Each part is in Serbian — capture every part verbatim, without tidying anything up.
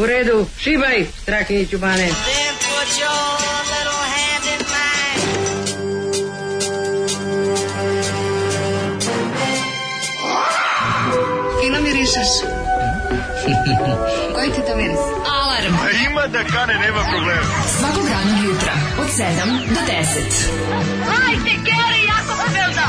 U redu, šibaj, Strahinjiću bane. Fino mirišeš. Koji ti to miris? Alarm. A ima da kane, nema problema. Svakog radnog jutra od sedam do deset. Hajde, Geri, jako se velda.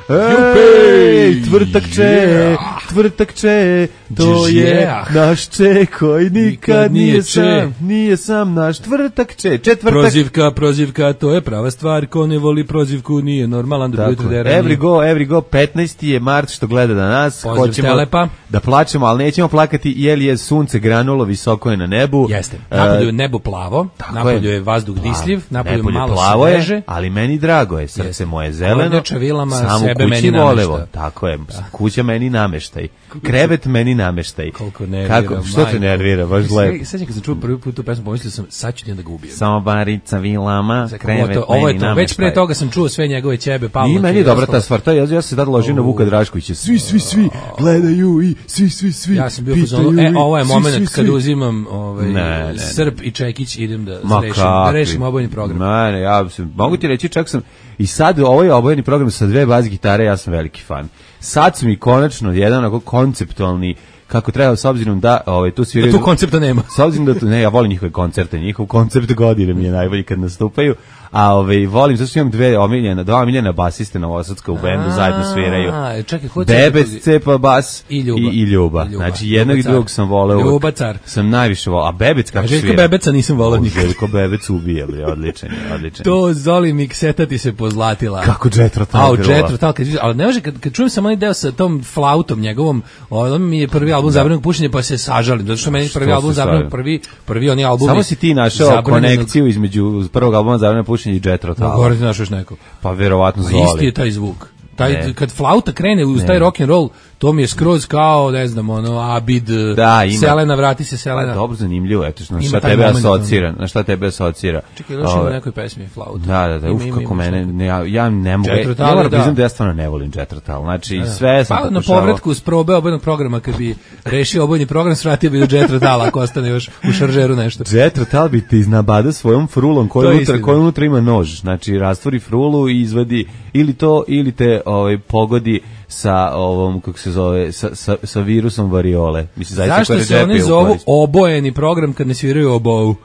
Ej, tvrtakče, tvrtakče, to je naš če koji nikad nije sam, nije sam naš tvrtakče, četvrtak. Prozivka, prozivka, to je prava stvar, ko ne voli prozivku nije normalan da bude derani. Every go, every go, petnaesti je mart što gleda na nas, Poziv hoćemo Telepa. Da plačemo, ali nećemo plakati jer je sunce granulo, visoko je na nebu. Jeste, napolju je nebo plavo, napolju je vazduh disljiv, napolju malo plavo sveže. Je, ali meni drago je, srce Jeste. Moje zeleno, vilama, samo sebe kući meni volevo, namešta. tako je, da. Kuća meni nameštaj, krevet meni nameštaj. Koliko nervira, kako, što te nervira, baš lepo. Sad kad sam čuo prvi put tu pesmu, pomislio sam, sad ću njega da ga ubijem. Samo barica vilama, Zako, krevet to, ovo je meni to, nameštaj. već pre toga sam čuo sve njegove ćebe, Pavla. I meni je dobra ta stvar, to ja, ja se tad ložim na Vuka Draškovića, svi, svi, svi gledaju i svi, svi, svi ja sam bio pozvano, e, ovo je moment kad uzimam ovaj, ne, ne, Srp i Čekić, idem da rešim, da rešim obojeni program. Ne, ne, ja sam, mogu ti reći, čak sam, i sad ovo je obojeni program sa dve bas gitare, ja sam veliki fan. Sad su mi konačno jedan onako konceptualni, kako treba, s obzirom da ovaj, tu sviraju... Da tu koncepta nema. S obzirom da tu, ne, ja volim njihove koncerte, njihov koncept godine mi je najbolji kad nastupaju, a ovaj, volim, zato što imam dve omiljena, dva omiljena basiste novosadska u bendu, zajedno sviraju. Čekaj, Bebec, Cepa, bas i Ljuba. I, i Ljuba. Ljuba. Znači, jednog i drugog sam voleo. Ljuba car. Sam najviše voleo. A Bebec kako svira? Željko Bebeca nisam voleo nikad. Željko Bebec ubija, odličan je, odličan. To Zoli mikseta ti se pozlatila. Kako Jetro Tal. A, Jetro Tal, kad, ali ne može, kad, kad čujem sam onaj deo sa tom flautom njegovom, on mi je prvi album Zabranjenog pušenja, pa se sažalim, zato što meni prvi album Zabranjenog, prvi, prvi oni albumi. Samo si ti našao konekciju između prvog albuma Zabranjenog pušenja i Jetro Tal. Govorite ti našao još neko. Pa verovatno Zoli. Isti je taj zvuk. Taj, kad flauta krene uz taj rock and roll, to mi je skroz kao, ne znam, ono, Abid, da, ima, Selena, vrati se Selena. Pa, dobro, zanimljivo, eto, na šta tebe asocira, na šta tebe asocira. Čekaj, još ima u nekoj pesmi flauta. Da, da, da, ima, uf, ima, kako ima, mene, ne, ja, ja ne mogu, ja moram priznam da ja stvarno ne volim Jetro Tal, znači, da, sve sam pa, pokušao. Na povratku s probe obojnog programa, kad bi rešio obojni program, svratio bi do Jetro Tala, ako ostane još u šaržeru nešto. Jetro Tal bi te iznabada svojom frulom, koja unutra, koja unutra ima nož, znači, rastvori frulu i izvadi ili to, ili te ovaj, pogodi sa ovom, kako se zove, sa, sa, sa virusom variole. Mislim, zašto se oni zovu obojeni program kad ne sviraju obovu?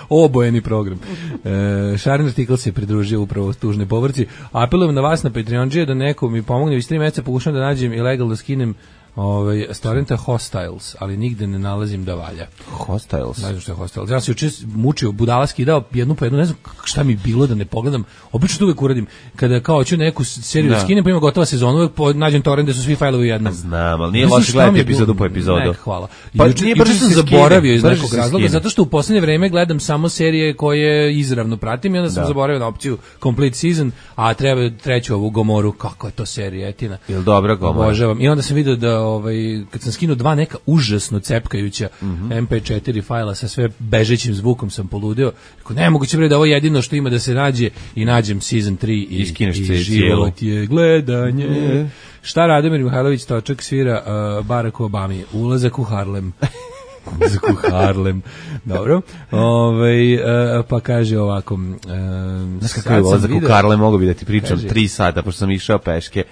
Obojeni program. E, Šarin artikl se pridružio upravo tužnoj povrci. Apelujem na vas na Patreonđije da neko mi pomogne. Već tri meseca pokušam da nađem i legalno skinem ovaj storenta Hostiles, ali nigde ne nalazim da valja. Hostiles. Ne znam što je Hostiles. Ja sam juče mučio, budala skidao jednu po jednu, ne znam šta mi bilo da ne pogledam. Obično to uvek uradim. Kada kao hoću neku seriju da skinem, pa ima gotova sezona, uvek po, nađem torrent gde su svi fajlovi jednom. Znam, ali nije loše gledati epizodu po epizodu. Ne, hvala. Pa juče, juče sam zaboravio iz nekog razloga, zato što u poslednje vreme gledam samo serije koje izravno pratim i onda sam da. zaboravio na opciju Complete Season, a treba treću ovu Gomoru. Kako je to serija, etina. Jel dobra Gomora? Obožavam. I onda sam video da ovaj, kad sam skinuo dva neka užasno cepkajuća mm-hmm. em pe četiri fajla sa sve bežećim zvukom sam poludeo. Rekao, nemoguće bre da ovo jedino što ima da se nađe i nađem season tri i, i, i život je gledanje. Mm. Šta Radomir Mihajlović Točak svira uh, Barack Obami? Ulazak u Harlem. Ulazak u Harlem. Dobro. Ove, uh, pa kaže ovako. Uh, Znaš kakav je ulazak u Harlem, mogu bi da ti pričam kaže, tri sata, pošto sam išao peške.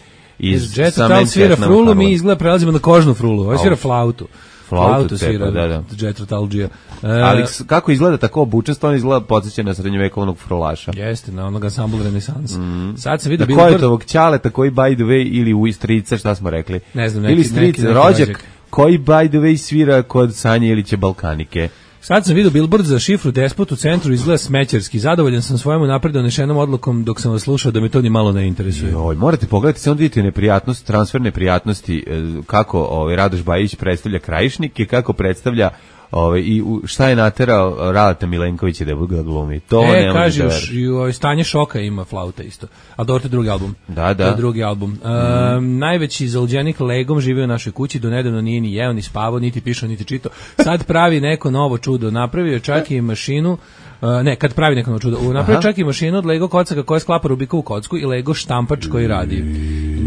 Iz Jetro Tal svira frulu, mi izgleda prelazimo na kožnu frulu. Ovo svira flautu. Flautu, flautu svira, da, da. Jetro Talđija. E, ali kako izgleda tako obučen, stvarno izgleda podsjeća na srednjovekovnog frulaša. Jeste, na onog ansambl Renesans. Mm. Sad se vidi da koji je ovog ćaleta koji by the way ili u strica, šta smo rekli? Ne znam, neki, ili strica, rođak, rođak koji by the way svira kod Sanje Ilića Balkanike. Sad sam vidio billboard za šifru Despot u centru, izgleda smećarski. Zadovoljan sam svojom napred donešenom odlukom dok sam vas slušao da me to ni malo ne interesuje. Joj, morate pogledati, samo vidite neprijatnost, transfer neprijatnosti, kako ovaj Radoš Bajić predstavlja Krajišnike, kako predstavlja ovaj i šta je naterao Raleta Milenkovića da ga glumi. To e, ne kaže još stanje šoka ima flauta isto. A dobro, to je drugi album. Da, da. To je drugi album. Mm. Um, najveći zaludjenik legom živio u našoj kući, do nedavno nije ni jeo, ni spavao, niti pišao, niti čitao. Sad pravi neko novo čudo. Napravio čak i mašinu Uh, ne, kad pravi neko čudo. Napravi čak i mašinu od Lego kocaka koja sklapa Rubikovu kocku i Lego štampač koji radi.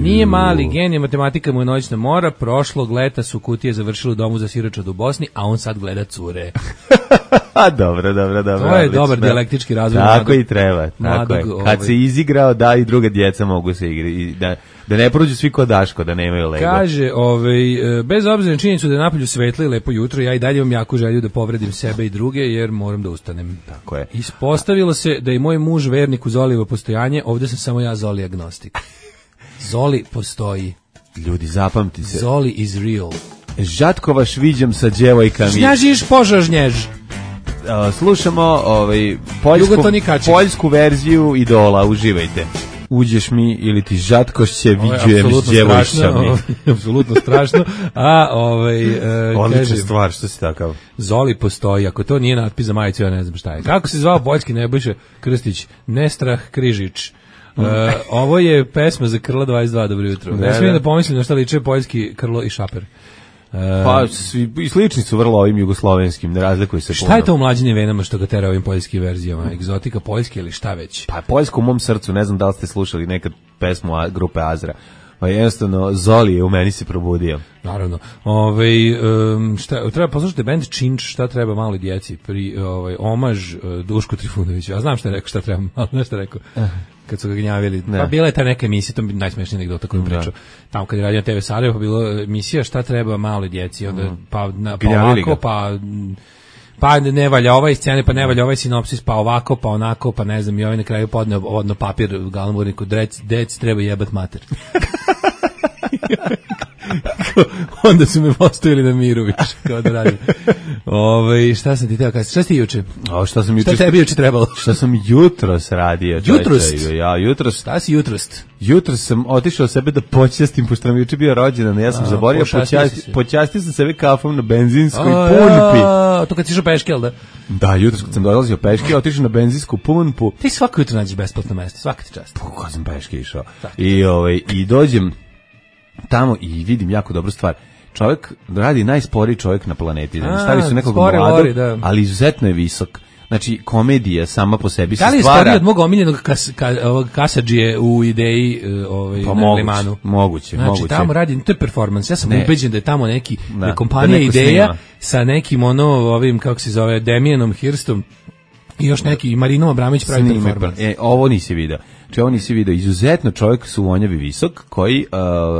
Nije mali genij, matematika mu je noćna mora, prošlog leta su kutije završile u domu za siročad u Bosni, a on sad gleda cure. A dobro, dobro, dobro. To je dobar dijalektički razvoj. Tako mladog, i treba, tako je. Kad ovaj. se izigrao, da i druga djeca mogu se igrati, da, da ne prođu svi kod Daško, da nemaju Lego. Kaže, ovaj, bez obzira na činjenicu da je napolju svetlo i lepo jutro, ja i dalje imam jaku želju da povredim sebe i druge, jer moram da ustanem. Tako je. Ispostavilo se da je moj muž vernik u Zolijevo postojanje, ovdje sam samo ja Zoli agnostik. Zoli postoji. Ljudi, zapamti se. Zoli is real. Žatkovaš viđam sa djevojkami. Žnjažiš požažnjež. Uh, slušamo ovaj, poljsku, poljsku verziju Idola, uživajte. Uđeš mi ili ti žatkošće viđujem s djevojkami. Apsolutno strašno. A, ovaj, uh, odlična stvar, što si takav? Zoli postoji, ako to nije natpis za majicu, ja ne znam šta je. Kako se zvao poljski Nebojša Krstić? Nestrah Križić. Uh, ovo je pesma za Krla dvadeset dva, dobro jutro. Ne, ne smijem da pomislim na šta liče poljski Krlo i Šaper. Uh, pa svi, i slični su vrlo ovim jugoslovenskim, ne razlikuju se šta puno. Je to u mlađinim venama što ga tera ovim poljskim verzijama? Egzotika poljske ili šta već? Pa poljsko u mom srcu, ne znam da li ste slušali nekad pesmu a, grupe Azra. Pa jednostavno Zoli je u meni se probudio. Naravno. Ovaj um, šta treba poslušati bend Činč, šta treba maloj djeci pri ovaj omaž uh, Dušku Trifunoviću. Ja znam šta je rekao, šta treba, ali nešto rekao. Kad su ga gnjavili. Ne. Pa bila je ta neka emisija, to bi najsmešniji anegdota koju pričao. Tamo kad je radio na te ve Sarajevo, pa bilo emisija šta treba maloj djeci, onda mm. pa na pa ovako, pa pa ne valja ovaj scene, pa ne valja ovaj sinopsis, pa ovako, pa onako, pa ne znam, i ovaj na kraju podneo odno papir glamurniku, dec, dec treba jebat mater. Onda su me postavili na miru više, kao da radim. Ove, šta sam ti teo kada, šta si ti juče? O, šta sam juče? Šta tebi juče trebalo? Šta sam jutros radio? Jutrost? Ja, jutros. Šta si jutrost? Jutros sam otišao sebe da počastim, pošto nam juče bio rođendan, ja sam a, zaborio, počasti, počastio sam sebe kafom na benzinskoj pumpi. Ja, to kad si išao peške, jel da? Da, jutros kad sam dolazio peške, otišao na benzinsku pumpu. Ti svako jutro nađeš besplatno mesto, svaka ti čast. Kako sam peške išao. I, ovaj, i dođem tamo i vidim jako dobru stvar. Čovjek radi najsporiji čovjek na planeti. A, stavi su nekog mladog, da. Ali izuzetno je visok. Znači, komedija sama po sebi se stvara. Da li je sporiji od mog omiljenog kas, ka, ovog kasadžije u ideji ovaj, pa na moguće, Limanu? Moguće, znači, moguće. tamo radi, to je performance. Ja sam ne. ubeđen da je tamo neki, da, je kompanija da ideja snima. Sa nekim ono, ovim, kako se zove, Demianom Hirstom i još neki, i Marinom Abramović pravi snime, performance. E, ovo nisi video. Znači, ovo nisi video. Izuzetno čovjek su vonjavi visok, koji...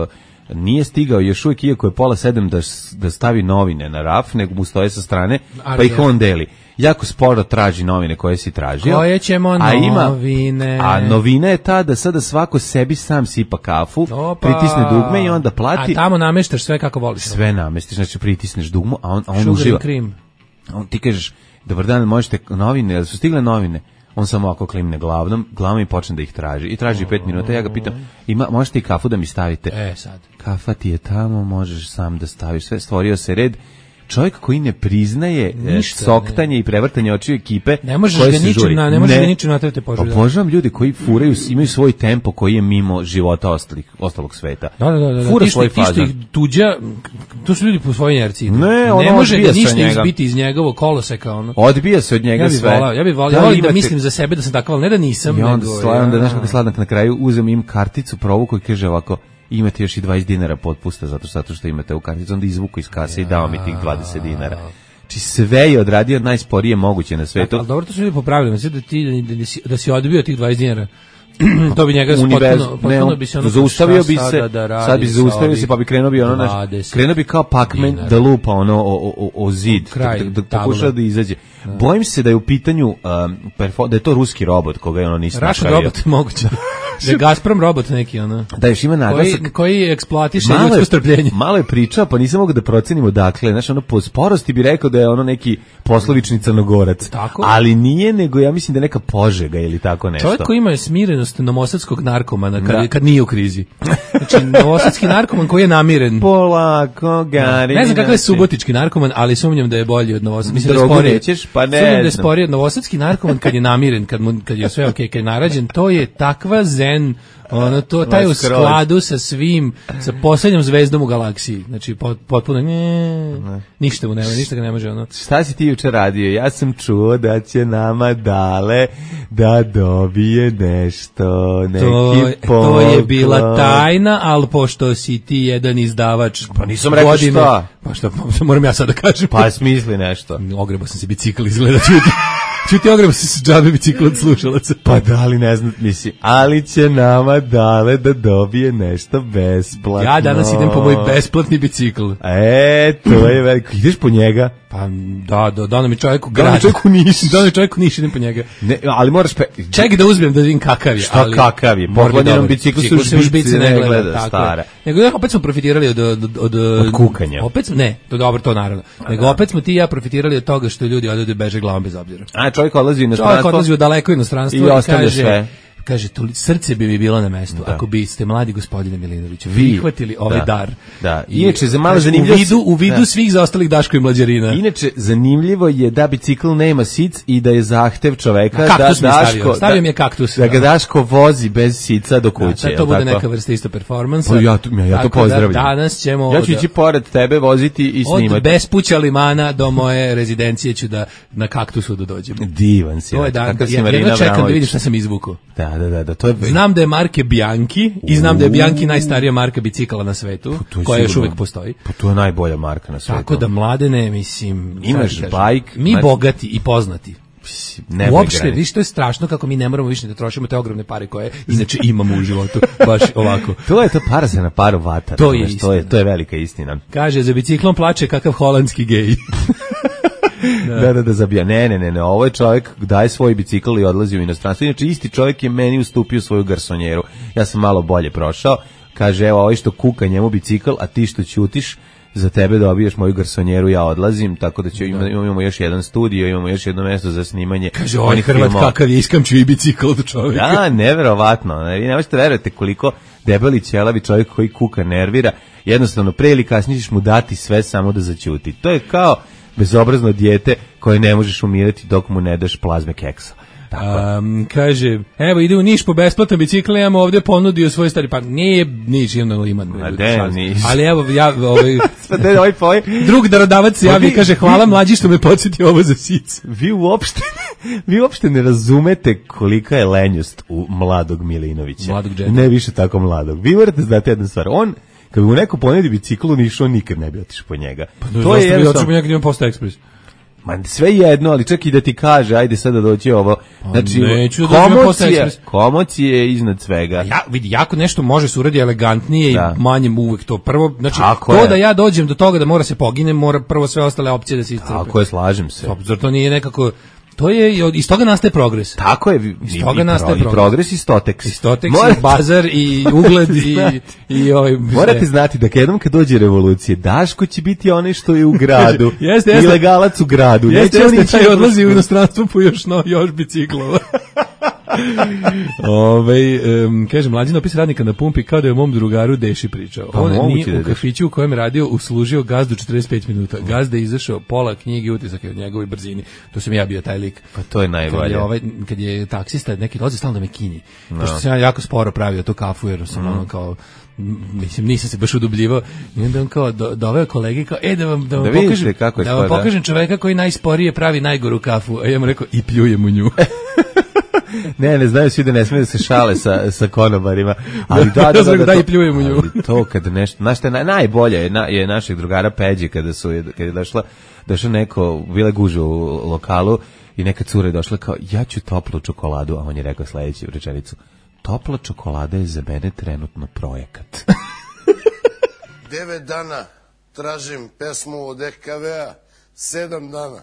Uh, nije stigao još uvijek, iako je pola sedam da, da stavi novine na raf, nego mu stoje sa strane, pa Ali ih on deli. Jako sporo traži novine koje si tražio. Koje ćemo a novine? Ima, a novina je ta da sada svako sebi sam sipa kafu, Opa. pritisne dugme i onda plati. A tamo nameštaš sve kako voliš. Sve namestiš, znači pritisneš dugmu, a on, a on uživa. A on, ti kažeš, dobar dan, možete novine, da su stigle novine? On samo ovako klimne glavom, glavom i počne da ih traži. I traži pet minuta, ja ga pitam, ima, možete i kafu da mi stavite? E, sad. Kafa ti je tamo, možeš sam da staviš sve. Stvorio se red. Čovjek koji ne priznaje ništa, soktanje ne. I prevrtanje očiju ekipe. Ne možeš ga ničim na, ne možeš ga ničim natrati poželja. Obožavam ljudi koji furaju, imaju svoj tempo koji je mimo života ostalih, ostalog sveta. Da, da, da, da. Fura ti svoj fazan. Ti što ih tuđa, to su ljudi po svojoj inerciji. Ne, ne može ga ništa izbiti iz njegovog koloseka. Ono. Odbija se od njega ja bi sve. Volao, ja bih volio da, da mislim za sebe da sam takav, ne da nisam. I onda, nego, slavim, ja. Da, znaš kako sladak na kraju, uzem im karticu, provuku i kaže ovako, imate još i dvadeset dinara potpusta zato, zato što imate u karticu, onda izvuku iz kase ja. I dao mi tih dvadeset dinara. Či sve je odradio najsporije moguće na svetu. Ali dobro, to su ljudi popravili, da ti da, da, si, da si odbio tih dvadeset dinara. To bi njega potpuno, potpuno bi se ono zaustavio bi se, da sad bi zaustavio se pa bi krenuo bi ono naš, krenuo bi kao Pac-Man da lupa ono o, o, o zid, da, da pokuša da izađe. Da. Bojim se da je u pitanju um, perfo, da je to ruski robot koga je ono nisi napravio. Russian robot moguće. Da je Gazprom robot neki ono. Da još ima naglasak koji, koji eksploatiše ljudsko strpljenje. Malo je pričao, pa nisam mogao da procenimo dakle, znači ono po sporosti bi rekao da je ono neki poslovični Crnogorac. Tako? Ali nije, nego ja mislim da je neka Požega ili tako nešto. Čovjek koji ima smirenost novosadskog narkomana kad, kad nije u krizi. Znači novosadski narkoman koji je namiren. Polako, gari. Ne znam kakav je subotički narkoman, ali sumnjam da je bolji od novosadskog. Mislim da sporije. Nećeš, pa ne. Sumnjam da je sporiji od novosadski narkoman kad je namiren, kad mu kad je sve okej, okay, kad je narađen, to je takva zen ten, ono to, taj u skladu sa svim, sa poslednjom zvezdom u galaksiji. Znači, pot, potpuno, ne, ništa mu nema, ništa ga ne može, ono. Šta si ti juče radio? Ja sam čuo da će nama Dale da dobije nešto, neki to, to je bila tajna, ali pošto si ti jedan izdavač pa nisam rekao godine, šta. Pa šta, pa moram ja sad da kažem. Pa smisli nešto. Ogrebao sam se bicikl, izgleda čuti. Čuti, ogrebao sam se džabe bicikl od slušalaca. Pa da li ne znam, misli, ali će nama Dale da dobije nešto besplatno. Ja danas idem po moj besplatni bicikl. E, to je veliko. Ideš po njega? Pa da, da, da mi čovjek u grad. Da mi čovjek u Niš. Da mi čovjek u Niš, idem po njega. Ne, ali moraš... Pe... Ček da uzmem da vidim kakav je. Šta ali kakav je? Poklonjenom biciklu se u žbici ne gleda, gleda stara. Nego ja, opet smo profitirali od... Od, od, od kukanja. Opet, ne, to dobro, to naravno. Nego opet smo ti i ja profitirali od toga što ljudi odlaze beže glavom bez obzira. A čovjek odlazi u inostranstvo. Čovjek odlazi u daleko inostranstvo i, i kaže... Sve. Kaže, to srce bi mi bilo na mestu da. Ako biste, mladi gospodine Milinoviću, prihvatili ovaj da. dar. Da. Inače, za malo zanimljivo... U vidu, u vidu da. svih zaostalih Daško i Mlađarina. Inače, zanimljivo je da bicikl nema sic i da je zahtev čoveka da Daško... Stavio, stavio mi je kaktus. Da ga Daško vozi bez sica do kuće. Da, to bude neka vrsta isto performansa. Pa ja, ja, ja to pozdravljam. Da, danas ćemo... Ja ću ići pored tebe, voziti i snimati. Od Bespuća limana do moje rezidencije ću da na kaktusu da dođem. Divan si. To je dan. Ja čekam da vidim šta sam izvukao. Da, da, da, da, to je... Znam da je marke Bianchi i znam da je Bianchi najstarija marka bicikala na svetu, koja još uvek postoji. Pa to je najbolja marka na svetu. Tako da mladene, mislim... Imaš bajk... Mi znači, bogati i poznati. Ne uopšte, viš, to je strašno kako mi ne moramo više da trošimo te ogromne pare koje inače imamo u životu. Baš ovako. To je to para se na paru vata. To je, to je, to je velika istina. Kaže, za biciklom plače kakav holandski gej. Da. da, da, da zabija. Ne, ne, ne, ne, ovo je čovjek daje svoj bicikl i odlazi u inostranstvo. Inače, isti čovjek je meni ustupio svoju garsonjeru. Ja sam malo bolje prošao. Kaže, evo, ovaj što kuka njemu bicikl, a ti što ćutiš, za tebe dobiješ moju garsonjeru, ja odlazim, tako da će, imamo, imamo još jedan studio, imamo još jedno mesto za snimanje. Kaže, on je Hrvat kakav je, iskamčio i bicikl od čovjeka. Da, neverovatno. Ne, vi ne možete verovati koliko debeli ćelavi čovjek koji kuka nervira. Jednostavno, pre ili kasnije ćeš mu dati sve samo da zaćuti. To je kao bezobrazno dijete koje ne možeš umirati dok mu ne daš plazme keksa. Um, kaže, evo ide u Niš po besplatan bicikl, imamo ovdje ponudio svoj stari, pa nije Niš, imam na Liman. Ali evo, ja, ovaj, drug darodavac se javi i kaže, hvala mlađi što me podsjeti ovo za sic. Vi uopšte, vi uopšte ne razumete kolika je lenjost u mladog Milinovića. Mladog džeta. Ne više tako mladog. Vi morate znati jednu stvar, on kad bi mu neko ponedi bicikl u Nišu, on nikad ne bi otišao po njega. Pa to je jednostavno... Otišao po njega, idemo Posta Ekspres. Ma sve jedno, ali čak i da ti kaže, ajde sada doći ovo. Znači, neću da komocija, komocija je iznad svega. Ja, vidi, jako nešto može se uradi elegantnije da. I manje uvek to. Prvo, znači, tako to je. Da ja dođem do toga da mora se poginem, mora prvo sve ostale opcije da se iscrpe. Tako je, slažem se. Zar to nije nekako... To je, iz toga nastaje progres. Tako je, iz toga i, nastaje i progres. progres i stoteks. I stoteks, morate, i bazar, i ugled, i, i ovaj... Morate znati da jednom kad dođe revolucija, Daško će biti onaj što je u gradu, jeste, jeste, ilegalac u gradu. Jeste, jeste, jeste, taj odlazi u inostranstvo po još, no, još biciklova. Ove, um, kaže, mlađi opis radnika na pumpi kao da je o mom drugaru Deši pričao. Pa on nije u kafiću u kojem je radio uslužio gazdu četrdeset pet minuta. Gazda je izašao pola knjige, utisak je od njegovoj brzini. To sam ja bio taj lik. Pa to je najbolje. Kad je, ovaj, kad je taksista neki dolazi stalno da me kinji. No. Pošto sam ja jako sporo pravio to kafu jer sam mm. ono kao mislim nisam se baš udubljivao i onda on kao do, doveo kolege kao e da vam da vam da pokažem kako da vam pokažem čoveka koji najsporije pravi najgoru kafu. A ja mu rekao i pljujem u nju. Ne, ne znaju svi da ne smije da se šale sa, sa konobarima. Ali da, da, da, da, da i pljujem u nju. Ali to kada nešto, znaš šta je najbolje je, na, je našeg drugara Peđe kada su, kada je došla, došla neko, bila guža u lokalu i neka cura je došla kao, ja ću toplu čokoladu, a on je rekao sledeću rečenicu, topla čokolada je za mene trenutno projekat. Devet dana tražim pesmu od E K V-a, sedam dana.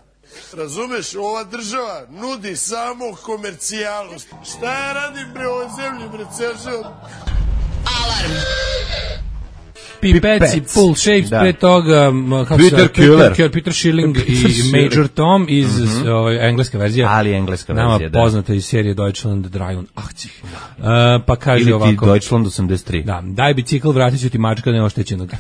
Razumeš, ova država nudi samo komercijalu. Šta ja radim bre ovoj zemlji, bre, ceo život? Alarm! Pipeci, Full Shapes, da. Pre toga Peter Killer, Peter, Peter Schilling i Major Tom iz mm-hmm. ovaj, engleska verzija. Ali engleska nama verzija, da. Nama poznata iz serije Deutschland dreiundachtzig. Uh, pa kaže ili ovako. Deutschland osamdeset tri. Da, daj bicikl, vratit ću ti mačka neoštećenog.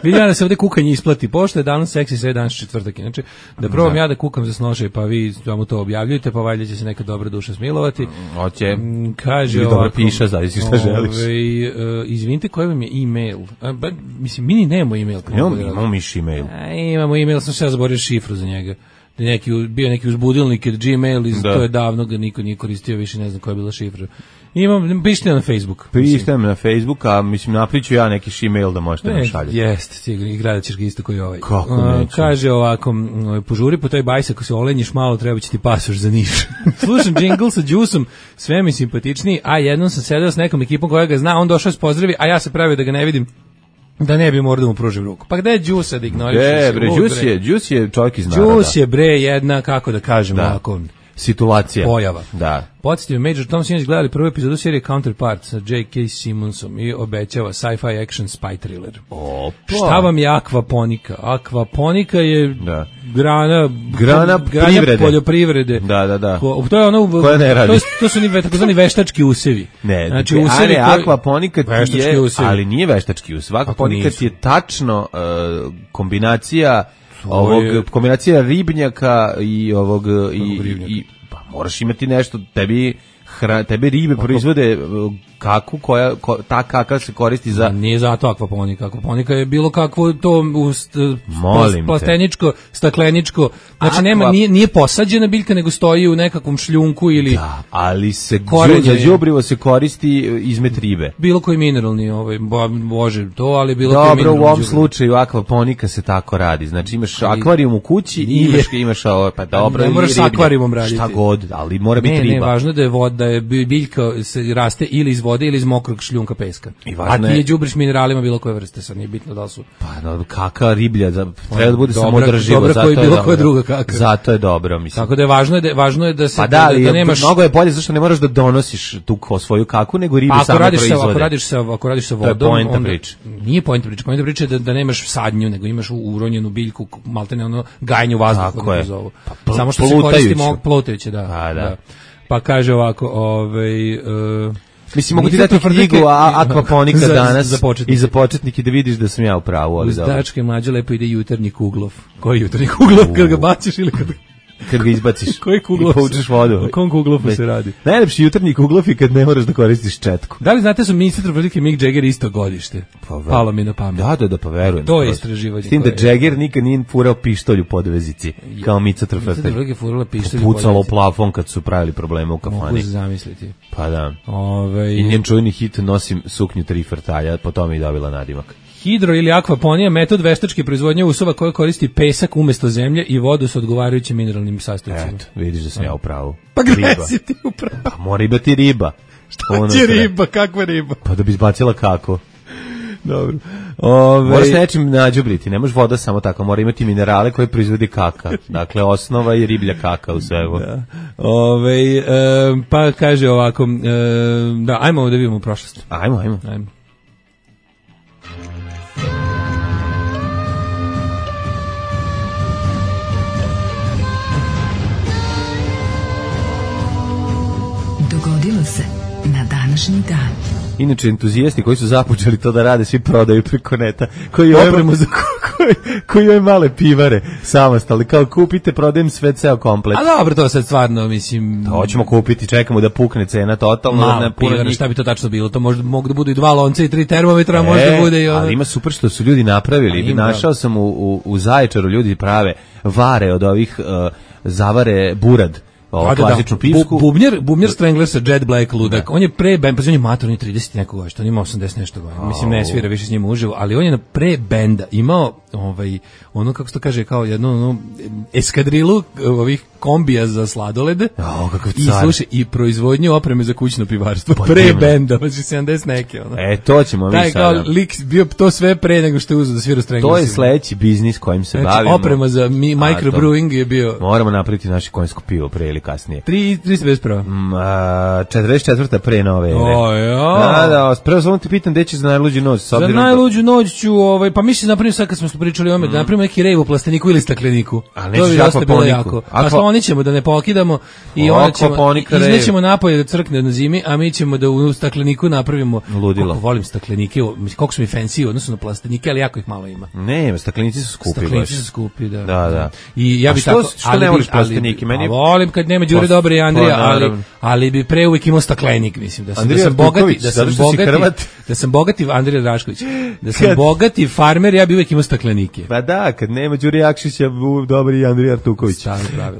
Vidim ja da se ovde kukanje isplati. Pošto je danas seksi, sve danas četvrtak. Inače, da probam da. ja da kukam za snošaj, pa vi vam to objavljujete, pa valjda će se neka dobra duša smilovati. Hoće. Kaže ovako. Dobro piše, zavisi šta želiš. Ovaj, uh, izvinite, koji vam je e-mail? A, ba, mislim, mi ni nemamo e-mail. Imamo, imamo miš e-mail. A, imamo e-mail, sam se ja zaborio šifru za njega. Neki, bio neki uzbudilnik od Gmail, iz, to je davno ga niko nije koristio, više ne znam koja je bila šifra. Imam, pišite na Facebook. Pišite na Facebook, a mislim napriču ja neki email da možete nam šaljati. Jeste, i gradat ćeš ga isto koji ovaj. Kako neću? Kaže ovako, požuri po toj bajsi, ako se olenjiš malo, treba će ti pasoš za Niš. Slušam džingl sa Đusom, sve mi simpatičniji, a jednom sam sedeo s nekom ekipom koja ga zna, on došao s pozdravi, a ja se pravio da ga ne vidim, da ne bi morao da mu pružim ruku. Pa gde je Đusa da ignoriš? E, bre, Đus je, Đus je čovjek iz naroda. Đus je, bre, jedna, kako da kažem, da. ovako... Situacija. Pojava. Da. Podsjetio Major Tom sinoć gledali prvu epizodu serije Counterpart sa J K. Simonsom i obećava sci-fi action spy thriller. Opa. Šta vam je akvaponika? Akvaponika je da. grana, grana, grana privrede. poljoprivrede. Da, da, da. Ko, to je ono, koja ne radi. To, to su ni takozvani veštački usevi. Ne, znači, usevi usevi a ne, akvaponika ti je, usevi. ali nije veštački usev. Akvaponika ti je tačno uh, kombinacija ovog, je... kombinacija ribnjaka i ovog, i, i, pa moraš imati nešto, tebi, hra, tebi ribe proizvode kaku koja, ko, ta kaka se koristi za... Nije zato akvaponika. Akvaponika je bilo kakvo to ust, Molim plasteničko, stakleničko. Znači, Akva... nema, nije, nije posađena biljka, nego stoji u nekakvom šljunku ili... Da, ali se za đubrivo se koristi izmet ribe. Bilo koji mineralni, ovaj, može to, ali bilo Dobro, koji mineralni. Dobro, u ovom slučaju akvaponika se tako radi. Znači, imaš ali, akvarijum u kući i imaš, imaš ovo, pa dobro... Ne moraš s akvarijumom raditi. Šta god, ali mora biti ne, riba. Ne, važno da je voda, da je biljka se raste ili iz vode ili iz mokrog šljunka peska. A ti je đubriš mineralima bilo koje vrste, sad nije bitno da li su. Pa no, kaka riblja, za, treba da bude samoodrživo, dobra zato koji je bilo dobro. koja druga kaka. Zato je dobro, mislim. Tako da je važno je da važno je da se pa da, da, da nemaš mnogo je bolje zašto ne moraš da donosiš tu ko svoju kaku, nego ribe same proizvode. Sa, ako radiš sa ako radiš sa vodom, to je poenta priča. Nije poenta priča, poenta priča da, da nemaš sadnju, nego imaš uronjenu biljku, maltene ono gajenje vazduha kako zovu. Pa, samo što se koristi plutajuće, da, pa, da. da. Pa kaže ovako, ovaj uh, mislim, mogu ti dati knjigu Akvaponika za, danas za i za početnike da vidiš da sam ja u pravu. Uz dačke mlađe lepo ide jutarnji kuglov. Koji jutarnji kuglov? Kad ga baciš ili kad... Kad ga izbaciš koji kuglov i poučeš vodu. O kom kuglofu se radi? Najlepši jutarnji kuglov je kad ne moraš da koristiš četku. Da li znate su ministar trofrdike Mick Jagger isto godište? Pa, palo mi na pamet. Da, da, da, pa verujem. To je istraživanje. S tim da Jagger nikad nije furao pištolj u podvezici, kao Mica Trofrdike. Mica Trofrdike furala pištolj u podvezici. Pucalo u plafon kad su pravili probleme u kafani. Mogu se zamisliti. Pa da. Ove... I njen čujni hit Nosim suknju tri frtalja, po tome i dobila nadimak. Hidro ili akvaponija, metod veštačke proizvodnje usova koja koristi pesak umesto zemlje i vodu sa odgovarajućim mineralnim sastojcima. Eto, vidiš da sam ja u pravu. Pa gde si ti u pravu? Pa mora imati riba. Šta će riba? Kakva riba? Pa da bi izbacila kako. Dobro. Ove... Moraš nečim nađubriti, ne može voda samo tako, mora imati minerale koje proizvodi kaka. Dakle, osnova je riblja kaka u svemu. Da. Ove, e, pa kaže ovako, e, da, ajmo da vidimo prošlost. Ajmo, ajmo. Ajmo. Dogodilo se na današnji dan. Inače, entuzijasti koji su započeli to da rade, svi prodaju preko neta, koji opremu za koji, koji ove male pivare samostalni, kao kupite, prodajem sve ceo komplet. A dobro, to sad stvarno, mislim... To hoćemo kupiti, čekamo da pukne cena totalno. Malo na pivara, njih... šta bi to tačno bilo? To možda mogu da budu i dva lonca i tri termometra, e, možda bude i ono... Ali ima super što su ljudi napravili. Ima, našao sam u, u, u Zaječaru, ljudi prave vare od ovih uh, zavare burad. O, klasičnu pivsku. Bu, bubnjar, bubnjar Strangler sa Jet Black ludak. On je pre benda, pa on je mator, on je trideset nekog godina, on ima osamdeset nešto godina. Oh. Mislim, ne svira više s njima uživo, ali on je na pre benda imao ovaj, ono, kako se to kaže, kao jednu ono, eskadrilu ovih kombija za sladolede. Oh, kakav car. I slušaj, i proizvodnju opreme za kućno pivarstvo. Pa pre nema. Benda, pa sedamdeset neke. Ono. E, to ćemo mi sada. Taj kao lik bio to sve pre nego što je uzeo da svira Strangler. To je sledeći biznis kojim se znači, bavimo. Oprema za mi, microbrewing je bio. Moramo napraviti naše konjsko pivo pre ili kasnije. tristo pedeset prva Mm, a, četrdeset četvrta pre nove ere. O, ja. Da, da, prvo samo te pitam gde ćeš za najluđu noć. Za najluđu noć ću, ovaj, pa mislim napravim sad kad smo pričali o ome, mm. da napravimo neki rejv u plasteniku ili stakleniku. A to bi dosta bilo jako. Pa sloni ćemo da ne pokidamo i onda ćemo, iznećemo napolje da crkne na zimi, a mi ćemo da u stakleniku napravimo. Ludilo. Koliko volim staklenike, koliko su mi fancy u odnosu na plastenike, ali jako ih malo ima. Ne, staklenici su skupi. Staklenici su skupi, da. Da, da. I ja bih što, tako, što ne voliš plastenike? Meni... volim kad nema Đure Dobre i Andrija, ali, ali bi pre uvijek imao staklenik, mislim. Da sam, da sam bogati, da sam bogati, da sam bogati, Andrija Drašković, da sam kad... bogati farmer, ja bi uvijek imao staklenike. Pa da, kad nema Đure Jakšića, Dobri i Andrija Artuković.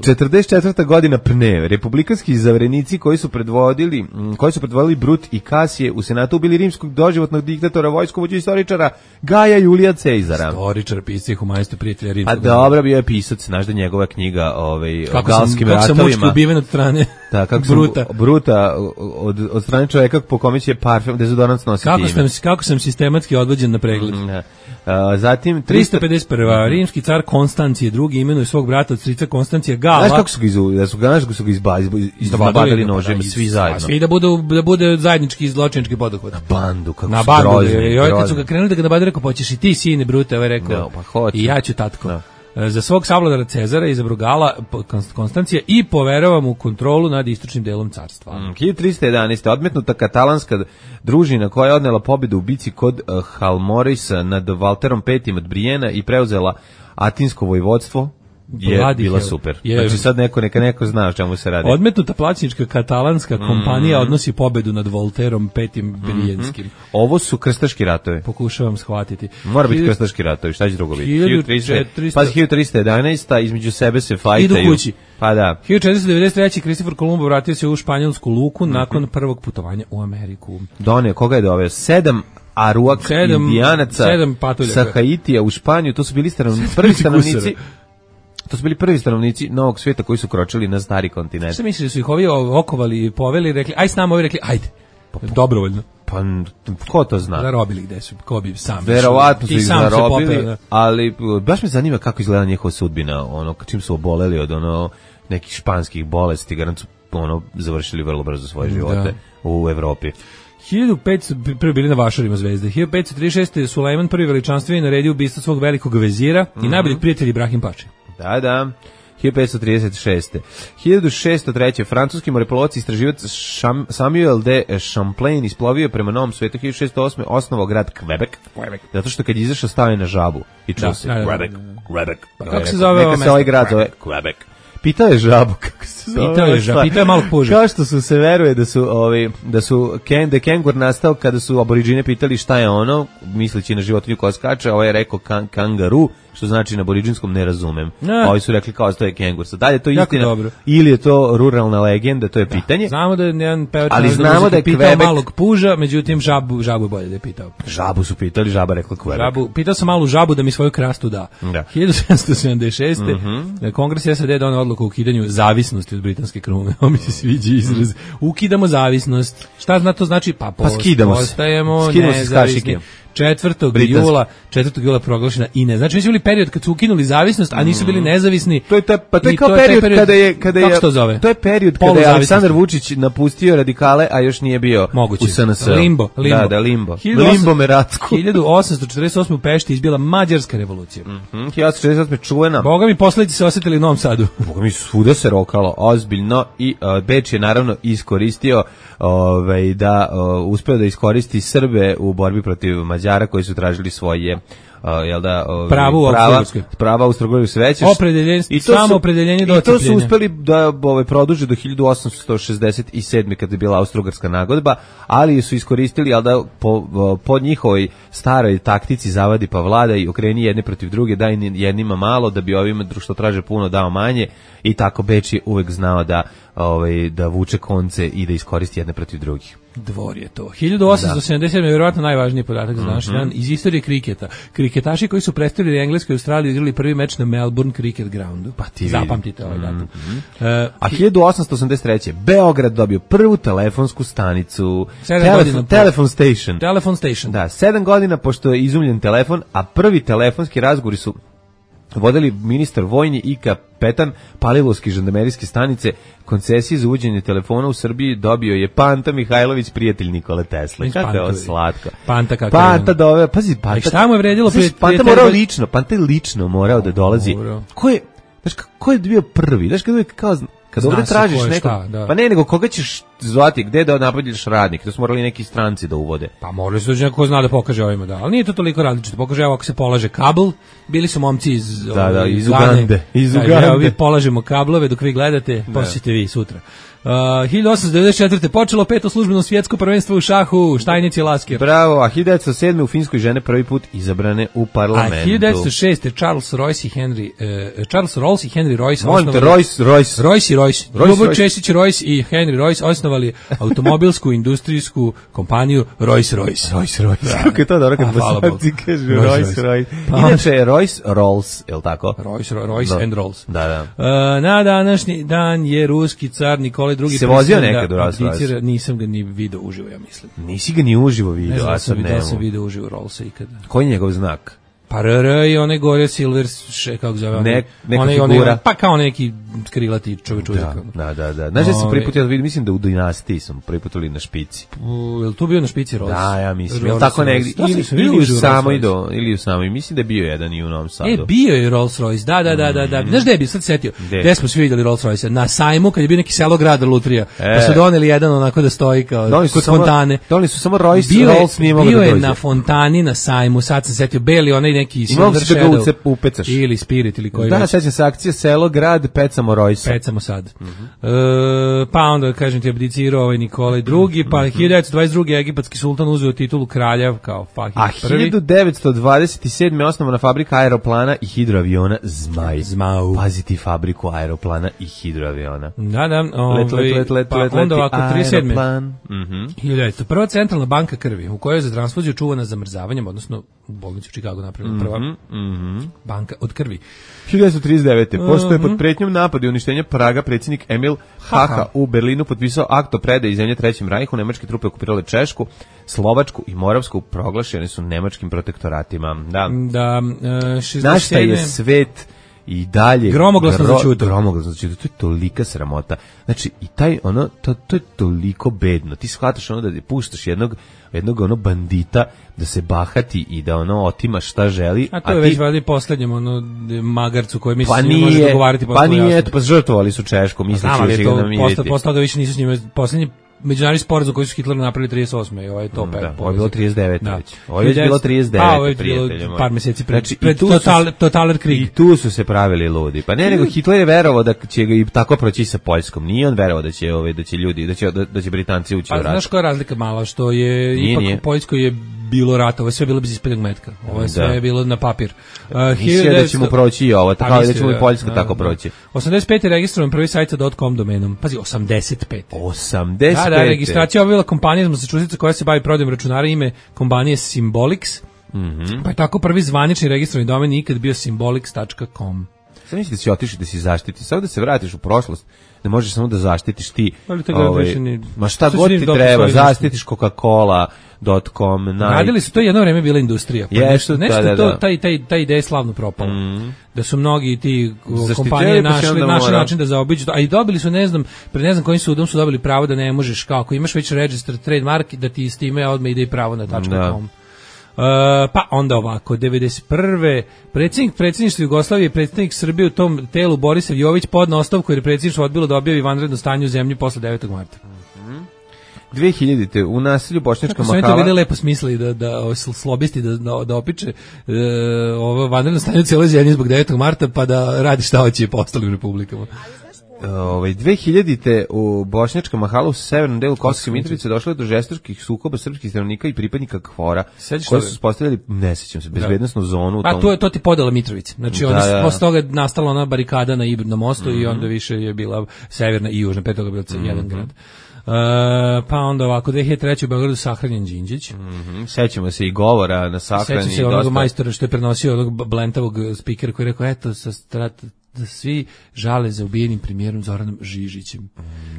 četrdeset četvrta godina Pne, republikanski zaverenici koji su predvodili, koji su predvodili Brut i Kasije u Senatu ubili rimskog doživotnog diktatora, vojskovođu i istoričara Gaja Julija Cezara. Istoričar, pisci, humanista, prijatelja rimskog. A dobro, bio je pisac, znaš da njegova knjiga ovaj, o galskim ratovima. Kako sam mučki ubiven od strane da, kako Bruta. Sam, Bruta od, od strane čovjeka po kome će parfum, dezodorans nositi kako ime. Sam, kako sam sistematski odvođen na pregled. Mm, a, zatim tristo pedeset prva rimski car Konstancije drugi imenuje svog brata od strica Konstancija Gala. Znaš kako su ga izu, da su ga, znaš kako su ga izbadili, izbadili nožem, svi zajedno. Svi da budu da bude zajednički zločinački poduhvat. Na bandu, kako na su bandu, grozni. I ovaj kad su ga krenuli da ga nabadaju, rekao, poćeš i ti, sine Brute, ovaj rekao, no, pa hoću. I ja ću tatko. No. Za svog savladara Cezara izabrao Gala Konstancija i poverava mu kontrolu nad istočnim delom carstva. Mm, hiljadu tristo jedanaeste. odmetnuta katalanska družina koja je odnela pobedu u bici kod uh, Halmorisa nad Valterom petim od Brijena i preuzela Atinsko vojvodstvo. Je Vladi bila hel. Super. Je. Znači sad neko neka neko zna o čemu se radi. Odmetnuta plaćnička katalanska kompanija mm. odnosi pobedu nad Volterom petim Brijenskim. Mm -hmm. Ovo su krstaški ratovi. Pokušavam shvatiti. Mora biti krstaški ratovi, šta će drugo biti? hiljadu tristo jedanaesta. između sebe se fajtaju. Idu kući. Pa da. hiljadu četiristo devedeset treće. Kristofor Kolumbo vratio se u španjolsku luku mm -hmm. nakon prvog putovanja u Ameriku. Done, koga je doveo? Sedam Aruak sedam, indijanaca sedam sa Haitija u Španiju. To su bili stanovnici, prvi stanovnici. To su bili prvi stanovnici Novog svijeta koji su kročili na stari kontinent. Šta misliš da su ih ovi okovali i poveli i rekli, aj s nama, ovi rekli, ajde, pa, dobrovoljno. Pa, ko to zna? Zarobili gde su, ko bi sam. Verovatno su ih zarobili, popeo, ali baš me zanima kako izgleda njihova sudbina, ono, čim su oboleli od ono nekih španskih bolesti, garant su ono, završili vrlo brzo svoje živote da. U Evropi. hiljadu petsto prvi bili na vašarima zvezde. hiljadu petsto trideset šeste. Sulejman prvi veličanstveni naredio ubistvo svog velikog vezira mm -hmm. i najboljeg prijatelja Ibrahim Pači. Da, da. hiljadu petsto trideset šeste. hiljadu šesto treće. francuski morepolovac i istraživac Samuel de Champlain isplovio prema Novom svetu. hiljadu šesto osme. osnovao grad Quebec. Quebec. Zato što kad je izašao stavio na žabu i čuo se Quebec, Quebec. Pa kako se zove ovo mesto? Neka se ovaj grad zove Quebec. Pitao je žabu kako se zove. Pitao je žabu, pitao je malog puža. Kao što su se veruje da su ovi da su ken de kengur nastao kada su aboriđine pitali šta je ono, misleći na životinju koja skače, ovaj je rekao kan, kangaru, što znači na aboriđinskom ne razumem. A ovi su rekli kao to je kengur. Sad dalje to je istina dobro. Ili je to ruralna legenda, to je pitanje. Da, znamo da je jedan pevač ali znamo da je pitao Quebec... malog puža, međutim žabu žabu bolje da je pitao. Žabu su pitali, žaba rekla Quebec. Žabu, pitao sam malu žabu da mi svoju krastu da. da. hiljadu sedamsto sedamdeset šeste. Mm -hmm. Kongres S A D doneo odluku o ukidanju zavisnosti od britanske krune. Ovo mi se sviđa izraz. Ukidamo zavisnost. Šta zna to znači? Pa, pa skidamo se. Postajemo skidamo nezavisni. četvrtog jula, četvrtog jula proglašena I N E. Znači, mi su bili period kad su ukinuli zavisnost, a nisu bili nezavisni. To je ta, pa to je kao to period, period kada je kada je to zove? To je period kada je Aleksandar Vučić napustio radikale, a još nije bio moguće. U S N S. Limbo, limbo. Da, da, limbo. Limbo Meratsko. hiljadu osamsto četrdeset osme. u Pešti izbila Mađarska revolucija. Mhm. hiljadu osamsto četrdeset osme. čuvena. Boga mi posledice se osetili u Novom Sadu. Boga mi svuda se rokalo ozbiljno i uh, Beč je naravno iskoristio ovaj da uh, uspeo da iskoristi Srbe u borbi protiv Mađara koji su tražili svoje uh, jel da uh, pravo prava prava Austro-Ugarske veće opredeljenje i to samo opredeljenje do i to su uspeli da ovaj produže do hiljadu osamsto šezdeset sedme kada je bila Austro-Ugarska nagodba, ali su iskoristili jel da po, po njihovoj staroj taktici zavadi pa vlada i okreni jedne protiv druge, daj jednima malo da bi ovima što traže puno dao manje i tako Beč je uvek znao da ovaj da vuče konce i da iskoristi jedne protiv drugih. Dvor je to. hiljadu osamsto sedamdeset sedme. je vjerovatno najvažniji podatak za današnji mm -hmm. dan iz istorije kriketa. Kriketaši koji su predstavili Englesku i Australiju igrali prvi meč na Melbourne Cricket Groundu. Pa ti zapamtite ovaj datum. Mm -hmm. uh, A hiljadu osamsto osamdeset treće. Beograd dobio prvu telefonsku stanicu. Telefon, telefon station. Telefon station. Da, sedam godina pošto je izumljen telefon, a prvi telefonski razgovori su vodili ministar vojni i kapetan Palilowske žandarmerijske stanice. Koncesije za uvođenje telefona u Srbiji dobio je Panta Mihajlović, prijatelj Nikole Tesle. Kako je ovo slatko. Panta kako Panta dove, pazi, Panta. Šta mu je vredilo? Znaš, Panta morao lično, Panta je lično morao da dolazi. Ko je, znaš, ko je bio prvi? Znaš, kada je kao... Kad ovdje tražiš neko, pa ne, nego koga ćeš zvati, gde da napadneš radnik, to su morali neki stranci da uvode. Pa morali su da ko zna da pokaže ovima, da, ali nije to toliko različito, pokaže evo ako se polaže kabel, bili su momci iz, da, da, iz Ugande, iz Ugande. Da, evo vi polažemo kablove dok vi gledate, posjećete vi sutra. Uh, hiljadu osamsto devedeset četvrte počelo peto službeno svjetsko prvenstvo u šahu, Štajnic i Lasker. Bravo, a hiljadu devetsto sedme u Finskoj žene prvi put izabrane u parlamentu. A hiljadu devetsto šeste Charles Royce i Henry, uh, Charles Rolls i Henry Royce Molim te, Royce, Royce. Royce i Royce. Ljubo Česić Royce i Henry Royce osnovali automobilsku industrijsku kompaniju Royce Royce. Royce Royce. Kako je to dobro kad bosanci kažu Royce Royce. Inače je Royce Rolls, je li tako? Royce, Royce and Rolls. Da, da. Uh, na današnji dan je ruski car Nikolaj drugi. Se vozio nekad u Rolls Royce? Nisam ga ni video uživo, ja mislim. Nisi ga ni uživo video, ne znam, a sad ne nemo. Da sam video uživo Rollsa ikada. Koji je njegov znak? Pa R R i onaj gore Silver, še, kako zove, ne, neka onaj, figura. Onaj, pa kao neki krilati čovjek uzak. Da, da, da. Znaš da sam prvi put, ja vidim, mislim da u Dinastiji sam prvi put ili na špici. U, je li tu bio na špici Rolls? Da, ja mislim. Je li tako negdje? Ili, ili, u samoj do, ili u samoj, mislim da je bio jedan i u Novom Sadu. E, bio je Rolls Royce, da, da, da, da. da. Znaš gde je bio, sad setio? Gde smo svi vidjeli Rolls Royce? Na sajmu, kad je bio neki Selograd lutrija, e. pa su doneli jedan onako da stoji kao kod fontane. Doneli su samo Royce, Rolls nije mogao da dođe. Bio je na fontani, na sajmu, sad sam setio, beli onaj neki Shadow, upecaš. Ili Spirit ili koji da, već. sećam se akcije Selo grad, pecamo Royce. Pecamo sad. Mm-hmm. E, pa onda, kažem ti, abdicirao ovaj Nikolaj drugi, pa mm-hmm. hiljadu devetsto dvadeset drugi egipatski sultan uzeo titulu kralja kao Fahid prvi. A hiljadu devetsto dvadeset sedme osnovana fabrika aeroplana i hidroaviona Zmaj. Zmau. Paziti fabriku aeroplana i hidroaviona. Da, da. Ovaj, let, let, let, let, pa let, onda ovako, trideset sedme Mm-hmm. hiljadu devetsto Prva centralna banka krvi, u kojoj je za transfuziju čuvana zamrzavanjem, odnosno u bolnici u Čikagu napravljena prva mm-hmm. banka od krvi. hiljadu devetsto trideset devete Pošto je pod pretnjom napada i uništenja Praga, predsjednik Emil Haha u Berlinu potpisao akt o predaji zemlje Trećem Rajhu, nemačke trupe okupirale Češku, Slovačku i Moravsku, proglašene su nemačkim protektoratima. Da, da uh, šezdeset sedme Na šta je svet i dalje gromoglasno gro, začuto. Gromoglasno začuto. To je tolika sramota. Znači, i taj, ono, to, to je toliko bedno. Ti shvataš ono da puštaš jednog, jednog ono bandita da se bahati i da ono otima šta želi. A to je a već ti... valjda poslednjem ono magarcu koji misli pa da može dogovarati. Pa nije, eto, pa žrtvovali su Češku, misli da će ga namiriti. Postao da više nisu s njima, poslednji međunarodni sporazum koji su Hitler napravili trideset osme i ovo je to mm, pet. Da, ovo je bilo trideset devet Da. Već. Ovo je bilo trideset devet A, ovo je bilo par meseci pred, znači, pred total, Totaler Krieg. I tu su se pravili ludi. Pa ne, nego Hitler je verovao da će ga i tako proći sa Poljskom. Nije on verovao da će, ove, da će ljudi, da će, da, da će Britanci ući pa, u rat. Znaš koja je razlika mala, što je nije, ipak nije. u Poljskoj je bilo rata, ovo je sve bilo bez ispeljeg metka. Ovo je sve da. bilo na papir. Uh, Mislio da ćemo proći i ovo, tako da ćemo i Poljska da, tako da. proći. osamdeset pete registrovan prvi sajt sa .com domenom. Pazi, osamdeset pete osamdeset pete Da, da, registracija obavila kompanija iz Massachusettsa koja se bavi prodajom računara, ime kompanije Symbolics. Mm-hmm. Pa je tako prvi zvanični registrovani domen ikad bio symbolics tačka com. Sad misliš da si otišao da si zaštiti, samo da se vratiš u prošlost, ne možeš samo da zaštitiš ti. Ovaj, ni, ma šta god ti treba, zaštitiš Coca-Cola dot com. Naj... Radili su, to jedno vreme bila industrija. Pa Jesu, nešto, da, da, to, da. taj, taj, taj ideja je slavno propala. Mm. Da su mnogi ti kompanije našli, našli način da zaobiđu, a i dobili su, ne znam, pred ne znam kojim sudom su dobili pravo da ne možeš, kako imaš već register trademark, da ti s time odmah ide i pravo na .com. Uh, pa onda ovako, devedeset prve predsjednik predsjedništva Jugoslavije, predsjednik Srbije u tom telu Borisav Jović podneo ostavku jer je predsjedništvo odbilo da objavi vanredno stanje u zemlji posle devetog marta dve hiljadite u naselju Bošnjačka Mahala. Kako su oni to bili lepo smislili da, da slobisti da, da, da opiče e, ovo vanredno stanje u cijeloj zemlji zbog devetog marta pa da radi šta hoće i po ostalim republikama. Ovaj dve hiljadite u Bošnjačka Mahala u severnom delu Kosovske Mitrovice došlo je do žestokih sukoba srpskih stanovnika i pripadnika KFOR-a koji su uspostavili, ne sećam se, bezbednosnu da. zonu u tom. A to je to ti podela Mitrovice. Znači da, onda da. posle toga nastala ona barikada na Ibirnom mostu mm-hmm. i onda više je bila severna i južna, pre toga bio mm-hmm. jedan grad. Uh, pa onda ovako, dve hiljade treće u Beogradu sahranjen Đinđić. Mm-hmm. Sećamo se i govora na sahrani. Sećam se onog majstora što je prenosio onog blentavog spikera koji je rekao, eto, sa strat, da svi žale za ubijenim premijerom Zoranom Žižićem.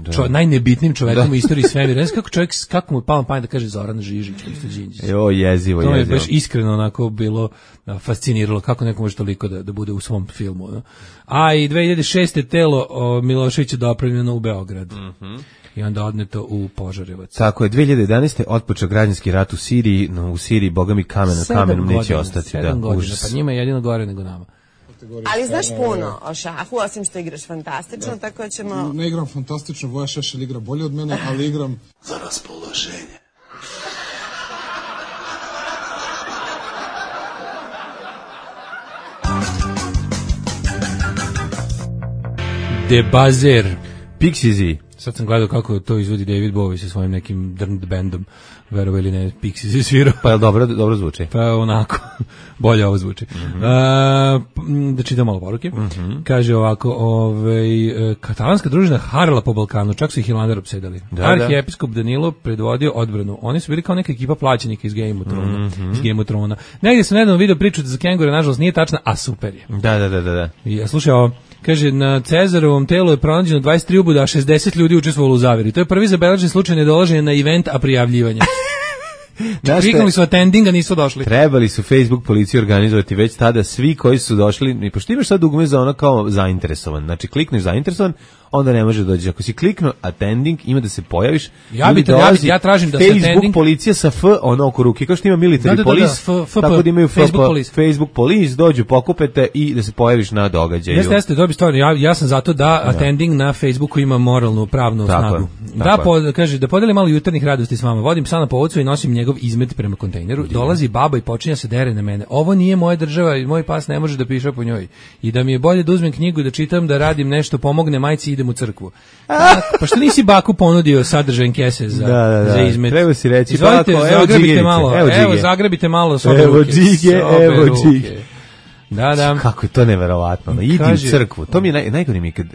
Da. Čo, najnebitnim čovekom da. u istoriji svemira. Ne znam kako čovjek, kako mu palo na pamet da kaže Zoran Žižić, isto Đinđić. Jo, jezivo, to jezivo. To je baš iskreno onako bilo fasciniralo kako neko može toliko da, da bude u svom filmu. No? A i dve hiljade šeste telo o, Miloševića dopravljeno u Beograd. Mhm. I onda odneto u Požarevac. Tako je, dve hiljade jedanaeste otpočeo građanski rat u Siriji, no u Siriji, boga mi kamen na kamenom neće ostati. Sedam da, godina, užas. pa njima je jedino gore nego nama. Ali znaš puno o šahu, osim što igraš fantastično, da. tako ćemo... Ne igram fantastično, Voja Šešelj igra bolje od mene, ali igram... Za raspoloženje. Debazer. Pixiesi. Sad sam gledao kako to izvodi David Bowie sa svojim nekim drnd bandom. Verovo ili ne, Pixiesi svirao. Pa je dobro, dobro zvuči. Pa onako, bolje ovo zvuči. Mm-hmm. A, da čitam malo poruke. Mm-hmm. Kaže ovako, ovaj, katalanska družina harala po Balkanu, čak su ih Hilander opsedali. Da, Arhijepiskop Danilo predvodio odbranu. Oni su bili kao neka ekipa plaćenika iz Game of Thrones. Mm-hmm. Iz Game of Thrones. Negdje sam nedavno video priču da za kengure, nažalost, nije tačna, a super je. Da, da, da, da. da. I, slušaj ovo, kaže, na Cezarovom telu je pronađeno dvadeset tri uboda, a šezdeset ljudi učestvovalo u zaveri. To je prvi zabeležen slučaj nedolaženja na event, a prijavljivanja. Kliknuli su attending, a nisu došli. Trebali su Facebook policiju organizovati već tada svi koji su došli, i pošto imaš sad dugme za ono kao zainteresovan, znači klikneš zainteresovan, onda ne može doći. Ako si kliknuo attending, ima da se pojaviš. Ja, bi, ja, ja tražim da se Facebook attending... policija sa F, ono oko ruke, kao što ima military da, da, police, da, da, F, tako da imaju Facebook police. Facebook police, dođu, pokupete i da se pojaviš na događaju. Jeste, jeste, dobi stvarno, ja, ja sam zato da, da attending na Facebooku ima moralnu, pravnu tako snagu. Je, da, po, kaže, da podelim malo jutarnjih radosti s vama. Vodim psa na povodcu i nosim njegov izmet prema kontejneru. Udine. Dolazi baba i počinja se dere na mene. Ovo nije moja država i moj pas ne može da piše po njoj. I da mi je bolje da uzmem knjigu, da čitam, da radim nešto, pomogne majci i idem u crkvu. A, pa što nisi baku ponudio sadržajen kese za, da, da, da. za izmet? Treba si reći, izvolite, bako, zagrebite malo, evo, evo, zagrebite malo sobe evo ruke. Džige, evo džige. Da, da. Kako je to neverovatno. No, idi u crkvu. To mi je naj, najgore mi kad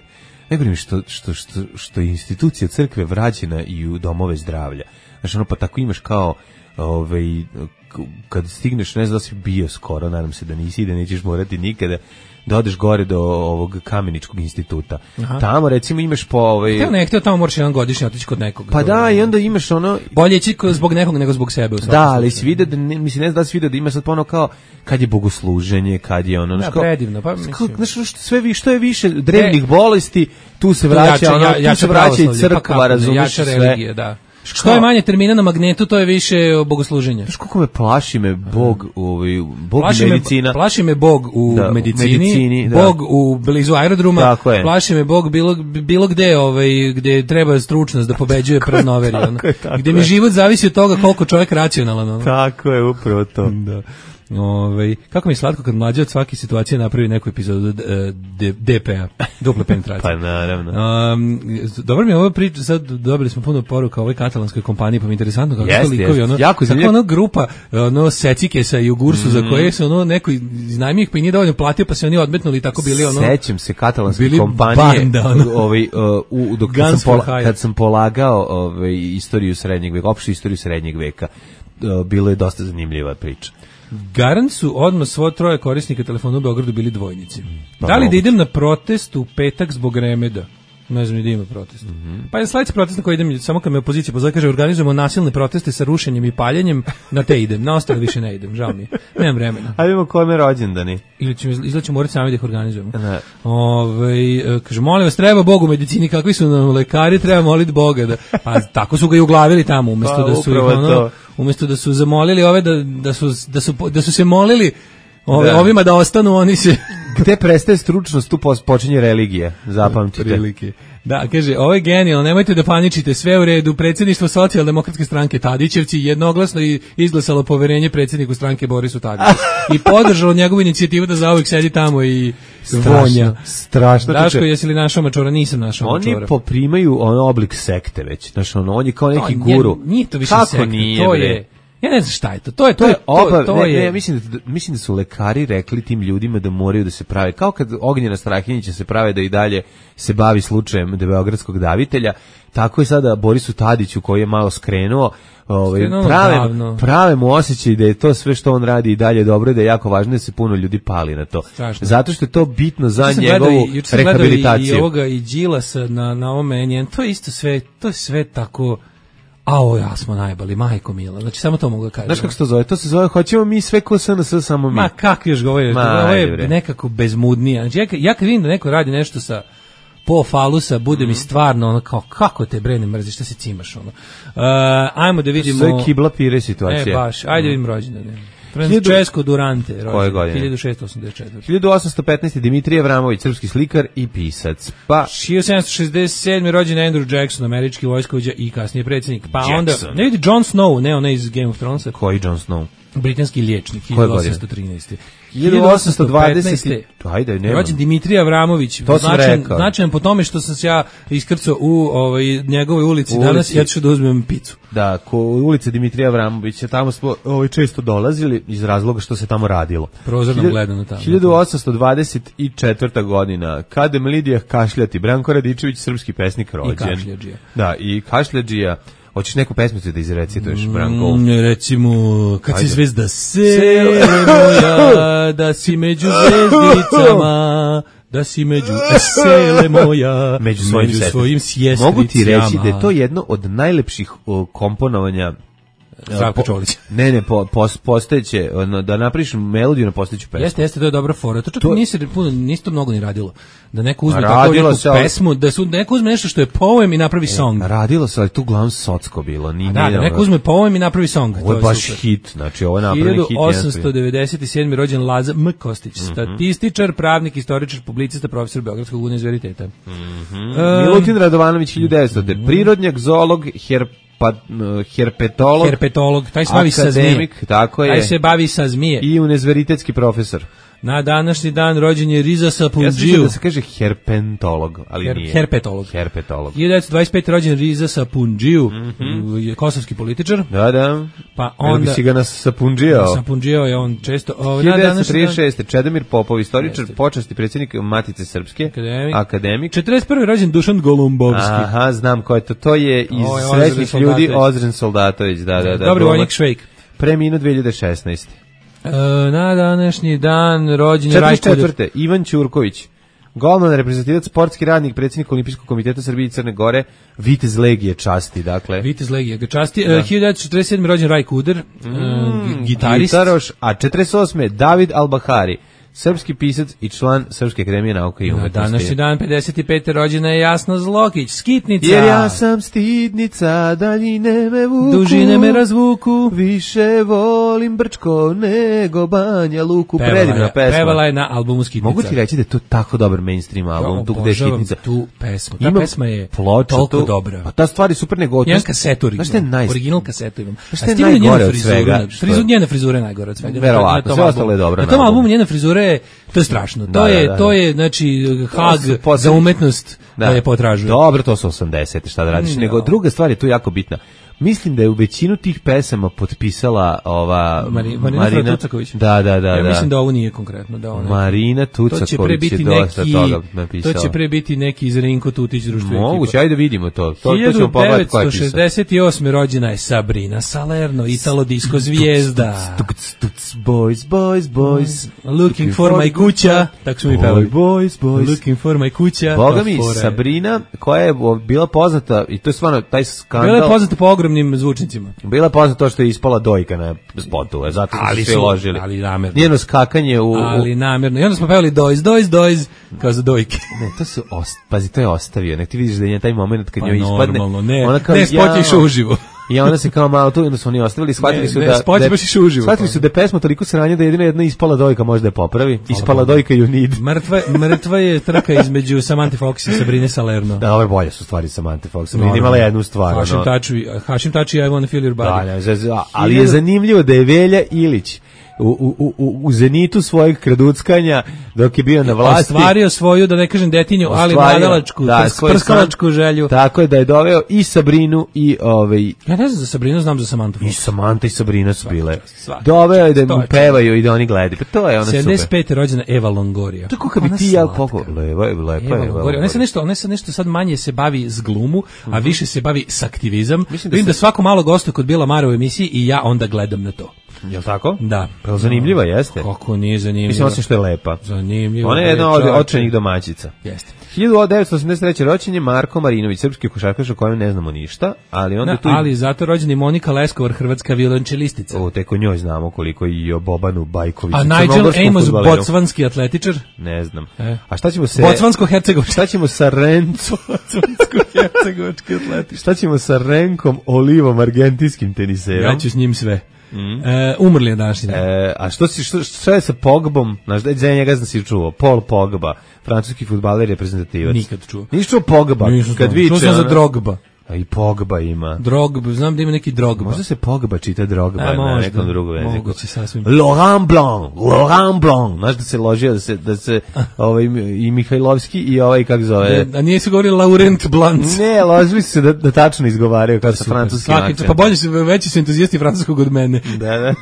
najgore mi što, što, što, što je institucija crkve vraćena i u domove zdravlja. Znači, ono, pa tako imaš kao ovaj, kad stigneš, ne znam da si bio skoro, nadam se da nisi i da nećeš morati nikada, da odeš gore do ovog Kameničkog instituta. Aha. Tamo recimo imaš po ovaj hteo ne hteo tamo moraš jedan godišnje otići kod nekog. Pa da, i onda imaš ono bolje ići zbog nekog nego zbog sebe. Da, ali si vidio da ne, mislim ne znam da si vidio da ima sad ono kao kad je bogosluženje, kad je ono da, što predivno, pa mislim. Znaš što sve vi što je više drevnih bolesti, tu se vraća jače, ono, ja, ja tu se vraća i crkva, razumiješ sve. Religije, da. Što je manje termina na magnetu, to je više bogosluženje. Znaš kako me plaši me Bog, ovaj Bog plaši medicina. Me, plaši me Bog u da, medicini, medicini da. Bog u blizu aerodroma, plaši me Bog bilo, bilo gde, ovaj, gde treba stručnost da pobeđuje praznoveri. Ono. Gde mi život zavisi od toga koliko čovjek racionalan. Ono. Tako je, upravo to. Da. Ove, kako mi je slatko kad mlađe od svake situacije napravi neku epizodu D P A, duple penetracije. Pa naravno. Um, dobro mi je ovo priča, sad dobili smo puno poruka o ovoj katalanskoj kompaniji, pa mi je interesantno kako yes, to likovi, ono, jako kako ono grupa, ono secikesa i ugursu mm. za koje se ono neko iznajmio ih pa i nije dovoljno platio, pa se oni odmetnuli i tako bili ono. Sećam se katalanske kompanije, banda, ono. ovaj, uh, u, dok kad sam, pola, kad sam polagao ovaj, istoriju srednjeg veka, opštu istoriju srednjeg veka, uh, bilo je dosta zanimljiva priča. Garant su odmah svo troje korisnika telefona u Beogradu bili dvojnici. Pa da li da idem na protest u petak zbog remeda? Ne znam ni da ima protest. Mm-hmm. Pa je sledeći protest na koji idem, samo kad me opozicija pozove, kaže organizujemo nasilne proteste sa rušenjem i paljenjem, na te idem, na ostale više ne idem, žao mi je. Nemam vremena. A vidimo kome rođendani. Ili ćemo, izgleda ćemo morati sami da ih organizujemo. Ove, kaže, molim vas, treba Bog u medicini, kakvi su nam lekari, treba moliti Boga. Da, pa tako su ga i uglavili tamo, umjesto pa, da su ih ono, umjesto da su zamolili ove, da, da, su, da, su, da su se molili Ove, da. Ovima da ostanu, oni se... Gde prestaje stručnost, tu počinje religija, zapamtite. Prilike. Da, kaže, ovo je genijalno, nemojte da paničite, sve u redu, predsjedništvo socijaldemokratske stranke Tadićevci jednoglasno izglasalo poverenje predsjedniku stranke Borisu Tadiću i podržalo njegovu inicijativu da zauvijek sedi tamo i vonja. Strašno. Daško, jesi li našao mačora? Nisam našao mačora. Oni poprimaju on oblik sekte već, znaš, ono, on je kao neki to, guru. Nije to više kako sekta, nije, to bre? je... Ja ne znam šta je to. To je To je obav, to, to ne, je ne, mislim da mislim da su lekari rekli tim ljudima da moraju da se prave kao kad Ognjena Strahinjića se prave da i dalje se bavi slučajem de beogradskog davitelja, tako je sada Borisu Tadiću koji je malo skrenuo, ovaj prave davno. prave mu osjećaj da je to sve što on radi i dalje dobro i da je jako važno da se puno ljudi pali na to. Strašno. Zato što je to bitno za juče njegovu i, rehabilitaciju. I, i ovoga i Đilasa na na ovome njen, to je isto sve, to je sve tako. Ao, ja smo najbali, majko mila. Znači, samo to mogu da kažem. Znaš kako se to zove? To se zove, hoćemo mi sve ko S N S, samo mi. Ma, kako još govoriš? Ovo je nekako bezmudnije. Znači, ja, ja kad vidim da neko radi nešto sa po falusa, bude mm. mi stvarno ono kao, kako te bre ne mrziš, šta se cimaš, ono. Uh, ajmo da vidimo... To je kibla pire situacija. E, baš, ajde mm. vidim rođendane. Francesco Durante, koje godine? hiljadu šeststo osamdeset četvrte. hiljadu osamsto petnaeste. Dimitrije Avramović, srpski slikar i pisac. Pa hiljadu sedamsto šezdeset sedme. rođen Andrew Jackson, američki vojskovođa i kasnije predsjednik. Pa Jackson. Onda, ne vidi Jon Snow, ne onaj iz Game of Thronesa. Koji Jon Snow? Britanski liječnik, hiljadu osamsto trinaeste. hiljadu osamsto dvadesete. Ajde, nema. Rođen Dimitrije Avramović, značajan, značajan po tome što sam se ja iskrcao u ovaj njegovoj ulici, ulici. Danas, ja ću da uzmem picu. Da, ko ulica Dimitrija Avramovića, tamo smo ovaj često dolazili iz razloga što se tamo radilo. Prozorno gledano tamo. hiljadu osamsto dvadeset četvrta. godina, Kadem Lidija Kašljati, Branko Radičević, srpski pesnik rođen. I Kašljađija. Da, i Kašljađija. Hoćeš neku pesmicu da izrecituješ, Branko? Mm, recimo, kad Ajde. Si zvezda sele moja, da si među zvezdicama, da si među sele moja, među svojim, među svojim sjestricama. Mogu ti reći da je to jedno od najlepših o, komponovanja Zdravko Čolić. Ne, ne, po, po, postojeće, da napriš melodiju na postojeću pesmu. Jeste, jeste, to je dobra fora. To čak to... nisi, nisi to mnogo ni radilo. Da neko uzme tako neku se, pesmu, da, su, da neko uzme nešto što je poem i napravi song. E, radilo se, ali tu uglavnom socko bilo. Ni, da, da, neko uzme poem i napravi song. Ovo je baš super. Hit, znači ovo je napravljen hit. hiljadu osamsto devedeset sedme. rođen Laza M. Kostić, mm-hmm. statističar, pravnik, istoričar, publicista, profesor Beogradskog univerziteta. Mm-hmm. Um, Milutin Radovanović, hiljadu devetstote. Mm-hmm. Prirodnjak, zoolog, herp pa herpetolog, herpetolog, taj se bavi sa zmije. Tako je. Taj se bavi sa zmije. I univerzitetski profesor. Na današnji dan rođen je Riza Sapundžiju. Ja sam da se kaže herpentolog, ali Her, nije. Herpetolog. Herpetolog. hiljadu devetsto dvadeset pete. rođen Riza Sapundžiju, mm-hmm. kosovski političar. Da, da. Pa onda bi si ga nas Sapundžijao. Sapundžijao je on često. O, hiljadu devetsto trideset šeste. Čedomir Popov, istoričar, počasni predsjednik Matice Srpske, akademik. akademik. četrdeset prve. rođen Dušan Golumbovski. Aha, znam ko je to. To je iz Srećnih ljudi Ozren Soldatović. Da, da, da. Dobri vojnik Švejk. Preminuo dve hiljade šesnaeste. E, na današnji dan rođen je Rajko četrdeset četvrte. Ivan Ćurković, golman, reprezentativac, sportski radnik, predsjednik Olimpijskog komiteta Srbije i Crne Gore, vitez Legije časti, dakle. Vitez Legije ga časti. Da. hiljadu devetsto četrdeset sedme. rođen Rajko Uder, mm, gitarist. Gitaroš, a četrdeset osme. David Albahari, srpski pisac i član Srpske akademije nauka i umetnosti. Na današnji dan pedeset pete. rođena je Jasna Zlokić, skitnica. Jer ja sam stidnica, daljine me vuku, dužine me razvuku, više volim Brčko nego Banja Luku. Predivna pesma. Pevala je na albumu Skitnica. Mogu ti reći da je to tako dobar mainstream album, ja, tu gde je Skitnica. Tu pesmu. Ta imam pesma je ploču, toliko tu, dobra. Pa ta stvar je super nego. Jedan kasetu original. Naj... Original kasetu imam. Šta je najgore od svega? Frizura, njena frizura je najgore od svega. Verovatno, sve ostalo je dobro. Na tom albumu njena frizura je, to je strašno. To da, je, da, da. to je, znači, hag za umetnost da je potražuje. Dobro, to su osamdesete, šta da radiš. No. Nego druga stvar je tu jako bitna. Mislim da je u većinu tih pesama potpisala ova Mari, Marina, Marina Tucaković. Da, da, da. Ja da. mislim da ovo nije konkretno. Da ona, Marina Tucaković je dosta toga napisala. To će pre biti neki iz Rinko Tutić društvo ekipa. Moguće, ajde vidimo to. To, to ćemo pogledati ko je pisao. hiljadu devetsto šezdeset osme. rođena je Sabrina Salerno, Italo disco zvijezda. Boys, boys, boys. Looking for my kuća. Tako smo mi pevali. Boys, boys. Looking for my kuća. Boga mi, Sabrina, koja je bila poznata, i to je stvarno taj skandal. Bila je poznata po ogromnim zvučnicima. Bila je poznata to što je ispala dojka na spotu, zato su se sve ložili. Ali namerno. Njeno skakanje u... Ali namerno. I onda smo pevali dojz, dojz, dojz, kao za dojke. Ne, to su, ost... pazi, to je ostavio. Nek ti vidiš da je taj moment kad pa njoj ispadne. Normalno, ne, ona kao, ne spotješ ja... uživo. I ona se kao malo tu, onda su oni ostavili, shvatili su ne, da... Ne, baš iš uživo. Shvatili su da je pesma toliko sranja da jedina jedna ispala dojka može da je popravi. Ispala dojka you need. Mrtva, mrtva je trka između Samantha Fox i Sabrine Salerno. Da, ove bolje su stvari Samantha Fox. Sabrina imala jednu stvar. Hašim Tači, Hašim Tači, I wanna feel your body. Da, ne, ali je zanimljivo da je Velja Ilić u, u, u, u zenitu svojeg kraduckanja dok je bio na vlasti. Ostvario svoju, da ne kažem detinju, ali mladalačku, da, prs, prskalačku želju. Tako je da je doveo i Sabrinu i ovaj... Ja ne znam za Sabrinu, znam za Samantu Fox. I Samanta i Sabrina su bile. Doveo je da mu pevaju i da oni gledaju. Pa to je ona super. sedamdeset pete rođena Eva Longoria. Tako kad bi ti ja poko... Lepa je, lepa je. Ona se nešto, ona se nešto sad manje se bavi s glumu, a više se bavi s aktivizam. Vidim da svako malo gostuje kod Bila Mara u emisiji i ja onda gledam na to. Je li tako? Da. Pa zanimljiva jeste. Kako nije zanimljiva. Mislim osim što je lepa. Zanimljiva. Ona je jedna od očajnih domaćica. Jeste. hiljadu devetsto osamdeset treće rođenje Marko Marinović, srpski košarkaš o kojem ne znamo ništa, ali onda da, tu... Ali zato rođeni Monika Leskovar, hrvatska violončelistica. O, tek o njoj znamo koliko i o Bobanu Bajkoviću. A Nigel Amos, bocvanski atletičar? Ne znam. E. A šta ćemo se... Bocvansko-hercegovački. Šta ćemo sa Renco... Bocvansko-hercegovački atletičar. Šta ćemo sa Renkom Olivom, argentinskim teniserom? Ja ću s njim sve. Mm. E, umrli je današnji dan. E, a što si što, što je sa Pogbom? Znaš da je njega znam si čuo. Paul Pogba, francuski fudbaler reprezentativac. Nikad čuo. Nisi čuo Pogba? Nisam kad viče. Čuo sam za Drogba. A i Pogba ima. Drogba, znam da ima neki Drogba. Možda se Pogba čita Drogba a, na nekom drugom jeziku. Moguće sasvim. Laurent Blanc, Laurent Blanc. Znaš da se ložio da se da se ovaj i Mihajlovski i ovaj kako zove. Da, a nije se govori Laurent Blanc. Ne, ložili su se da, da tačno izgovaraju kao sa francuskim akcentom. Pa bolje su veći su entuzijasti francuskog od mene. Da, da.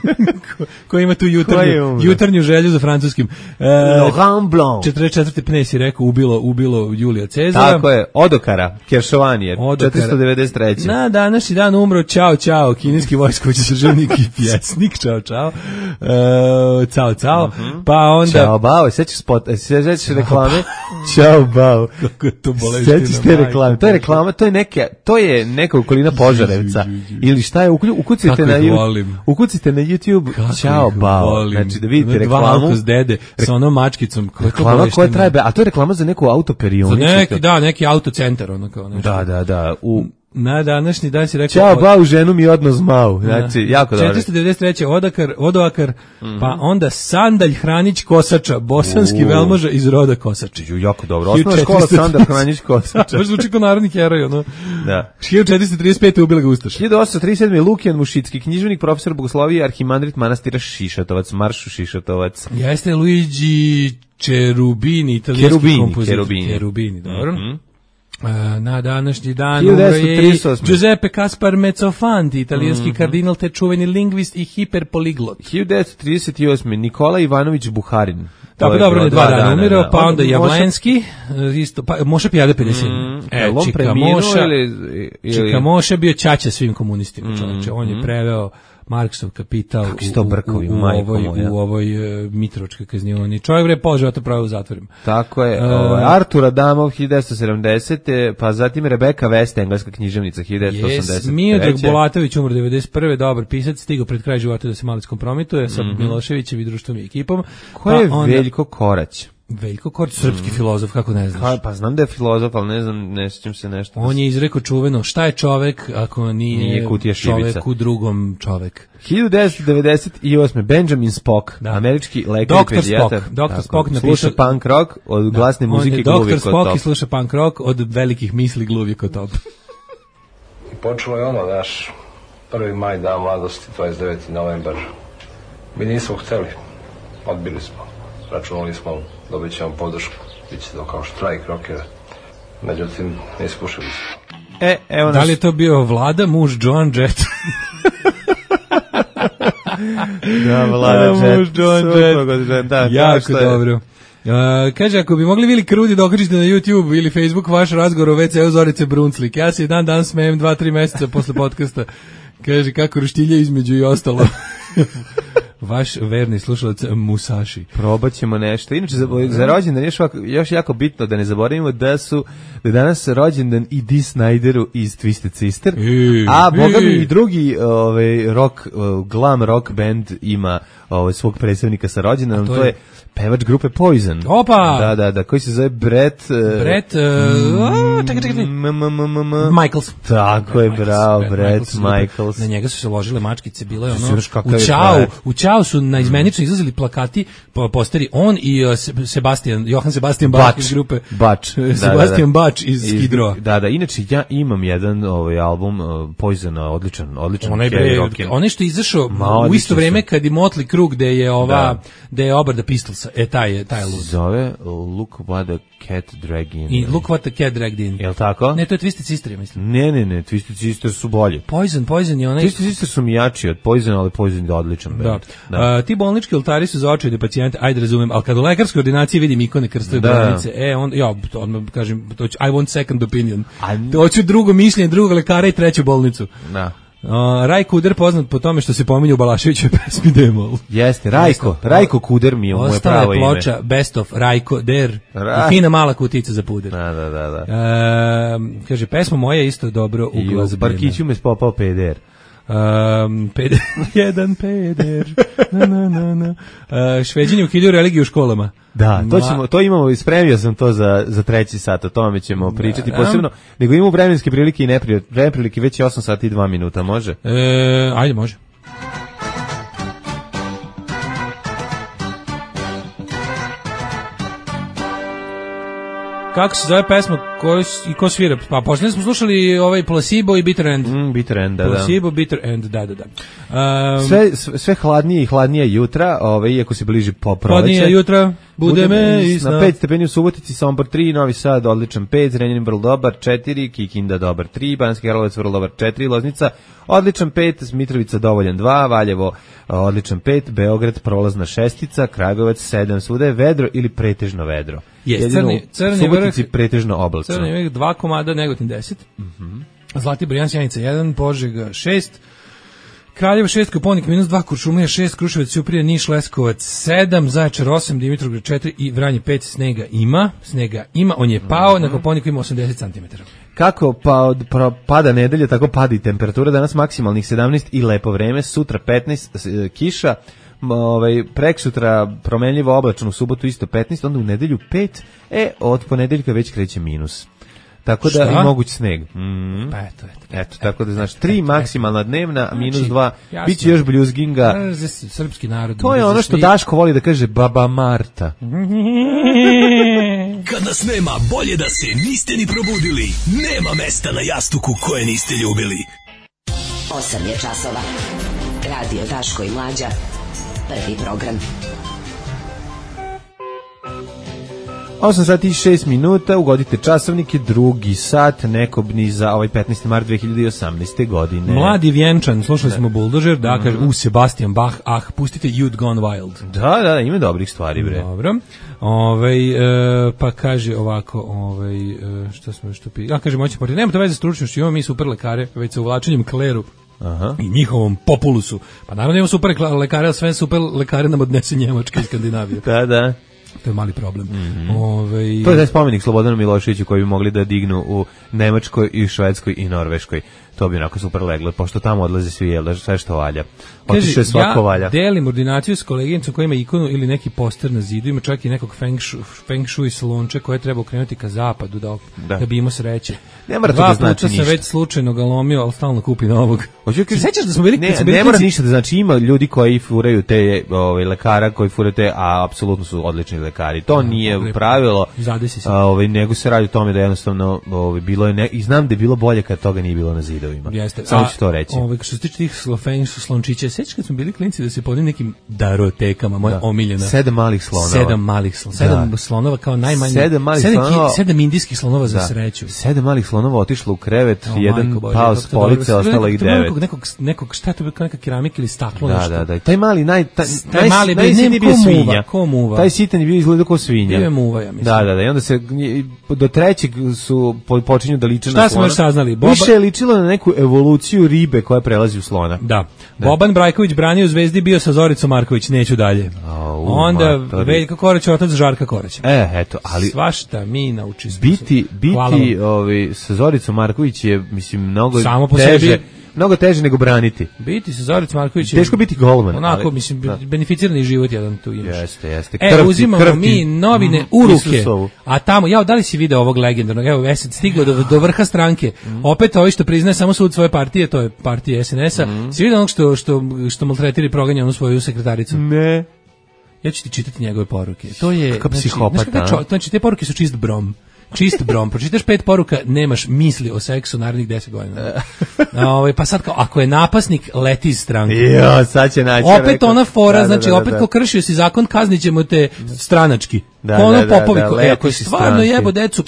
ko, ko ima tu jutarnju, jutarnju želju za francuskim. E, Laurent Blanc. četrdeset četvrte Pnes je rekao ubilo ubilo Julija Cezara. Tako je, Odokara, Keršovanije, četiristo devedeset treće. Na današnji dan umro Ćao Ćao, kineski vojskovođa, državnik i pjesnik. Ćao Ćao. Uh, cao Cao. Uh -huh. Pa onda Ćao Bao, sećaš spot, sećaš reklame? Ćao Bao. Kako to boleština. Sećaš te reklame? To je reklama, to je neke, to je neka okolina Požarevca. Ili šta je, ukucite na ukucite na YouTube Ćao Bao. Znači da vidite reklamu. Dva alkos dede sa onom mačkicom. Reklama koja traje, a to je reklama za neku autoperionicu. Za neki, da, neki autocentar ono kao nešto. Da, da, da. U na današnji dan si rekao... Ćao, Bau, ženu mi odno zmau. Znači, jako dobro. četiristo devedeset treće Odakar, Odoakar, mm -hmm. pa onda Sandalj Hranić Kosača, bosanski uh. velmoža iz roda Kosači. Ju, jako dobro. Osnovna škola Sandalj Hranić Kosača. Baš zvuči kao narodni heroj, ono. Da. hiljadu četiristo trideset pete ubila ga Ustaš. hiljadu osamsto trideset sedme Lukijan Mušicki, književnik, profesor bogoslovije, arhimandrit manastira Šišatovac, Maršu Šišatovac. Jeste Luigi Cherubini, italijanski Cherubini, kompozitor. Cherubini. Cherubini, dobro. Mm -hmm. Na današnji dan umro je Giuseppe Caspar Mezzofanti, italijanski mm -hmm. kardinal te čuveni lingvist i hiperpoliglot. hiljadu devetsto trideset osme Nikola Ivanović Buharin. Tako dobro, je dva dana umirao, pa onda Javlenski, isto, pa Moša Pijade pedeset sedam. Mm, e, Čika Moša, ili, ili... Čika Moša bio ćaća svim komunistima, mm, čovječe. On je mm. preveo Marksov Kapital u, u, u, u ovoj, u ovoj uh, Mitrovačkoj kaznioni. Čovjek bre pola života pravio u zatvorima. Tako je. Uh, ovaj, Artur Adamov hiljadu devetsto sedamdesete pa zatim Rebeka West, engleska književnica hiljadu devetsto osamdeset treće. Yes, Miodrag Bolatović umro devedeset prve dobar pisac, stigao pred kraj života da se malo kompromituje sa mm -hmm. Miloševićem i društvom i ekipom. Ko pa je onda... Veljko Korać? Veljko Korać, srpski mm. filozof, kako ne znaš? Pa, pa znam da je filozof, ali ne znam, ne sjećam se nešto. On je izrekao čuveno, šta je čovek ako nije, nije kutija šibica. Čovek u drugom čovek. hiljadu devetsto devedeset osme Benjamin Spock, da. Američki lekar i pedijatar. doktor Spock napiše... Sluša punk rock od da. glasne muzike Gluvije kod top. doktor Spock i sluša punk rock od velikih misli Gluvije kod top. I počelo je ono, naš prvi maj, dan mladosti, dvadeset deveti novembar. Mi nismo hteli, odbili smo. Računali smo, dobit ćemo podršku, bit će to kao štrajk rokera. Međutim, ne ispušili smo. E, evo da li je to bio Vlada, muž Joan Jett? da, Vlada Jett. Muž Joan Jett. Da, jako dobro. Uh, kaže, ako bi mogli Vili Krudi da okačite na YouTube ili Facebook vaš razgovor o ve ce u Zorice Brunslik. Ja se dan dan smejem dva, tri meseca posle podcasta. Kaže, kako roštilje između i ostalo. Vaš verni slušalac Musashi. Probat ćemo nešto. Inače, za, za rođendan još, još jako bitno da ne zaboravimo da su da je danas rođendan i Dee Snideru iz Twisted Sister, I, a boga mi i drugi ovaj, rock, glam rock band ima ovaj, svog predstavnika sa rođendanom. To, to je pevač grupe Poison. Opa! Da, da, da, koji se zove Brett... Uh, Brett, uh, čekaj, čekaj, Michaels. Tako je, bravo, Brett Michaels. Na njega su se ložile mačkice, bilo je ono, u Ćao, u Ćao su na izmenično izlazili plakati, posteri, on i Sebastian, Johan Sebastian Bach iz grupe. Bač. Sebastian Bach iz Skidroa. Da, da, inače ja imam jedan ovaj album Poisona, odličan, odličan heavy rock. Onaj što je izašao u isto vreme kad je Motley Crue, gde je ova, gde je Obar the Pistols. E, taj je, taj je lud. Zove Look What the Cat Dragged In. I Look What the Cat Dragged In. Jel' tako? Ne, to je Twisted Sister, ja mislim. Ne, ne, ne, Twisted Sister su bolji. Poison, Poison je onaj... Twisted Sister su mi jači od Poison, ali Poison je odličan. Da. da. Uh, ti bolnički oltari su za očajne pacijente, ajde razumem, ali kad u lekarskoj ordinaciji vidim ikone krstove bolnice, e, on, ja, odmah kažem, to ću, I want second opinion. A... Hoću drugo mišljenje, drugog lekara i treću bolnicu. Da. Uh, Raj Kuder poznat po tome što se pominje u Balaševićoj pesmi Demol. Jeste, Rajko, Rajko Kuder mi je moje pravo ime. Ostala ploča Best of Rajko Der Ra... i fina mala kutica za puder. Da, da, da. da. Uh, kaže, pesma moja isto dobro u glazbine. I u parkiću me spopao peder. Um, peder, jedan peder, na, na, na, na. Uh, Šveđani ukidaju religiju u školama. Da, to ćemo, to imamo, spremio sam to za, za treći sat, o tome ćemo pričati da, posebno, nego imamo vremenske prilike i neprilike, već je osam sati i dva minuta, može? E, ajde, može. Kako se zove pesma koju i ko svira? Pa posljedno smo slušali ovaj Placebo i Bitter End. Mm, Bitter End, da, Placebo, da. Bitter End, da, da, da. Um, sve, sve hladnije i hladnije jutra, ovaj, iako se bliži po proleće. Hladnije jutra, bude me isna. Na pet stepeni u Subotici, Sombor tri, Novi Sad odličan pet, Zrenjanin vrlo dobar četiri, Kikinda dobar tri, Banski Karlovac vrlo dobar četiri, Loznica odličan pet, Mitrovica dovoljan dva, Valjevo odličan pet, Beograd prolazna šestica, Kragujevac sedam, svuda je vedro ili pretežno vedro. Jest, crni, crni vrh, pretežno oblačno. Crni vrh dva komada, Negotin deset, mm-hmm. Zlatibor jedan, Sjenica jedan, Požega šest, Kraljevo šest, Koponik minus dva, Kuršumlija šest, Kruševac, Ćuprija, Niš, Leskovac sedam, Zaječar osam, Dimitrovgrad četiri i Vranje pet. Snega ima, snega ima, on je pao, mm-hmm. Na Koponiku ima osamdeset centimetara. Kako pa, pa, pada nedelja, tako pada i temperatura, danas maksimalnih sedamnaest i lepo vreme, sutra petnaest, kiša, ovaj, preksutra promenljivo oblačno, u subotu isto petnaest, onda u nedelju pet, e, od ponedeljka već kreće minus. Tako da i moguć sneg. Mm. Pa eto, eto. Eto, tako da znaš, tri maksimalna dnevna, a minus dva, bit će još bljuzginga. Srpski narod. To je ono što Daško voli da kaže Baba Marta. Kad nas nema, bolje da se niste ni probudili. Nema mesta na jastuku koje niste ljubili. osam je časova. Radio Daško i Mlađa. Prvi program. osam sati i šest minuta, ugodite časovnike, drugi sat, nekobni za ovaj petnaesti mart dve hiljade osamnaeste. godine. Mladi Vjenčan, slušali smo Bulldozer, da, kaže, u Sebastian Bach, ah, pustite You'd Gone Wild. Da, da, da, ima dobrih stvari, bre. Dobro, ovaj, e, pa kaže ovako, ovaj, e, šta smo još tu pi... A, kaže, moći porti, nema to veze s stručnošću, imamo mi super lekare, već sa uvlačenjem kleru. Aha. I njihovom populusu. Pa naravno imamo super lekare, ali sve super lekare nam odnese Njemačka i Skandinavija. Da, da. To je mali problem. Mm-hmm. Ove... To je taj spomenik Slobodanu Miloševiću koji bi mogli da dignu u Nemačkoj i Švedskoj i Norveškoj. To bi onako super leglo, pošto tamo odlaze svi, jel, sve što valja. Otiše je svako ja valja. Delim ordinaciju s koleginicom koja ima ikonu ili neki poster na zidu, ima čak i nekog feng, šu, feng shui salonče koje treba okrenuti ka zapadu da, da. da bi imao sreće. Ne mora to da znači ništa. Dva puta sam već slučajno ga lomio, ali stalno kupi novog. Hoću kažem, sećaš da smo bili, ne, kad smo bili ne mora ništa da znači, ima ljudi koji furaju te ovaj lekara koji furaju te, a apsolutno su odlični lekari. To nije no, pravilo. A, ovaj nego se radi o tome da jednostavno ovaj bilo je ne, i znam da je bilo bolje kad toga nije bilo na zidovima. Jeste. Samo ću to reći. Ovaj što se tiče tih slofenj su slončića, sećaš kad smo bili klinci da se po nekim darotekama, moja da. omiljena. Sedam malih slonova. Sedam malih slonova. Sedam da. slonova kao najmanje. Sedam malih sedam, slonova. Sedam indijskih slonova za da. sreću. Sedam malih slonova otišlo u krevet, o, jedan pao s police, ostalo ih devet. Nekog, nekog, nekog, šta to bi kao neka keramika ili staklo da, nešto. Da, da, taj mali, naj, taj, taj mali, naj, naj, bio svinja. Ko muva. Taj sitan je bio izgledao kao svinja. Bio je muva, ja mislim. Da, da, da, i onda se, do trećeg su počinju da liče na slona. Šta smo još saznali? Boba... Više je ličilo na neku evoluciju ribe koja prelazi u slona. Da. da. Boban Brajković branio u Zvezdi, bio sa Zoricom Marković, neću dalje. Oh, onda Veljko Korać, otac Žarka Koraća. E, eto, ali... Svašta mi nauči smo. Biti, biti ovi, sa Zoricom Marković je, mislim, mnogo samo po teže... sebi mnogo teže nego braniti. Biti se Zorica Marković. Teško biti golman. Onako, ali, mislim, da. beneficirani život jedan tu imaš. Jeste, jeste. E, krvti, uzimamo krvti. mi novine mm, u ruke, Isusovu. a tamo, ja, da li si video ovog legendarnog, evo, Esed stigao do, do vrha stranke, mm. opet ovi što priznaje samo sud svoje partije, to je partija es en es-a, mm. si vidio onog što, što, što maltretira i proganja onu svoju sekretaricu? Ne. Ja ću ti čitati njegove poruke. To je, kakav znači, psihopata. Znači, čo, znači, te poruke su čist brom. Čist brom. Pročitaš pet poruka, nemaš misli o seksu narednih deset godina. Ovaj pa sad kao, ako je napasnik, leti iz stranke. Jo, sad će naći. Opet rekao. ona fora, da, znači da, da, opet da. ko kršio si zakon, kaznićemo te stranački. Da, Ko ono da, da, Popovi, da, ko, leti e, ako si stvarno stranke. jebo decu,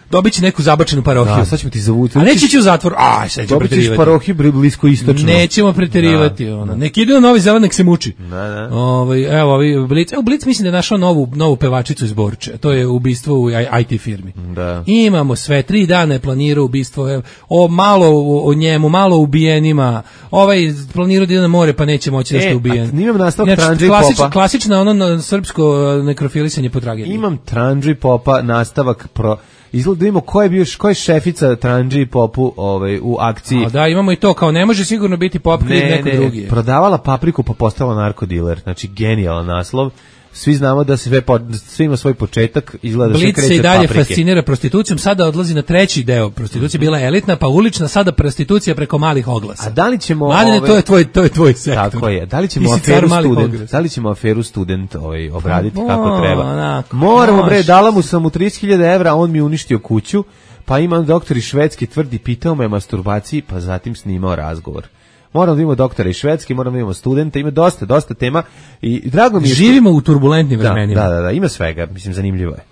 dobit će neku zabačenu parohiju. Da, sad ćemo ti zavuti. A neće ići u zatvor. Aj, sad ćemo dobit ćeš preterivati. parohiju blisko istočno. Nećemo preterivati. Da. Ona. Nek ide na Novi Zeland, nek se muči. Da, da. Ovaj, evo, ovi Blic, evo Blic mislim da je našao novu, novu pevačicu iz Borče. To je ubistvo u i te firmi. Da. Imamo sve, tri dana je planirao ubistvo, evo, o malo o, o njemu, malo o ubijenima. Ovaj planirao da ide na more, pa neće moći da E, ste ubijen. a imam nastavak Znači, Trandže i klasič, Popa. klasično ono na srpsko nekrofilisanje po tragediji. Imam Trandže i Popa nastavak pro izgleda da vidimo ko je bio ko je šefica Trandže i Popu ovaj u akciji. A da, imamo i to kao ne može sigurno biti Pop kriv ne, neko ne, drugi. prodavala papriku pa postala narkodiler. Znači genijalan naslov. Svi znamo da se sve po, sve ima svoj početak, izgleda da se Blic kreće se i dalje paprike. fascinira prostitucijom, sada odlazi na treći deo. Prostitucija bila elitna, pa ulična, sada prostitucija preko malih oglasa. A da li ćemo Mladine, ove... to je tvoj to je tvoj sektor. Tako je. Da li ćemo Ti si car aferu malih student, oglasa. da li ćemo aferu student ovaj obraditi Pa, kako treba? onako, Moramo bre, može. dala mu sam mu trideset hiljada evra, on mi uništio kuću. Pa imam doktor iz Švedske tvrdi, pitao me o masturbaciji, pa zatim snimao razgovor. Moramo da imamo doktora iz Švedske, moramo da imamo studenta, ima dosta, dosta tema i drago mi je... Živimo u turbulentnim da, vremenima. da, da, da, ima svega, mislim, zanimljivo je.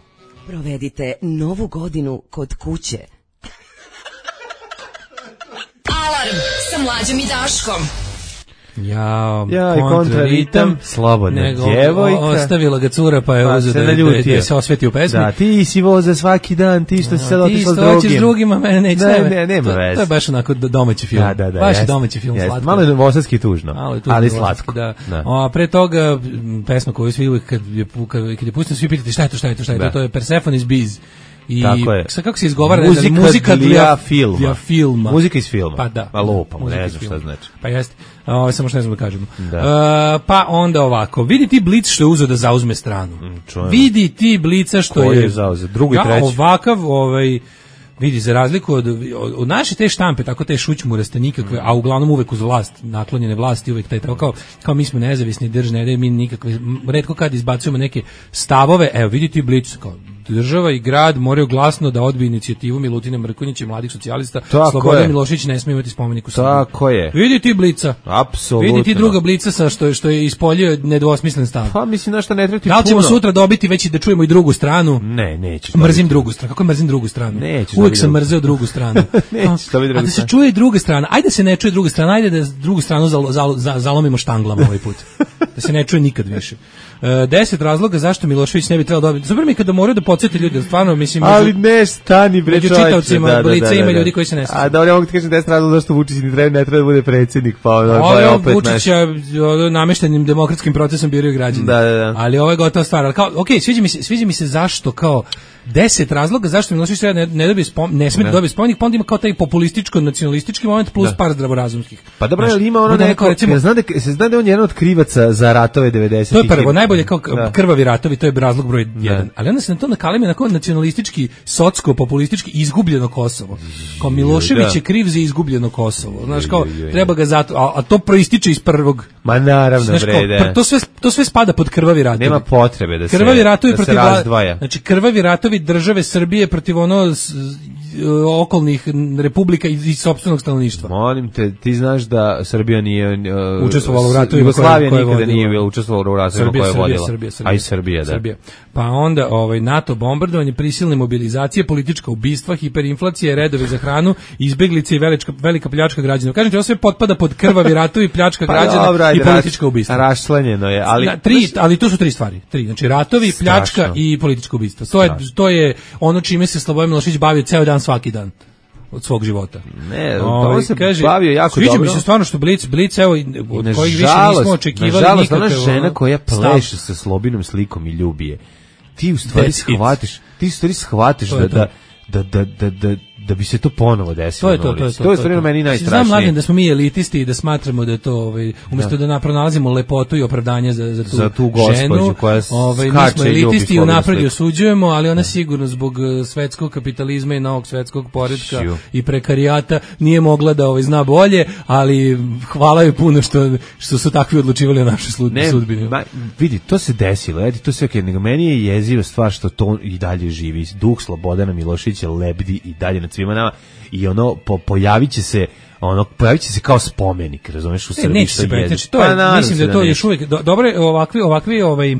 Provedite novu godinu kod kuće. Alarm sa Mlađom i Daškom. Ja, Ja, i kontraritam, slobodna nego, djevojka. o, ostavila ga cura, pa je Pa uzeo se da, da, naljutio. da se osveti u pesmi. Da, ti si voza svaki dan, ti što si sad Ti otišla s isto hoćeš drugim. drugima, mene neće. Ne, tebe. ne, nema to, veze. to je baš onako domaći film. Da, da, da. Baš je jest, domaći film, jest. slatko. Malo je novosadski tužno, Malo je tužno, ali novosadski, slatko. Da. Da. A pre toga m, pesma koju svi uvijek kad je, kad, kad je pustim, svi pitati šta je to, šta je to, šta je to, Da. to je Persephone's Biz. I Tako je. sad kako se izgovara, ne znam, Muzika muzika dla dla filma. dla filma. Muzika iz filma. Pa da. Pa lupam, Muzika ne iz znam filma. šta znači. Pa jeste. Ovo samo što ne znam da kažemo. Da. E, pa onda ovako, vidi ti Blic što je uzeo da zauzme stranu. čujemo. Vidi ti Blica što Koji je... je zauzeo? Drugi, Ja, treći? ovakav, ovaj... Vidi, za razliku od, od, od naše te štampe, tako te šućmuraste nikakve, a uglavnom uvek uz vlast, naklonjene vlasti, uvek taj kao, kao mi smo nezavisni, drž ne daju mi nikakve, m, retko kad izbacujemo neke stavove, evo vidite Blic, kao država i grad moraju glasno da odbiju inicijativu Milutina Mrkonjića i mladih socijalista. Tako Slobodan je. Milošević ne smije imati spomenik u Srbiji. Tako je. Vidi ti Blica. Apsolutno. Vidi ti druga Blica sa što je, što je ispoljio nedvosmislen stav. Pa mislim na šta ne treba ti Da li ćemo puno. sutra dobiti već i da čujemo i drugu stranu? Ne, nećeš. Mrzim dobiti. drugu stranu. Kako mrzim drugu stranu? Nećeš Uvijek dobiti sam drugu. mrzeo drugu stranu. Nećeš dobiti drugu A da se stranu. čuje i druga strana. Ajde da se ne čuje druga strana, ajde da drugu stranu zalo, zalo, za- zalomimo štanglama ovaj put. Da se ne čuje nikad više. E, deset razloga zašto Milošević ne bi trebalo dobiti. Super mi je kada moraju da podsjeti ljudi, stvarno mislim među- Ali ne, stani bre među čoveče. čitaocima Blica ima ljudi koji se ne sjećaju. A dobro, ja mogu ti kažem deset razloga zašto Vučić ne treba, ne treba da bude predsjednik, pa ono, Ovo to je je opet Vučića ono, nameštenim demokratskim procesom biraju građani. Da, da, da. Ali ovo je gotova stvar. Ali kao, ok, sviđa mi se, sviđa mi se zašto kao deset razloga zašto Milošević treba ne, ne, dobije spom, ne smije da dobije spomenik, pa onda ima kao taj populističko-nacionalistički moment plus Da. par zdravorazumskih. Pa dobro, Znaš, ali ima ono bude neko, recimo, recimo, zna da, se zna da je on jedan od krivaca za ratove devedesetih. to je prvo, najbolje kao Da. krvavi ratovi, to je razlog broj jedan. Ali onda se na to nakalemi na kao nacionalistički, socsko-populistički izgubljeno Kosovo. Kao Milošević da. je kriv za izgubljeno Kosovo. Znaš, kao, Joj, joj, joj. treba ga zato, a, a to proističe iz prvog. Ma naravno, Znaš, bre, kao, da. pr- to sve to sve spada pod krvavi ratovi. Nema potrebe da se, krvavi ratovi da se protiv vla- razdvaja. Znači krvavi ratovi države Srbije protiv ono s, okolnih republika i, i sopstvenog stanovništva. Molim te, ti znaš da Srbija nije uh, Učestvovala u ratovima Jugoslavija koje- koje nikada vodila. nije bila učestvovala u ratovima Srbija, koje je Srbija, vodila. Srbija, Srbija, A i Srbija, da. Srbija. Pa onda ovaj NATO bombardovanje, prisilne mobilizacije, politička ubistva, hiperinflacija, redovi za hranu, izbeglice i velika velika pljačka građana. Kažem ti, ovo sve potpada pod krvavi ratovi, pljačka građana Pa dobro, i ajde, politička raš- ubistva. Rašlanjeno je, ali Na, tri, ali to su tri stvari. Tri, znači ratovi, pljačka Strašno. i političko ubistvo. To je to je ono čime se Slobodan Milošević bavio ceo dan svaki dan od svog života. ne, Ovaj, to se kaže, bavio jako sviđa dobro. mi se stvarno što Blic, Blic evo, od kojih više Nažalost, nismo očekivali nažalost, nikakav ona žena ono, koja stav. pleše sa Slobinom slikom i ljubi je. Ti u stvari That's it. shvatiš, ti u stvari shvatiš To da, je to. da, da, da, da, da, da bi se to ponovo desilo. To je to, to je to. To je stvarno meni najstrašnije. Znam, Mladen, da smo mi elitisti i da smatramo da je to, ovaj, umjesto da, da pronalazimo lepotu i opravdanje za, za tu, za tu gospođu ženu, koja ovaj, mi smo elitisti i unapred osuđujemo, ali ona sigurno zbog svetskog kapitalizma i novog svetskog poretka Šiu. i prekarijata nije mogla da ovaj, zna bolje, ali hvala joj puno što, što su takvi odlučivali o našoj sudbini. Ma, vidi, to se desilo, edi, to se, nego meni je jeziva stvar što to i dalje živi. Duh Slobodana Miloševića lebdi i dalje nad svima nama i ono, po, pojavit će se ono, pojavit će se kao spomenik, razumeš, u Srbiji. Neće se pretjeći, to je, pa, mislim da, da to još uvijek, do, dobro, ovakvi, ovakvi, ovaj,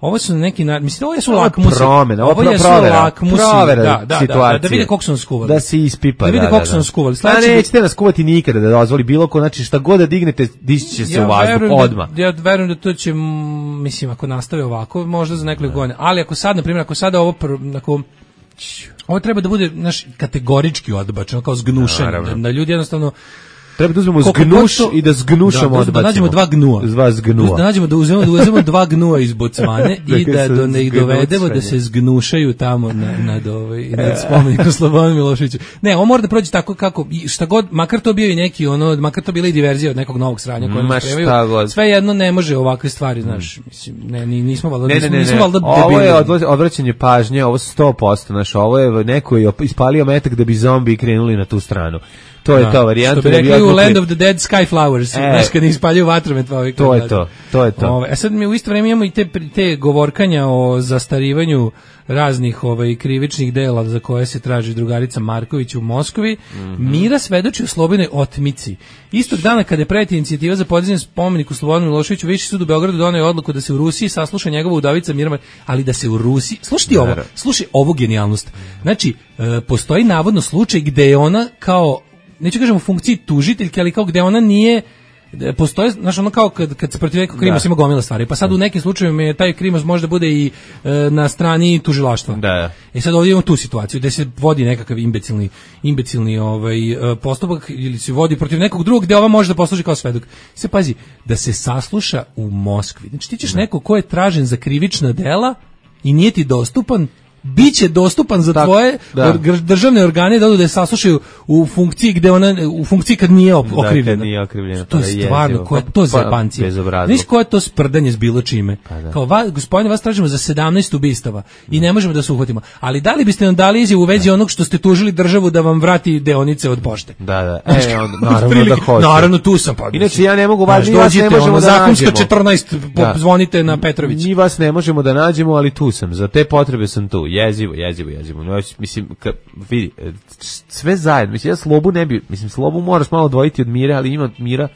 ovo su neki, mislim, ovo su lakmusi. Promjena, ovo je lakmusi, da, da, da, da vide kako su nas skuvali. Da se ispipa, da vide kako su nas skuvali. A nećete nas skuvati nikada da dozvoli bilo ko, znači šta god da dignete, dići će se u vazduh odmah. Ja verujem da to će, mislim, ako nastave ovako, možda za nekoliko godina, ali ako sad, na primjer, ako sada ovo, ako ovo treba da bude naš kategorički odbačeno, kao zgnušanje, da, da ljudi jednostavno treba da uzmemo zgnuš to, i da zgnušamo, odbacimo. Da nađemo dva gnua. Dva zgnua. Da nađemo, da uzmemo, da uzmemo dva gnua iz Bocvane i da, da ne ih dovedemo da se zgnušaju tamo na, nad, ovaj, nad spomenikom Slobodanu Miloševiću. Ne, on mora da prođe tako kako, šta god, makar to bio i neki, ono, makar to bila i diverzija od nekog novog sranja koje nas spremaju. Sve jedno ne može ovakve stvari, znaš, mislim, ne, nismo valjda, ne, ne, ne, nismo valjda debili. Ovo je odv odvraćanje pažnje, ovo sto posto, znaš, ovo je neko je ispalio metak da bi zombi krenuli na tu stranu. To je da, to varijanta. Što bi rekli u Land of the Dead Sky Flowers, e, znaš kad ispaljuju vatromet. Pa to je to, to je to. Ove, a sad mi u isto vrijeme imamo i te, te govorkanja o zastarivanju raznih ovaj, krivičnih dela za koje se traži drugarica Marković u Moskvi. Mm -hmm. Mira svedoči o Slobodnoj otmici. Istog dana kada je predata inicijativa za podizanje spomeniku Slobodanu Miloševiću, Viši sud u Beogradu doneo odluku da se u Rusiji sasluša njegova udovica Mira, ali da se u Rusiji, slušaj ovo, slušaj ovu genijalnost. Znači, e, postoji navodno slučaj gde je ona kao, neću kažem u funkciji tužiteljke, ali kao gde ona nije, postoje, znaš, ono kao kad, kad se protiv nekog krimos ima gomila stvari, pa sad u nekim slučajevima je taj krimos može bude i e, na strani tužilaštva. Da. E sad ovdje imamo tu situaciju gde se vodi nekakav imbecilni, imbecilni ovaj, postupak ili se vodi protiv nekog drugog gde ova može da posluži kao svedok. Se pazi, da se sasluša u Moskvi. Znači ti ćeš da. neko ko je tražen za krivična dela i nije ti dostupan, biće dostupan za tak, tvoje da. or, državne organe da odu da je saslušaju u funkciji gde ona u funkciji kad nije okrivljena. Da, nije okrivljena. To je stvarno, koja je to zebancija. Znaš koje je to sprdanje s bilo čime? Pa da. Kao, va, gospodine, vas tražimo za sedamnaest ubistava i ne možemo da se uhvatimo. Ali da li biste nam dali izjavu u vezi onog što ste tužili državu da vam vrati deonice od pošte? Da, da. E, on, naravno da hoće. Naravno, tu sam. Pa, inače, ja ne mogu, vas, vas ne možemo da zakonska četrnaest, zvonite na Petrović. Mi vas ne možemo da nađemo, ali tu sam. Za te potrebe sam tu. Jezivo, jezivo, jezivo. No, mislim, ka, vidi, sve zajedno. Mislim, ja Slobu ne bi, mislim, Slobu moraš malo odvojiti od Mire, ali ima od Mira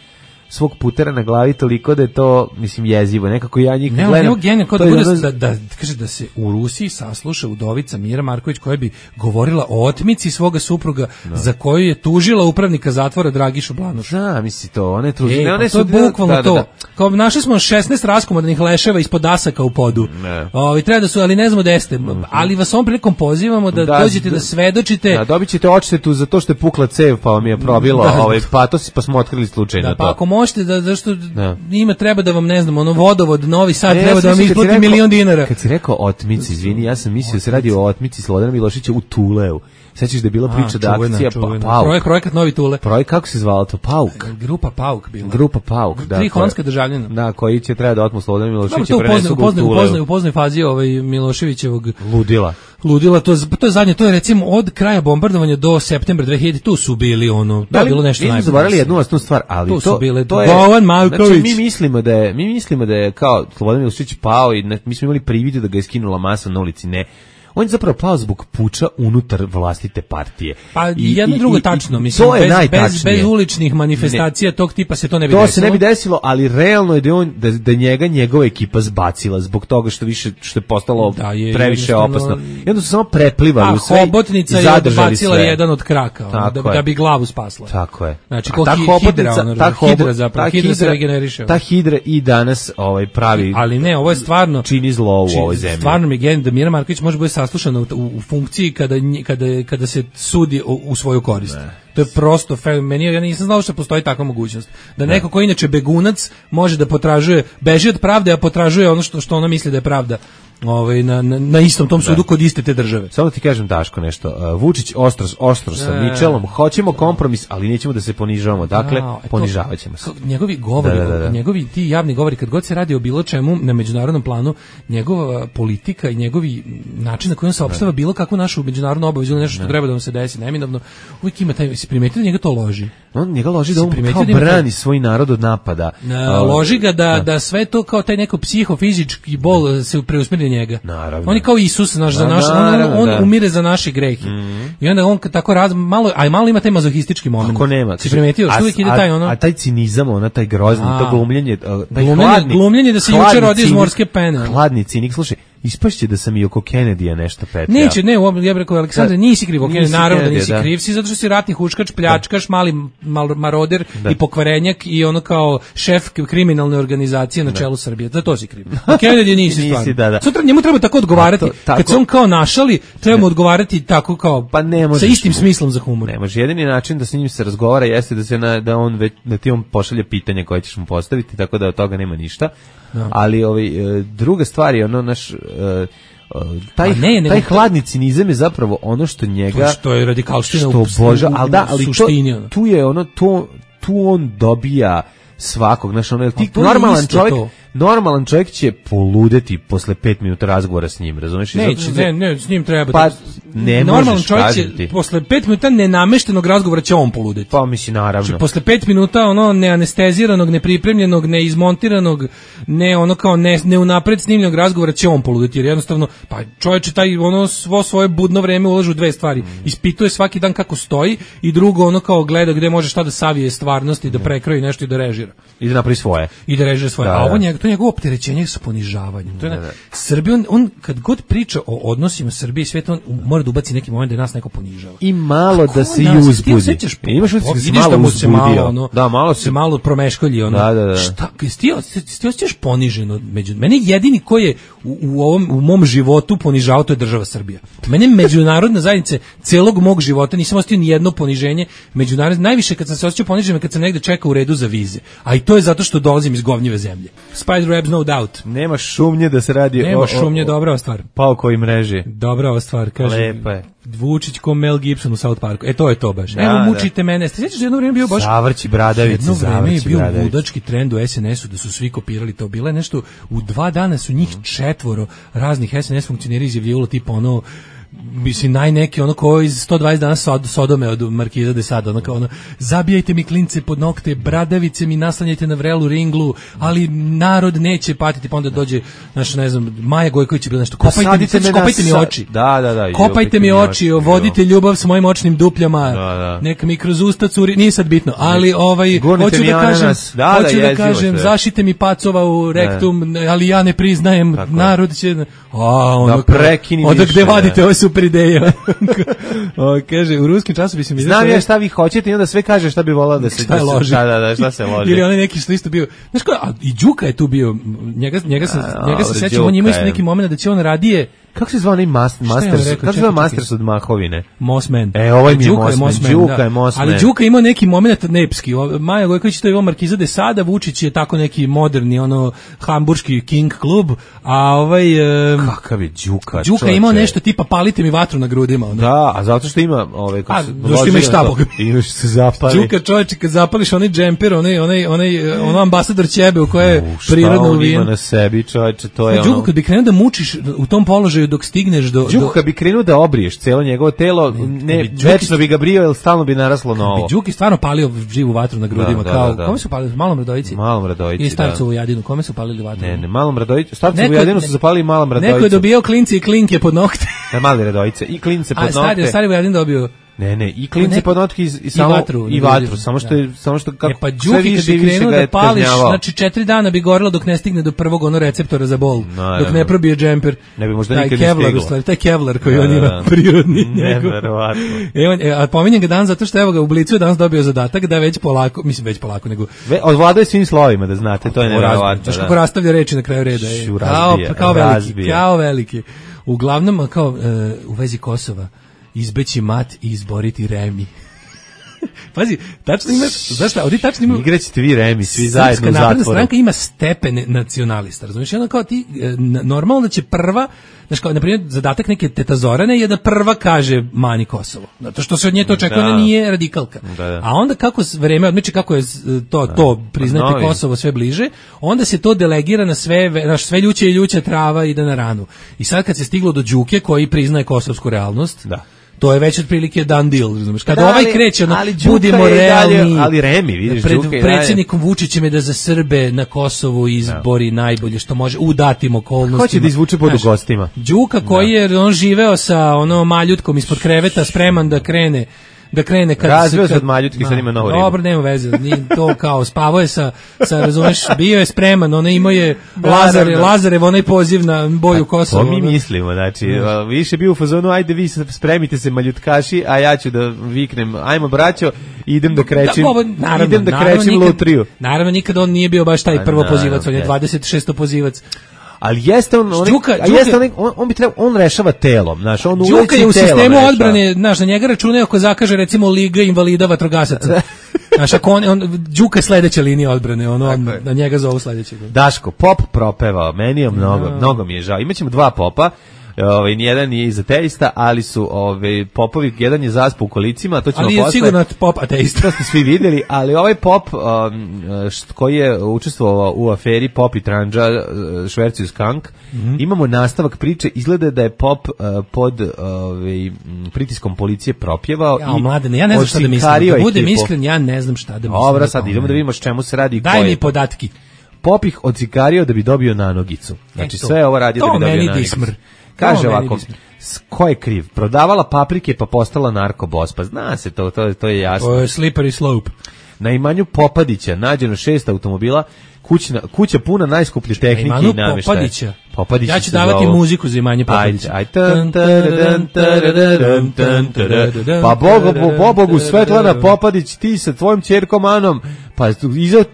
svog putera na glavi toliko da je to, mislim, jezivo. Nekako ja njih ne, gledam. Ne, genije, kod da, bude, da, da, kaže da se u Rusiji sasluša udovica Mira Marković koja bi govorila o otmici svoga supruga no. za koju je tužila upravnika zatvora Dragišu Blanuša. Da, misli to, one tuži, e, ne, one to su je bukvalno da, to. Da, da. Kao našli smo šesnaest raskomadnih leševa ispod dasaka u podu. Ovi treba da su, ali ne znamo da jeste. Mm-hmm. Ali vas ovom prilikom pozivamo da, da dođete da, da svedočite. Da, dobit ćete odštetu za to što je pukla cev pa vam je probilo da, ovaj patos pa smo otkrili slučajno da, to. Pa ako možete da zašto da. Ima treba da vam ne znam, ono vodovod Novi Sad ne, treba ja da vam isplati milion dinara. Kad si rekao otmici, izvini, ja sam mislio da se radi o otmici Slobodana Miloševića u Tuleu. Sećaš da je bila priča da akcija pa, Pauk. Projekt, projekat Novi Tule. Projekt, kako se zvalo to? Pauk. Grupa Pauk bila. Grupa Pauk, da. Tri holandska državljana. Da, koji će treba da otmu Slobodana Miloševića prenesu u Tuleu. U poznoj, u poznoj fazi ovaj Miloševićevog ludila. Ludila, to, to je zadnje, to je recimo od kraja bombardovanja do septembra dve hiljade, tu su bili ono, to je bilo nešto najbolje. Mi smo zaboravili jednu osnovnu stvar, ali tu to, su bile to je Bojan Marković. Znači, mi mislimo da je, mi mislimo da je kao Slobodan Milošević pao i ne, mi smo imali privide da ga je skinula masa na ulici, ne. On je zapravo pao zbog puča unutar vlastite partije. Pa I, jedno i, drugo i, tačno, mislim, bez, bez, bez uličnih manifestacija ne. tog tipa se to ne bi to desilo. To se ne bi desilo, ali realno je da, on, da, da njega njegova ekipa zbacila zbog toga što više što je postalo da, je, previše opasno. I onda su samo preplivali u sve. A hobotnica je odbacila sve. jedan od kraka, ono, da, da bi glavu spasla. Tako je. Znači, ko hi, hidra, ono, ta hidra zapravo, hidra se regeneriše. Ta hidra i danas ovaj pravi, ali ne, ovo je stvarno čini zlo u ovoj zemlji. Stvarno mi je da Mira Marković može biti saslušana u funkciji kada, kada, kada se sudi u, u svoju korist. Ne. To je prosto meni, ja nisam znao što postoji takva mogućnost. Da neko ko inače begunac može da potražuje, beži od pravde, a potražuje ono što što ona misli da je pravda. Ovaj na, na, na istom tom sudu da. Kod iste te države. Samo ti kažem Daško nešto. Uh, Vučić ostro ostro sa e. Mičelom, hoćemo kompromis, ali nećemo da se ponižavamo. Dakle, no, ponižavaćemo se. Njegovi govori, da, da, da. njegovi ti javni govori kad god se radi o bilo čemu na međunarodnom planu, njegova politika i njegovi način na koji on saopštava bilo kakvu našu međunarodnu obavezu ili nešto što da. Treba da vam se desi neminovno, uvijek ima taj, se primetili njega to loži. On njega loži da on kao brani svoj narod od napada. Na, uh, loži ga da, da da sve to kao taj neko psihofizički bol se preusmeri njega. Naravno. On je kao Isus naš za naš, on, on da. Umire za naše grehe. Mm-hmm. I onda on tako raz malo, aj malo ima taj mazohistički moment. Ako nema. Si primetio što uvijek ide taj ono. A taj cinizam, ona taj grozni, a, to glumljenje, taj glumljenje, hladni, glumljenje da se juče rodi iz morske pene. Hladni cinik, slušaj. Ispašće da sam i oko Kennedyja nešto petljao. Neće, ne, ja bih rekao, Aleksandre, nisi kriv, ok, naravno da nisi da. Kriv, si zato što si ratni huškač, pljačkaš, mali mal, maroder da. I pokvarenjak i ono kao šef kriminalne organizacije na čelu Srbije, za to si kriv. Kennedy nisi stvarno. Da, da. Sutra njemu treba tako odgovarati, to, kad se on kao našali, treba mu odgovarati tako kao, pa ne možeš, sa istim smislom za humor. Ne može, jedini način da s njim se razgovara jeste da se na, da on već, da ti on pošalje pitanje koje ćeš mu postaviti, tako da od toga nema ništa. No. Ali ovaj, druga stvar je ono naš taj, ne, ne, taj hladni cinizam je zapravo ono što njega to što je radikalština što boža, ali da, ali suštini, to, tu je ono to, tu on dobija svakog, znaš, ono, ti normalan čovjek to. Normalan čovjek će poludeti posle pet minuta razgovora s njim, razumiješ? Neće, ne, ne, s njim treba. Pa, ne normalan čovjek će, posle pet minuta nenameštenog razgovora će on poludeti. Pa, misli, naravno. Znači, posle pet minuta, ono, neanesteziranog, nepripremljenog, neizmontiranog, ne, ono, kao, ne, ne unapred snimljenog razgovora će on poludeti, jer jednostavno, pa, čovječe, taj, ono, svo svoje budno vreme ulažu u dve stvari. Ispituje svaki dan kako stoji i drugo, ono, kao, gleda gde može šta da savije stvarnosti, da prekroji nešto i da režira. I da napravi svoje. I da režira svoje. Da, a ovo njega, to je njegovo opterećenje sa ponižavanjem. To je, Srbija, on, on, kad god priča o odnosima Srbije i sveta, on mora da ubaci neki moment da nas neko ponižava. I malo kako da se i uzbudi. Imaš utisak da se malo uzbudio. Ono, da, malo se malo promeškolji. Ono. Da, da, da. Šta, ti, ti osjećaš poniženo među... Mene jedini koji je u, u, ovom, u mom životu ponižavao, to je država Srbija. Mene međunarodna zajednica celog mog života nisam osjetio ni jedno poniženje. Međunarodne, najviše kad sam se osjećao ponižen kad sam negde čekao u redu za vize. A i to je zato što dolazim iz govnjive zemlje. Spider Webs, no doubt. Nema šumnje da se radi Nema o... Nema šumnje, dobra stvar. Paukoj mreži. Dobra stvar, kaže. Lepa je. Vučić ko Mel Gibson u South Parku. E, to je to baš. Da, evo, mučite da. Mene. Ste sjećaš da jedno vrijeme bio baš... Zavrći bradavice, jedno vrijeme je bio bradavice. Ludački trend u S N S-u da su svi kopirali to. Bilo je nešto, u dva dana su njih četvoro raznih S N S funkcioneri izjavljivalo tipa ono... mislim najneki ono ko iz sto dvadeset dana sod, Sodome od Markiza de Sade, ono kao ono zabijajte mi klince pod nokte, bradavice mi naslanjajte na vrelu ringlu, ali narod neće patiti, pa onda dođe naš ne znam Maja Gojković je bilo nešto kopajte, mi, kopajte mi oči, da, da, da, kopajte mi oči, vodite ljubav s mojim očnim dupljama, da, da. Neka mi kroz usta curi, nije sad bitno, ali ovaj hoću da kažem, da, hoću da, da kažem sve. Zašite mi pacova u rektum, da. Ali ja ne priznajem, tako. Narod će a ono da prekini onda gde vadite ove super ideje. O, kaže, u ruskim časopisima znam ja šta vi hoćete i onda sve kaže šta bi volao da se šta, da se, da, da, šta se loži. Ili onaj neki što isto bio, znaš ko, a i Đuka je tu bio, njega, njega sam, a, njega se sećam, on ima isto neki moment da će on radije. Kako se zvao onaj mas, Masters? Rekao, kako se zvao Masters od Mahovine? Mossman. E, ovaj mi je Mossman. Đuka je Mossman. Ali Đuka ima neki moment nepski. Maja Gojković to je imao Markiza de Sada, Vučić je tako neki moderni, ono, hamburški King klub, a ovaj... Um, kakav je Đuka? Đuka je imao nešto tipa palite mi vatru na grudima. Ono. Da, a zato što ima... Ovaj, a, zato što ima i šta, Boga. Imaš se zapali. Đuka čovječe, kad zapališ onaj džemper, onaj, onaj, onaj, ono ambasador ćebe u koje je prirodno uvijen. Šta on ima na sebi, čovječe, to je ono... Đuka, kad bi krenuo da mučiš u tom položaju dok stigneš do... Đuka bi krenuo da obriješ cijelo njegovo telo, ne, ne večno bi ga brio, jer stalno bi naraslo novo. Bi Đuki stvarno palio živu vatru na grudima, da, kao, da, da. Kome su palili? Malom Radojici? Malom Radojici, i Starcovu Jadinu, kome su palili vatru? Ne, ne, Malom Radojici, Starcovu Jadinu su zapalili Malom Radojicu. Neko je dobio klinci i klinke pod nokte. Ne, Mali Radojice, i klince pod nokte. A, stari, stari Vujadin dobio... Ne, ne, i klince ne, pod notke i, i, samo, i vatru, i vatru samo što je, samo što kako e pa Đuki kad bi krenuo da pališ, znači četiri dana bi gorelo dok ne stigne do prvog ono receptora za bol, no, dok ne probije džemper. Ne bi možda taj nikad Kevlar, ni stiglo. Taj Kevlar koji da, on ima prirodni njegov. Neverovatno. E, on, e, a pominjem ga dan zato što evo ga u Blicu je danas dobio zadatak da već polako, mislim već polako, nego... Ve, odvladaju svim slovima, da znate, to je neverovatno. Znaš kako rastavlja reči na kraju reda. Je. Kao, kao veliki, kao veliki. Uglavnom, kao uh, u vezi Kosova, izbeći mat i izboriti Remi. Pazi, tačno ima, znaš šta, ovdje tačno ima... Igraćete vi Remi, svi zajedno u zatvoru. Napredna stranka ima stepene nacionalista, razumiješ? Ono kao ti, normalno da će prva, znaš kao, na primjer, zadatak neke Teta Zorane je da prva kaže mani Kosovo. Zato što se od nje to očekuje, ona nije radikalka. Da, da. A onda kako vreme odmiče, kako je to, to priznati Novi. Kosovo sve bliže, onda se to delegira na sve, na sve ljuće i ljuća trava ide na ranu. I sad kad se stiglo do Đuke koji priznaje kosovsku realnost, da. To je već otprilike done deal, razumiješ. Kada da, ovaj kreće, ono, budimo realni, dalje, ali Remi, vidiš, pred Đuka predsjednikom Vučićem je da za Srbe na Kosovu izbori no. najbolje što može u datim okolnostima. Hoće da izvuče pod gostima. Đuka koji no. je on živeo sa ono maljutkom ispod kreveta, spreman da krene da krene kad razveo se od maljutki, sad ima novu ribu. Dobro, nema veze, ni to kao spavao je sa, sa razumeš, bio je spreman, ona imao je Lazare, Lazarev, onaj poziv na boju Kosova. To mi mislimo, znači, mm. više bio u fazonu, ajde vi spremite se maljutkaši, a ja ću da viknem, ajmo braćo, idem da krećem, da, ovo, naravno, idem da krećem nikad, lutriju. Naravno, nikad on nije bio baš taj prvo pozivac, on je dvadeset šesti pozivac. Ali jeste on, on, Đuka, a jeste on, on, on bi trebao, on rešava telom, znaš, on uleći Đuka je u sistemu rešava. Odbrane, znaš, na njega računaju ako zakaže recimo Liga invalida vatrogasaca. Znaš, ako on, on Đuka je sledeća linija odbrane, ono, on, na njega zovu sledećeg. Daško, pop propevao, meni je mnogo, no. mnogo mi je žao. Imaćemo dva popa. Ovaj nijedan je izateista, ali su ovaj popovi, jedan je zaspo u kolicima, to ćemo ali posle. Ali je sigurno pop ateista. To ste svi vidjeli, ali ovaj pop um, št, koji je učestvovao u aferi Pop i Tranđa švercu skank, mm-hmm. imamo nastavak priče, izgleda da je pop uh, pod ovaj pritiskom policije propjevao ja, i mladene, ja ne znam šta da mislim. Da budem iskren, ja ne znam šta da mislim. Dobro, sad idemo da vidimo s čemu se radi i daj mi podatki. Pop ih odsikario da bi dobio nanogicu. Znači e sve ovo radi da bi dobio nanogicu. Kaže ovako, ko je kriv? Prodavala paprike pa postala narkobos. Pa zna se, to, to, to je jasno. To je slippery slope. Na imanju Popadića nađeno šest automobila, kućna, kuća puna najskuplje tehnike i namještaja. Popadića. Popadića. Ja ću davati zovu. Muziku za imanje Popadića. Aj, pa Bogu, bo, Bogu, Svetlana Popadić, ti sa tvojom ćerkom Anom, pa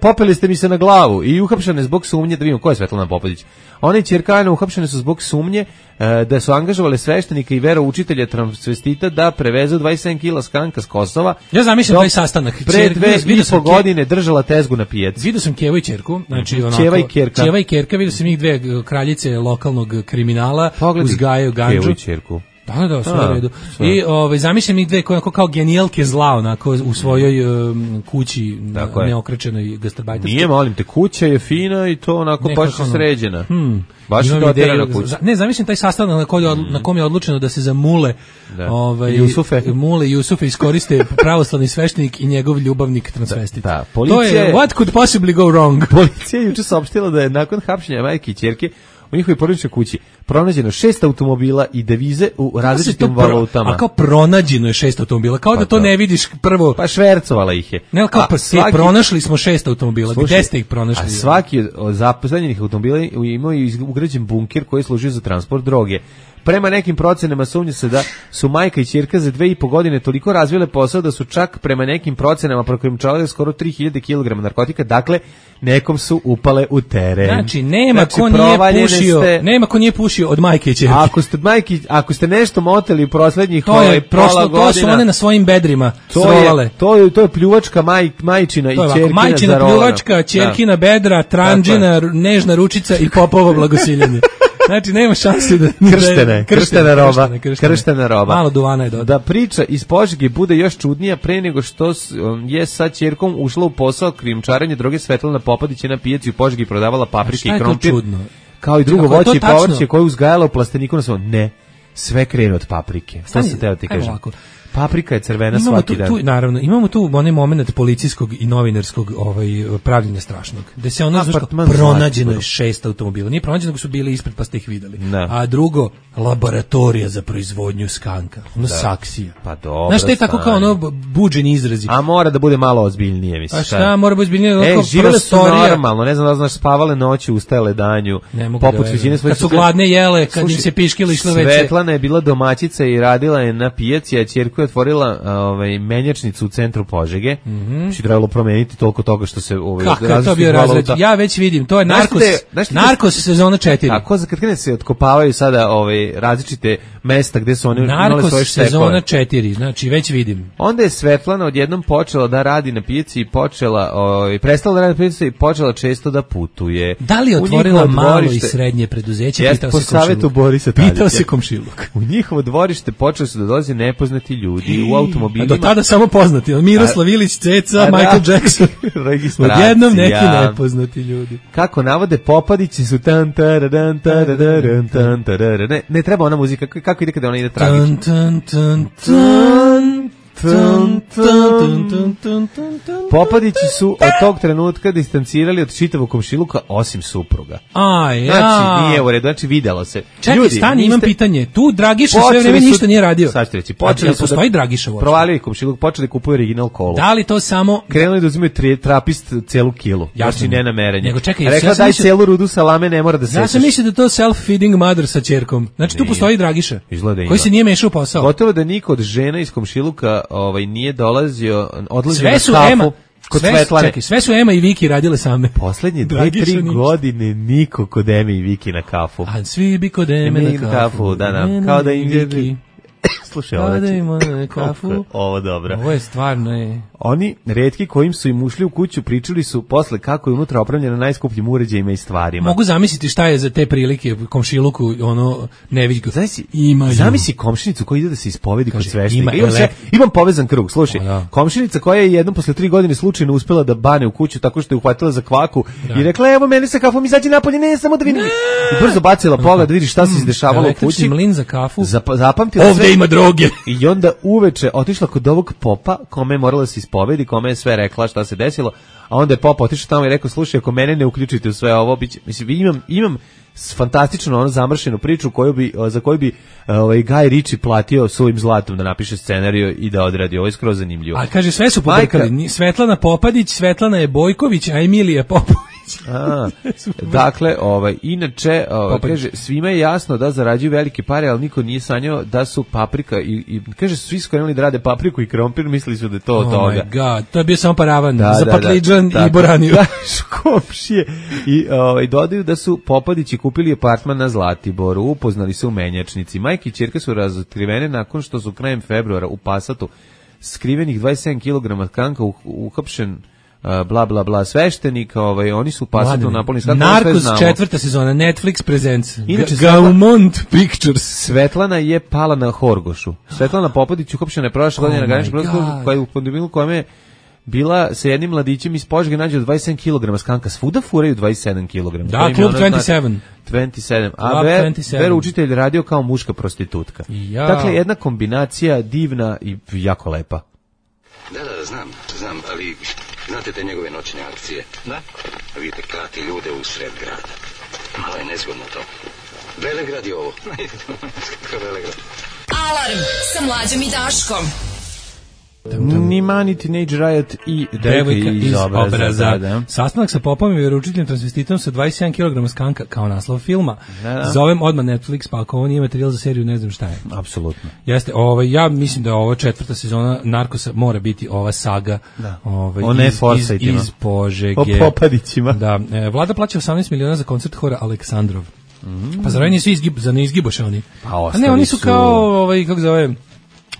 popeli ste mi se na glavu i uhapšene zbog sumnje, da vidimo ko je Svetlana Popadić. One ćerka Ana uhapšene su zbog sumnje e, da su angažovale sveštenika i veroučitelja transvestita da prevezu dvadeset sedam kila skanka s Kosova. Ja zamišljam taj sastanak. Pre dve i po godine držala tezgu na pijaci. Vidio sam Kevu i ćerku, znači onako. Ćeva i Kerka. Ćeva i Kerka, vidio sam ih dve kraljice lokalnog kriminala, pogledaj, uzgajaju ganđu. Kevu i ćerku. Da, da, sve u redu. I ovaj zamišljam ih dve koje kao genijalke zla onako u svojoj um, kući neokrečenoj gastarbajterskoj. Nije, molim te, kuća je fina i to onako nekako baš ono, sređena. Hmm. Baš je doterana kuća. Ne, zamišljam taj sastanak na, koji, na kom je odlučeno da se za Mule, da. ovaj, Jusufe. Mule Jusufe iskoriste pravoslavni sveštenik i njegov ljubavnik transvestit. Da, da. Policija, to je what could possibly go wrong. Policija je juče saopštila da je nakon hapšenja majke i ćerke u njihovoj porodičnoj kući pronađeno šest automobila i devize u različitim pro, valutama. A kao pronađeno je šest automobila, kao pa da to, to ne vidiš prvo. Pa švercovala ih je. Ne, kao a, pa svaki, pronašli smo šest automobila, slušaj, gde ste ih pronašli? A svaki od zaposlenih automobila imao je ugrađen bunker koji je služio za transport droge. Prema nekim procenama sumnja se da su majka i ćerka za dve i po godine toliko razvile posao da su čak prema nekim procenama prokrimčavale skoro tri hiljade kilograma narkotika, dakle nekom su upale u teren. Znači nema znači, ko nije pušio, ste, nema ko nije pušio od majke i ćerke. Ako ste majke, ako ste nešto moteli u proslednjih to je prošlo, to su one na svojim bedrima srolale. To je to je pljuvačka maj, majčina i ćerkina zarolana. Majčina pljuvačka, ćerkina bedra, tranđina, nežna ručica i popovo blagosiljanje. Znači nema šanse da krštene, krštena roba, krštene, krštene. krštena roba. Malo duvana je dodao. Da priča iz Požege bude još čudnija pre nego što je sa ćerkom ušla u posao krijumčarenja droge. Svetlana Popadić je na pijaci u Požegi prodavala paprike i krompir. Kao i drugo voće i povrće koje uzgajala u plasteniku na svom. Ne, sve krene od paprike. Šta se teo ti kažem? Paprika je crvena imamo svaki tu, dan. Tu, naravno, imamo tu onaj moment policijskog i novinarskog ovaj, pravljenja strašnog. Da se ono zvuško, pronađeno je šest automobila. Nije pronađeno, nego su bili ispred pa ste ih videli. Ne. A drugo, laboratorija za proizvodnju skanka. Ono da. Saksija. Pa dobro. Znaš, te tako kao ono buđeni izrazi. A mora da bude malo ozbiljnije, mislim. A šta, šta? Mora biti ozbiljnije? E, živele su normalno, ne znam da znaš, spavale noći, ustajale danju. Poput većine svojih. Kad su gladne jele, kad im se piškili išle veće. Svetlana je bila domaćica i radila je na pijaci, a ćerku je otvorila ovaj menjačnicu u centru Požege. Mhm. Mm trebalo promeniti toliko toga što se ovaj različitih valuta. Ja već vidim, to je narkos. Narkos sezona četiri. Tako za kad krene se otkopavaju sada ovaj različite mesta gde su oni imali svoje štekove. Sezona četiri, znači već vidim. Onda je Svetlana odjednom počela da radi na pijaci i počela, ovaj prestala da radi na pijaci i počela često da putuje. Da li je otvorila malo i srednje preduzeće? Pitao se komšiluk. Borisa Tadića. Pitao se komšiluk. U njihovo dvorište počeli su da dolaze nepoznati ljudi u automobilima. A do tada samo poznati, Miroslav Ilić, Ceca, Michael Jackson. Odjednom neki nepoznati ljudi. Kako navode, Popadići su tan taradan taradan tan taradan. Ne, ne treba ona muzika, kako ide kada ona ide tragično. Tan tan tan tan. Popadići su od tog trenutka distancirali od čitavog komšiluka osim supruga. A, ja. Znači, nije u redu, znači videlo se. Čekaj, ljudi, stani, niste... imam pitanje. Tu Dragiša sve vreme su... ništa nije radio. Sad ću reći, počeli su postoji da... Dragiša uopšte. Provalio je komšiluk, počeli kupuju original kolu. Da li to samo... Krenuli da uzimaju tri, trapist celu kilu. Znači, ne namerenje. Nego čekaj, rekla ja daj mislio... celu rudu salame, ne mora da sečeš. Ja sam mislio da to self-feeding mother sa ćerkom. Znači, tu postoji Dragiša. Izgleda koji se nije mešao u posao. Gotovo da niko od žena iz komšiluka ovaj, nije dolazio, odlazio sve na su kafu. Ema, kod sve, Svetlane. Čekaj, sve su Ema i Viki radile same. Poslednje dve, tri godine niko kod Eme i Viki na kafu. A svi bi kod Eme na kafu. kafu da, da. Kao da im je... Slušaj, ovo da ima kafu. Ovo dobro. Ovo je stvarno je. Oni, retki kojim su im ušli u kuću, pričali su posle kako je unutra opremljeno najskupljim uređajima i stvarima. Mogu zamisliti šta je za te prilike komšiluku, ono, neviđgo. Zamisli, zamisli komšinicu koja ide da se ispovedi kod sveštenika. Ima, imam, imam povezan krug, slušaj. Da. Komšinica koja je jednom posle tri godine slučajno uspela da bane u kuću tako što je uhvatila za kvaku da. I rekla, evo meni sa kafom, izađi napolje, ne, samo da vidim. I brzo bacila pogled da vidi šta se izdešavalo u kući. Mlin za kafu. Zap, zapamtila ovde sve. Ima droge. I onda uveče otišla kod ovog popa, kome je morala da se ispovedi, kome je sve rekla šta se desilo, a onda je pop otišao tamo i rekao, slušaj, ako mene ne uključite u sve ovo, biće, mislim, imam, imam fantastično ono zamršenu priču koju bi, za koju bi ovaj, Guy Ritchie platio svojim zlatom da napiše scenariju i da odradi, ovo je skroz zanimljivo. A kaže, sve su pobrkali, Svetlana Popadić, Svetlana je Bojković, a Emilija Popović. A, dakle, ovaj, inače, ovaj, kaže, svima je jasno da zarađuju velike pare, ali niko nije sanjao da su paprika i, i kaže, svi su krenuli da rade papriku i krompir, mislili su da je to od oh toga. Oh my god, to je bio samo paravan da, za da, patliđan da, i boraniju. Da, škopšije. I ovaj, dodaju da su Popadići kupili apartman na Zlatiboru, upoznali se u menjačnici. Majke i ćerke su razotkrivene nakon što su krajem februara u Pasatu skrivenih dvadeset sedam kilograma tkanka uhapšen bla bla bla sveštenika, ovaj oni su Pasatu napolni skak. Narcos četvrta sezona, Netflix presents. Gaumont Pictures. Svetlana je pala na Horgošu. Svetlana Popadić uhapšena je prošle godine na graničnom prelazu koja je u pandemiju kome je bila sa jednim mladićem iz Požege nađe dvadeset sedam kilograma skanka. Svuda furaju dvadeset sedam kilograma. Da, klub dvadeset sedam. dvadeset sedam. A ver, ver učitelj radio kao muška prostitutka. Ja. Dakle, jedna kombinacija divna i jako lepa. Da, da, znam, znam, ali znate te njegove noćne akcije? Da. Vidite, klati ljude u sred grada. Malo je nezgodno to. Velegrad je ovo. Kako Velegrad? Alarm sa Mlađom i Daškom. Ni Mani, Teenage Riot i devojka iz, iz obraza. obraza. Da, da. Sastanak sa popom i vjeroučiteljem transvestitom sa dvadeset sedam kilograma skanka kao naslov filma. Da, da. Zovem odmah Netflix, pa ako ovo nije materijal za seriju, ne znam šta je. Apsolutno. Jeste, ovaj, ja mislim da je ovo četvrta sezona Narkosa mora biti ova saga. Da. Ovaj, o ne iz, iz, iz Požege. O Popadićima. Da, e, vlada plaća osamnaest miliona za koncert hora Aleksandrov. Mm. Pa zar nisu izgib, za ne izgiboše oni? Pa a ne, oni su, su kao, ovaj, kako zove...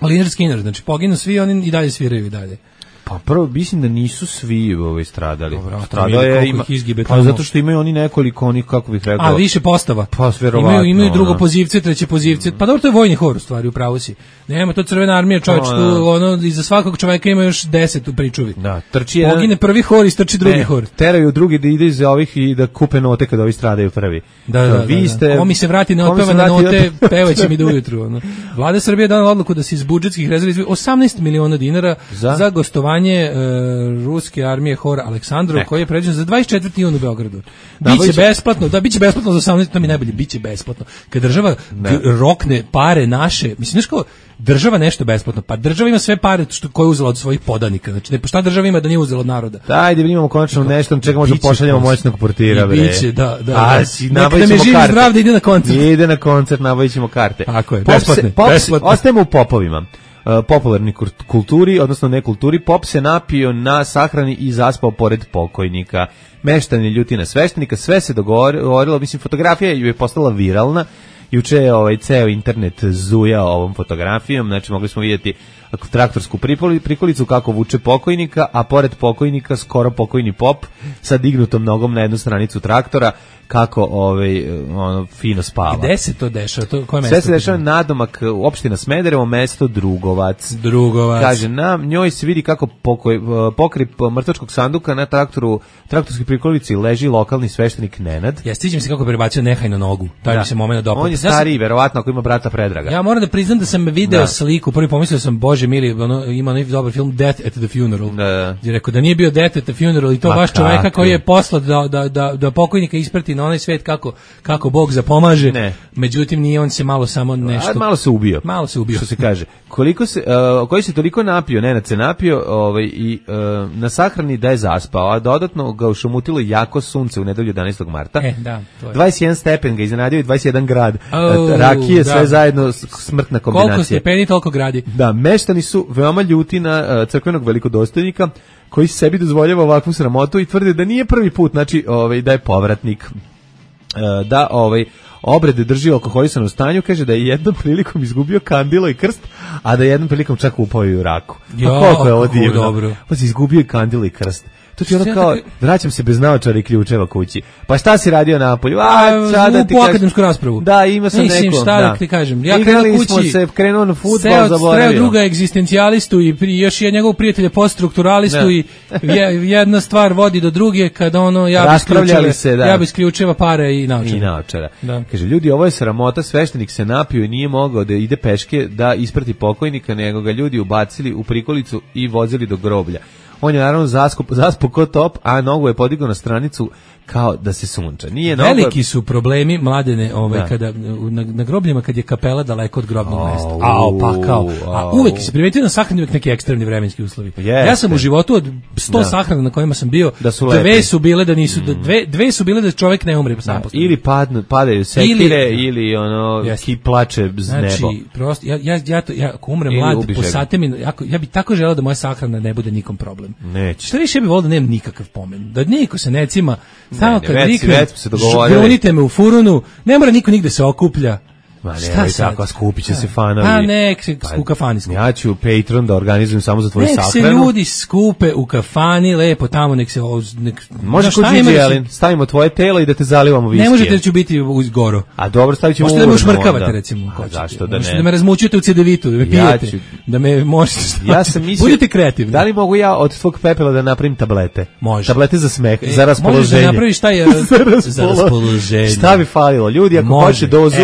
Lynyrd Skynyrd, znači poginu svi, oni i dalje sviraju i dalje. Pa prvo, mislim da nisu svi ovaj stradali. Dobro, stradao je, ima, pa zato što imaju oni nekoliko, onih, kako bih rekao... A, više postava. Pa, verovatno. Imaju, imaju drugo pozivce, treće pozivce. Mm. Pa dobro, to je vojni hor, u stvari, upravo si. Nema, to Crvena armija, čovječ, tu, no, ono, iza svakog čovjeka ima još deset u pričuvi. Da, trči jedan... Pogine prvi hor i strči drugi ne, hor. Teraju drugi da ide iz ovih i da kupe note kada ovi stradaju prvi. Da, da, da. Vi da, ste... Ovo mi se vrati na otpevane note, pevaće mi do ujutru. Ono. Vlada Srbije donela odluku da se iz budžetskih rezervi izdvoji osamnaest miliona dinara za, za gostovanje uh, ruske armije hor Aleksandrov, ne. koji je predviđen za dvadeset četvrti jun u Beogradu. Biće besplatno, da biće besplatno za osamnaest, to mi najbolje, biće besplatno. Kad država g- rokne pare naše, mislim znaš kao država nešto besplatno, pa država ima sve pare što koje je uzela od svojih podanika. Znači ne, pa šta država ima da nije uzela od naroda? Da, ajde, imamo konačno nešto, čega možemo pošaljemo moćnog portira, bre. Biće, da, da. A, da. si, nabavićemo karte. Zdrav da ide na koncert. Ide na koncert, nabavićemo karte. Tako je, pop besplatne. Se, pop besplatne. Ostajemo u popovima. Uh, popularni kulturi, odnosno ne kulturi, pop se napio na sahrani i zaspao pored pokojnika. Meštan je ljuti na sveštenika, sve se dogovorilo, mislim, fotografija je postala viralna, juče je ovaj ceo internet zujao ovom fotografijom, znači mogli smo vidjeti traktorsku prikolicu kako vuče pokojnika, a pored pokojnika skoro pokojni pop sa dignutom nogom na jednu stranicu traktora, kako ovaj ono fino spava. Gde se to dešava? To koje mesto? Sve se dešava nadomak opština Smederevo, mesto Drugovac. Drugovac. Kaže, na njoj se vidi kako pokoj, pokri mrtvačkog sanduka na traktoru, traktorskoj prikolici leži lokalni sveštenik Nenad. Ja stiđem se kako prebacio nehajno nogu. Taj mi se moment dopao. On je stariji, verovatno, ako ima brata Predraga. Ja moram da priznam da sam video da. sliku, prvi pomislio sam, bože mili, ono, ima onaj dobar film Death at the Funeral. Da. Gdje rekao da nije bio Death at the Funeral i to Ma baš kako? čoveka koji je poslat da, da, da, da pokojnika isprati na onaj svet kako, kako Bog zapomaže. Ne. Međutim, nije, on se malo samo nešto... A, malo se ubio. Malo se ubio. Što se kaže. Koliko se, uh, koji se toliko napio, Nenad se napio ovaj, i uh, na sahrani da je zaspao, a dodatno ga ušumutilo jako sunce u nedelju jedanaestog marta. E, da, to je. dvadeset jedan stepen ga iznenadio i dvadeset jedan grad. Oh, rakije, da. sve zajedno, smrtna kombinacija. Koliko stepeni, toliko gradi. Da, meštani su veoma ljuti na uh, crkvenog velikodostojnika, koji sebi dozvoljava ovakvu sramotu i tvrde da nije prvi put, znači ovaj, da je povratnik. Uh, da ovaj obrede drži u alkoholisanom stanju, kaže da je jednom prilikom izgubio kandilo i krst, a da je jednom prilikom čak upao i u raku. Pa koliko je ovo divno. Dobro. Pa si izgubio i kandilo i krst. To ti ono kao, vraćam se bez naočara i ključeva kući. Pa šta si radio napolju? A, sada ti kažem. U akademsku raspravu. Da, ima sam Mislim, neko. šta da ti kažem. Ja krenuo kući. Smo se krenuo na fudbal, zaboravio. Sreo druga egzistencijalistu i pri, još je njegovog prijatelja poststrukturalistu i je, jedna stvar vodi do druge kada ono, ja bi isključeva, se, da. ja bi isključeva pare i naočara. I naočara. Da. Kaže, ljudi, ovo je sramota, sveštenik se napio i nije mogao da ide peške da isprati pokojnika, nego ga ljudi ubacili u prikolicu i vozili do groblja. On je naravno zaskup, zaspo ko top, a nogu je podigao na stranicu kao da se sunča. Nije noga... Veliki su problemi, Mladene, ovaj, da. kada, na, na grobljima kad je kapela daleko od grobnog oh, mesta. Ao, pa kao. A uvek se primetio na sahrani uvek neki ekstremni vremenski uslovi. Yes, ja sam u životu od sto da. sahrana na kojima sam bio, da su dve su bile da nisu, da dve, dve su bile da čovjek ne umre. Da. Ili padnu, padaju sekire, ili, ili ono, yes. ki plače z nebo. Znači, prosto, ja, ja, ja, to, ja ako umrem ili mlad, posate mi, ja, ja bi tako želeo da moja sahrana ne bude nikom problem. Neće. Šta više bi volio da nemam nikakav pomen. Da niko se ne cima, samo kad već, nikne, već se dogovorili. Grunite me u furunu, ne mora niko nigde se okuplja. Ma ne, tako, skupit će se fanovi. Pa nek se u kafani skupe. Ja ću Patreon da organizujem samo za tvoju sahranu. Nek se ljudi skupe u kafani, lepo tamo, nek se... Nek, može kod Gigi Jelin, stavimo tvoje telo i da te zalivamo viskijem. Ne možete da ću biti uz goro. A dobro, stavit ćemo možete da me ušmrkavate, recimo. A zašto da ne? Možete da me razmućujete u cedevitu, da me pijete, ja ću, da me možete... Ja sam mislio... Budite kreativni. Da li mogu ja od tvog pepela da napravim tablete? Može. Tablete za smeh, e, za raspoloženje. Možeš da napraviš taj za raspoloženje. Šta bi falilo? Ljudi, ako hoće dozu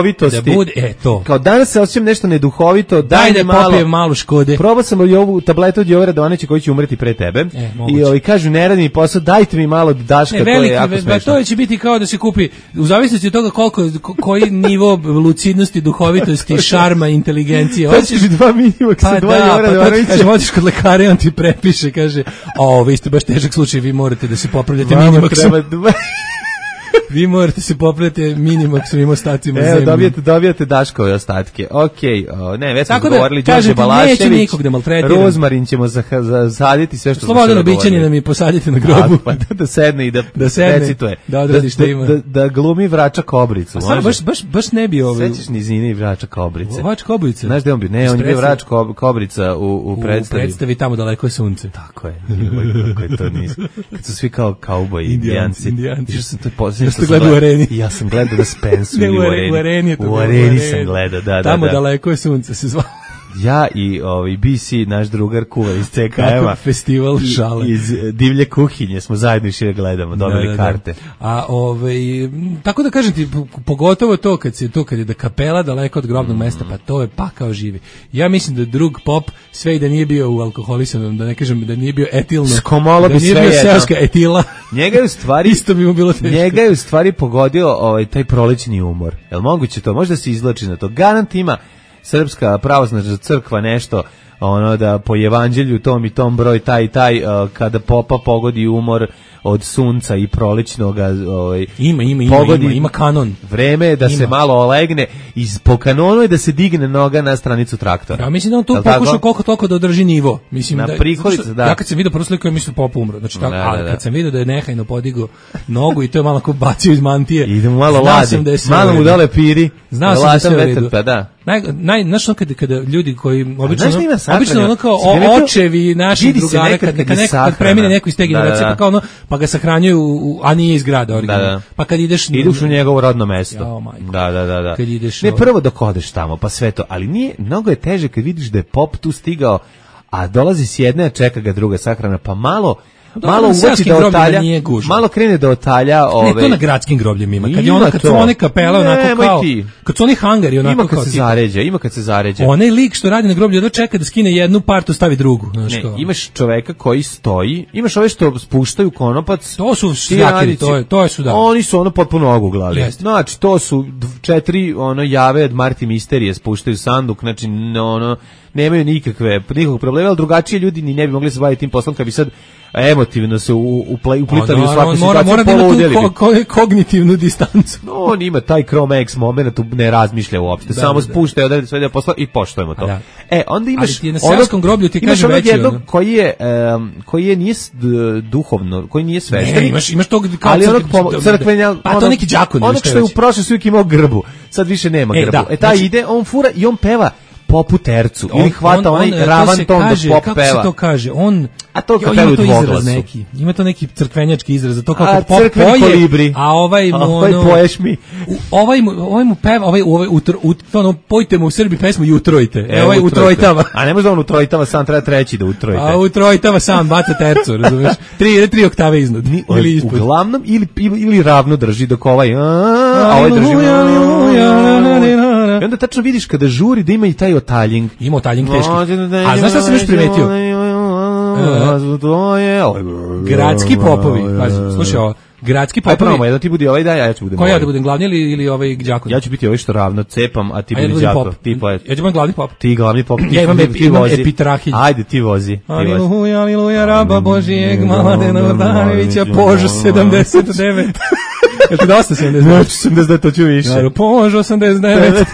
duhovitosti... E, to. Kao danas se osjećam nešto neduhovito, daj da malo, popijem malo Škode. Probao sam i ovu tabletu od Jovera Dovanića koji će umreti pre tebe. E, I ovi kažu, ne radi mi posao, dajte mi malo Daška, ne, veliki, to je jako ve, smešno. To će biti kao da se kupi, u zavisnosti od toga koliko, koji nivo lucidnosti, duhovitosti, šarma, inteligencije. To će biti dva minimaksa, pa dva da, Jovera pa Dovanića. Kaže, odeš kod lekara i on ti prepiše, kaže, o, vi ste baš težak slučaj, vi morate da se popravljate minimaksom. Vi morate se popraviti minimaksovim ostacima zemlje. Evo, dobijete, dobijete Daškove ostatke. Okej, okay, ne, već smo govorili, da, Đorđe Balašević, da rozmarin ćemo zasaditi sve što smo Slobodno običanje nam i posadite na grobu. Pa da, da sedne i da, da sedne, recituje. Da odradi što da, ima. Da, da glumi Vrača Kobricu. A sad baš, baš, baš ne bi ovaj... Sećaš Nizine i Vrača Kobrice? Vrač Kobrice? Znaš gde on bio? Ne, on je bio Vrač Kobrica u, u predstavi. U predstavi tamo daleko je sunce. Tako je. Kako je to nisu. Kad su svi kao kauboji, indijanci. Indijanci. Što sam to posljedno što gledao u areni. Ja sam gledao na Spensu ne, ili u areni. U areni, u areni sam gledao, da, da, tamo da. daleko je sunce se zvao. Ja i ovaj B C, naš drugar kuvar iz C K M-a. Festival šale. Iz divlje kuhinje smo zajedno išli gledamo, dobili da, da, karte. Da. A ovaj, tako da kažem ti, pogotovo to kad se to kad je da kapela daleko od grobnog mm. mesta, pa to je pakao živi. Ja mislim da drug pop sve i da nije bio u alkoholisanom, da ne kažem da nije bio etilno, Skomolo da bi nije sve bio seoska etila. Njega je u stvari isto bi mu bilo teško. Njega je u stvari pogodio ovaj taj prolećni umor. Jel moguće to? Možda se izvlači na to. Garant ima Srpska pravoslavna crkva nešto ono da po evanđelju tom i tom broj taj i taj uh, kada popa pogodi umor od sunca i prolećnog ovaj ima ima ima pogodi, ima, ima kanon. Vreme je da ima. Se malo olegne i po kanonu je da se digne noga na stranicu traktora. Ja mislim da on tu pokušao koliko toliko da održi nivo. Mislim na da, prikolicu, da. Ja kad sam video prvu sliku, ja mislim Pop umro. Znači tako, da, ali da, da. kad sam video da je nehajno podigao nogu i to je malo kao bacio iz mantije. Idemo malo ladi. Malo mu dole piri. Znao sam da se vetar, pa da. Naj naj znaš ono kada kada ljudi koji obično ono, obično ono kao očevi naših drugara kad kad neko kad premine neko iz te generacije pa kao ono pa ga sahranjuju a nije iz grada originalno. Da, da. Pa kad ideš ideš u njegovo rodno mesto. Ja, da, da, da, da. Kad ideš ne prvo dok odeš tamo, pa sve to, ali nije mnogo je teže kad vidiš da je Pop tu stigao, a dolazi s jedne, a čeka ga druga sahrana, pa malo Da, malo uvuči da otalja, malo krene da otalja ove. Ne, to na gradskim grobljima ima. Kad je ona kad su one kapele onako kao, kad su oni hangari onako ima kad kao se zaređa, ima kad se zaređa. Onaj lik što radi na groblju odmah čeka da skine jednu partu, stavi drugu, znači ne, imaš čoveka koji stoji, imaš ove što spuštaju konopac. To su šljakeri, to je, to je su da. Oni su ono potpuno oguglali. Znači to su četiri ono jave od Marti Misterije spuštaju sanduk, znači ono nemaju nikakve nikakvog problema, al drugačije ljudi ni ne bi mogli se baviti tim poslom kad bi sad emotivno se uplitali u svaku situaciju. Mora, mora da ima tu ko, ko, kognitivnu distancu. No, on ima taj Chrome X moment, tu ne razmišlja uopšte, da, samo da, spušta i odredi sve da posla i poštujemo to. Da. E, onda imaš... Ali ti je na seoskom groblju ti kaže veći... Imaš jednog koji je, um, koji je nije duhovno, koji nije sveštenik. Ne, imaš, imaš tog... Ali onog crkvenja... Pa to neki đakon. Onog što je u prošle su uvijek imao grbu, sad više nema grbu. E, taj ide, on fura i on peva Popu tercu on, ili hvata on, onaj on, ravan ton kaže, da Pop kako peva. Kako se to kaže? On a to jo, ima to izraz neki. Ima to neki crkvenjački izraz, to kako Pop poje, kolibri. A ovaj mu a ovaj ono, poješ mi. U, ovaj mu ovaj mu peva, ovaj ovaj utro, ut, ono pojte mu u Srbiji pesmu i utrojite. E, ovaj utrojitava. A ne može da on utrojitava, sam treba treći da utrojite. A utrojitava sam baca tercu, razumeš? Tri tri oktave iznad ili ispod. Uglavnom ili ili ravno drži dok ovaj a ovaj drži. I onda tačno vidiš kada žuri da ima i taj otaljing. Ima otaljing teški. A znaš šta sam još primetio? Gradski popovi. Pazi, slušaj ovo. Gradski popovi. Aj prvo, jedan ti budi ovaj da, ja ću budem. Ko ja da budem glavni ili ili ovaj đakon? Ja ću biti ovaj što ravno cepam, a ti budi đakon. Ti poet. Ja ću biti glavni pop. Ti glavni pop. Ja imam epitrahilj. Ajde ti vozi. Aleluja, aleluja, raba Božijeg, Mladena Vrdanovića, Požo sedamdeset devet. Jel ti dosta sedamdeset devet? Znači sedamdeset devet, to ću više. Naravno, Požo osamdeset devet.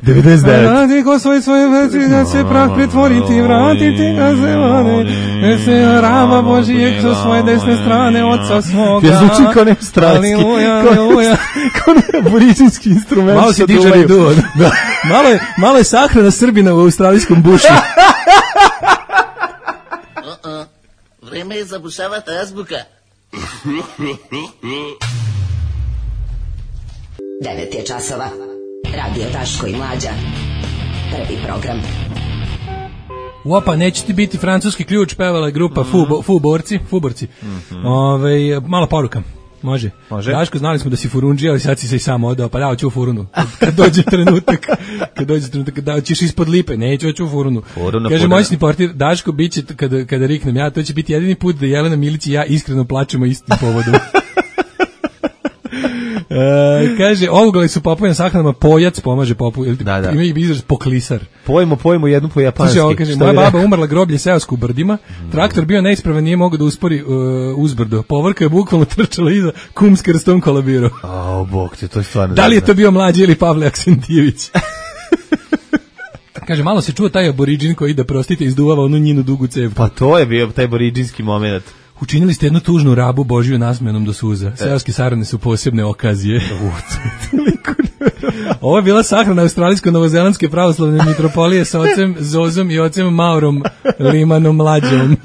devedeset devet. Radi ko svoj svoje veci, da se prah pretvoriti, vratiti ga zemane. Ne se raba Božijeg sa svoje desne strane, oca svoga. Ja zvuči kao ne stratski. Aleluja, aleluja. Kao ne aboriđinski instrument. Malo si didžeriduo. Malo je, malo je sahrana Srbina u australijskom bušu. Vreme je zabušavati azbuka. devet je časova. Radio Daško i Mlađa. Prvi program. Opa, neće ti biti francuski ključ, pevala je grupa mm. Fubo, Fuborci, Fuborci. Mm-hmm. Ove, malo poruka. Može. Može. Daško, znali smo da si furundži, ali sad si se i sam odao, pa dao ću u furunu. Kad dođe trenutak, kad dođe trenutak, dao ćeš ispod lipe, neću ću u furunu. Furuna, kaže furuna. moćni portir, Daško, bit će, kada, kada riknem ja, to će biti jedini put da Jelena Milić i ja iskreno plačemo istim povodom. E, kaže, ovugali su popovi na sahranama, pojac pomaže popu, ili da, da. Ima i izraz poklisar. Pojmo, pojmo jednu po japanski. Slušaj, kaže, moja baba umrla groblje seosku u Brdima, mm. traktor bio neispravan, nije mogao da uspori uh, uzbrdo. Povorka je bukvalno trčala iza, kum s krstom kolabirao. O, bog te, to je stvarno. Da li je to bio Mlađi ili Pavle Aksentijević? Kaže, malo se čuo taj aboriđin koji da prostite izduvava onu njinu dugu cevku. Pa to je bio taj aboriđinski moment. Učinili ste jednu tužnu rabu Božiju nasmenom do suza. Seoske sahrane su posebne okazije. Ovo je bila sahrana australijsko-novozelandske pravoslavne mitropolije sa ocem Zozom i ocem Maurom Limanom Mlađom.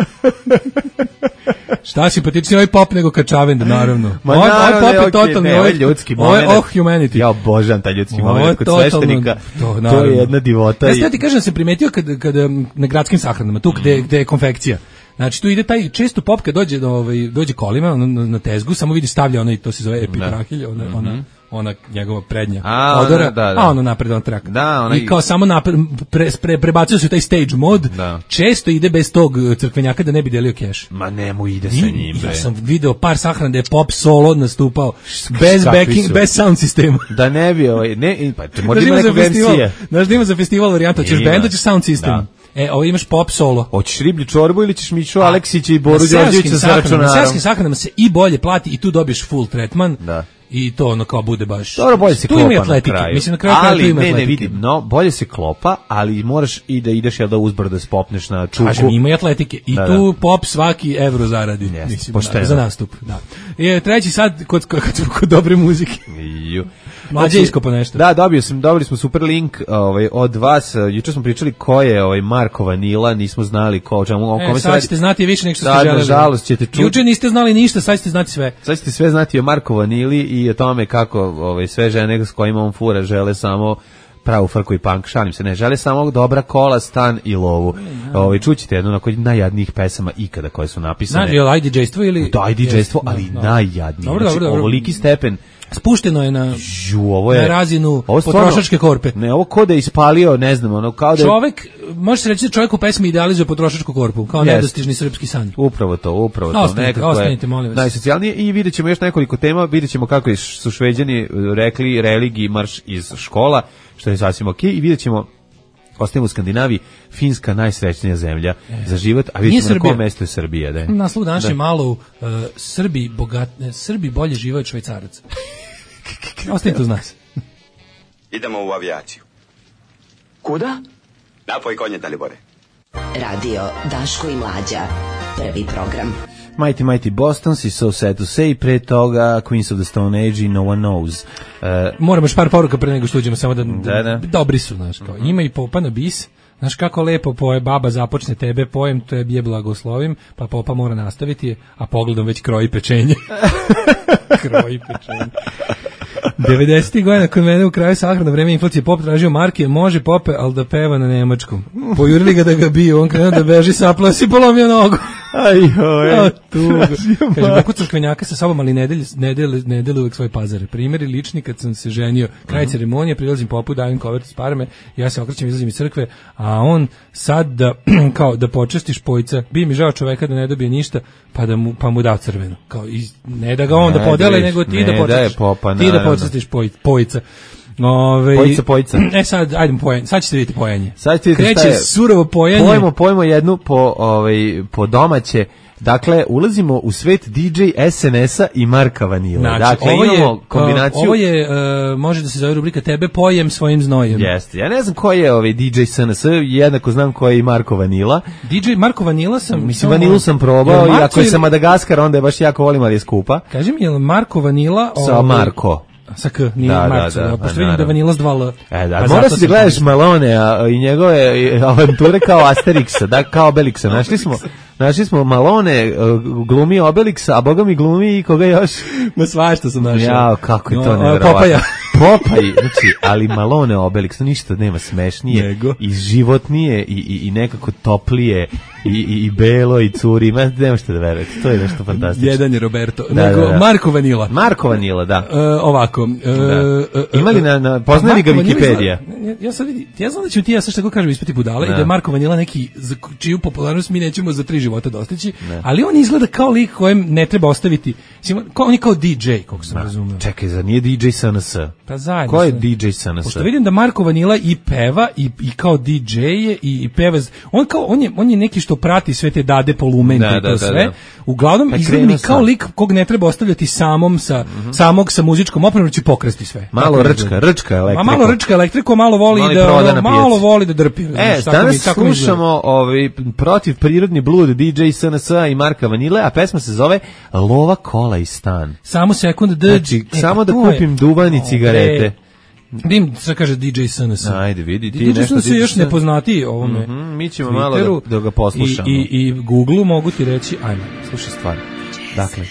Šta simpatičniji ovaj pop nego Kačavend, naravno. Ma ovaj, naravno, ovaj pop je okay, totalno, ne, ovaj ljudski moment. Ovo je oh humanity. Ja obožavam taj ljudski ovo moment kod totalno, sveštenika. To, to je jedna divota. Ja sad ti kažem da sam primetio kad, kad na gradskim sahranama, tu gde, gde je konfekcija. Znači tu ide taj često pop kad dođe do ovaj dođe kolima na, na tezgu, samo vidi stavlja onaj, to se zove epitrahilj, ona mm-hmm. ona ona njegova prednja a, odora, da, da. a ono napred on trak. Da, ona i kao samo napred pre, pre, prebacuje se taj stage mod. Da. Često ide bez tog crkvenjaka da ne bi delio keš. Ma nemo ide sa njim. Ja sam video par sahrana da je pop solo nastupao bez backing, su? Bez sound sistema. Da ne bi ovaj ne pa možda ima neka verzija. Znaš da ima za festival varijanta, ćeš bend, ćeš sound sistem. Da. E, ovo imaš pop solo. Hoćeš riblju čorbu ili ćeš Mišu Aleksića i Boru Đorđevića sa računarom? Na seoskim sahranama se i bolje plati i tu dobiješ full tretman. Da. I to ono kao bude baš. Dobro, bolje se tu klopa ima atletike. Na kraju. Mislim na kraju ali, tu ima ne, atletike. ne vidim, no, bolje se klopa, ali moraš i da ideš jel da uzbrdo da spopneš na čuku. Kažem, ima i atletike. I da, tu da. Pop svaki evro zaradi. Yes, mislim, pošteno. Da, za nastup. Da. I treći sad kod, kod, kod, kod dobre muzike. Ju. Mlađe iskopa nešto. Da, dobio sam, dobili smo super link ovaj, od vas. Juče smo pričali ko je ovaj Marko Vanila, nismo znali ko, o čemu, o e, kome sad radi. ćete znati više nego što ste da, želeli. Nažalost ćete čuti. Juče niste znali ništa, sad ćete znati sve. Sad ćete sve znati o Marko Vanili i o tome kako ovaj, sve žene s kojima on fura žele samo pravu frku i punk, šalim se, ne, žele samo dobra kola, stan i lovu. Ovaj, čućete jednu od najjadnijih pesama ikada koje su napisane. Znači, je li I D J-stvo ili... Da, I D J-stvo, ali no, no. najjadnije. Dobro, znači, dobro, dobro. ovoliki stepen. Spušteno je na, Žu, ovo je, na razinu ovo stvarno, potrošačke korpe. Ne, ovo ko da je ispalio, ne znam, ono kao da je... Čovek, može se reći da čovjek u pesmi idealizuje potrošačku korpu, kao yes. nedostižni srpski san. Upravo to, upravo no, to. Ostanite, nekako ostanite, molim je vas. Najsocijalnije i vidjet ćemo još nekoliko tema, vidjet ćemo kako su Šveđani rekli religiji marš iz škola, što je sasvim ok, i vidjet ćemo, ostajemo u Skandinaviji, Finska najsrećnija zemlja e. za život, a vidjet ćemo na kom mestu je Srbija. Da je. Naslov današnje malo uh, Srbi, bogat, ne, Srbi bolje žive od Švajcaraca. Ostanite uz nas. Idemo u avijaciju. Kuda? Napoj konje, Dalibore. Radio Daško i Mlađa. Prvi program. Mighty Mighty Bostons i So Sad to Say, pre toga Queens of the Stone Age i No One Knows. Uh, Moramo još par poruka pre nego što uđemo, samo da, da, da. dobri su, znaš, kao. Ima i popa na bis, znaš kako lepo poje baba započne tebe pojem, to je bije blagoslovim, pa popa mora nastaviti, a pogledom već kroji pečenje. Kroji pečenje. devedesetih godina kod mene u kraju sahrana vreme inflacije pop tražio marke, može pope, ali da peva na nemačkom. Pojurili ga da ga biju, on krenuo da beži, saplao si, polomio nogu. Ajoj, tugo. Kaže, pokucaš kvenjaka sa sobom, ali ne deli, ne deli, ne deli uvek svoje pazare. Primjeri lični kad sam se ženio, kraj uh-huh. ceremonije, prilazim popu, dajem kovertu s parame, ja se okrećem, izlazim iz crkve, a on sad da, kao, da počestiš pojca, bi mi žao čoveka da ne dobije ništa, pa, da mu, pa mu da crveno. Kao, iz, ne da ga on ne, da podele, da nego ti da počestiš, popa, ti da počestiš poj, pojca. Ove, pojica, pojica. E sad, ajdemo pojenje. Sad ćete vidjeti pojenje. Sad ćete vidjeti Kreće surovo pojenje. Pojmo, pojmo jednu po, ovaj, po domaće. Dakle, ulazimo u svet D J S N S-a i Marka Vanila. Znači, dakle, ovo imamo je, kombinaciju... Ovo je, uh, može da se zove rubrika Tebe pojem svojim znojem. Jeste. Ja ne znam ko je ovaj D J S N S, jednako znam ko je i Marko Vanila. D J Marko Vanila sam... Mislim, Vanilu sam probao i ako je sa Madagaskara, onda je baš jako volim, ali je skupa. Kaži mi, je li Marko Vanila... Sa ovaj, Marko. Sa K, nije da, Marko, da, da, pošto vidim da je Vanila s dva L. E, da, moraš da gledaš Malone a, i njegove avanture kao Asterixa, da, kao Obelixa. Našli smo, našli smo Malone, glumi Obelixa, a boga mi glumi i koga još? Ma svašta sam našao. Jao, kako je to no, nevjerovatno. Popaja. Popaj, znači, ali Malone Obelix, ništa nema smešnije Nego. i životnije i, i, i nekako toplije i, i, i belo i curi, ma nema što da verujete, to je nešto fantastično. Jedan je Roberto, da, nego da, da. Marko Vanila. Marko Vanila, da. Uh, ovako. Uh, da. Ima li na, na poznaje li ga Wikipedija? Ja, ja sad vidi, ja znam da ću ti ja sad što kažem ispati budale da. I da je Marko Vanila neki za čiju popularnost mi nećemo za tri života dostići, ne. Ali on izgleda kao lik kojem ne treba ostaviti, kao, on je kao D J, kako sam razumeo. Čekaj, za nije D J S N S? Pa zajedno. Ko je D J S N S? Pošto vidim da Marko Vanila i peva i, i kao D J je i, i peva, on kao on je on je neki što prati sve te dade polumente da, i to da, sve. Da, da. Uglavnom izgleda mi kao lik kog ne treba ostavljati samom sa mm-hmm. samog sa muzičkom opremom, će pokrasti sve. Malo rčka, rčka elektriko. A malo rčka elektriko, malo voli Mali da ono, malo voli da drpi. E, danas slušamo ovaj protiv prirodni blud D J S N S i Marka Vanile, a pesma se zove Lova, kola i stan. Samo sekund da znači, e, samo da kupim duvan i cigarete. Dim, šta kaže D J S N S. Ajde, vidi, ti D J nešto... D J S N S još nepoznatiji ovome. Mm-hmm, mi ćemo malo da, da ga poslušamo. I, i, i Google-u mogu ti reći, ajmo. Slušaj stvar. Dakle,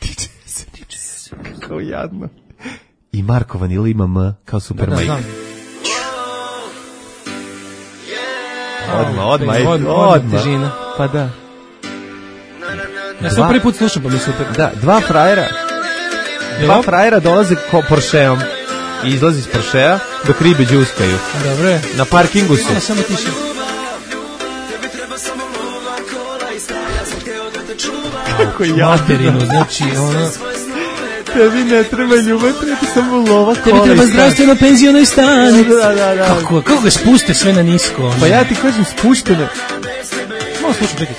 D J S N S. Kako jadno. I Marko Vanila ima M kao super da, majka. Da, odmah, odmah, odmah, odmah. Težina. Pa da. Ja sam prvi put slušam, pa mi super. Da, dva frajera. Dva frajera dolaze ko Porscheom. I izlazi iz Porschea dok ribe džuskaju. Dobre. Na parkingu su. Ja, samo tiše. Kako jadno. Materinu, znači ono... Tebi ne treba ljubav, treba samo lova, kola. Tebi treba zdravstveno penziono i stan. Da, da, da. Kako, kako ga spuste sve na nisko? Pa ja ti kažem spušteno. Malo slušam, čekaj.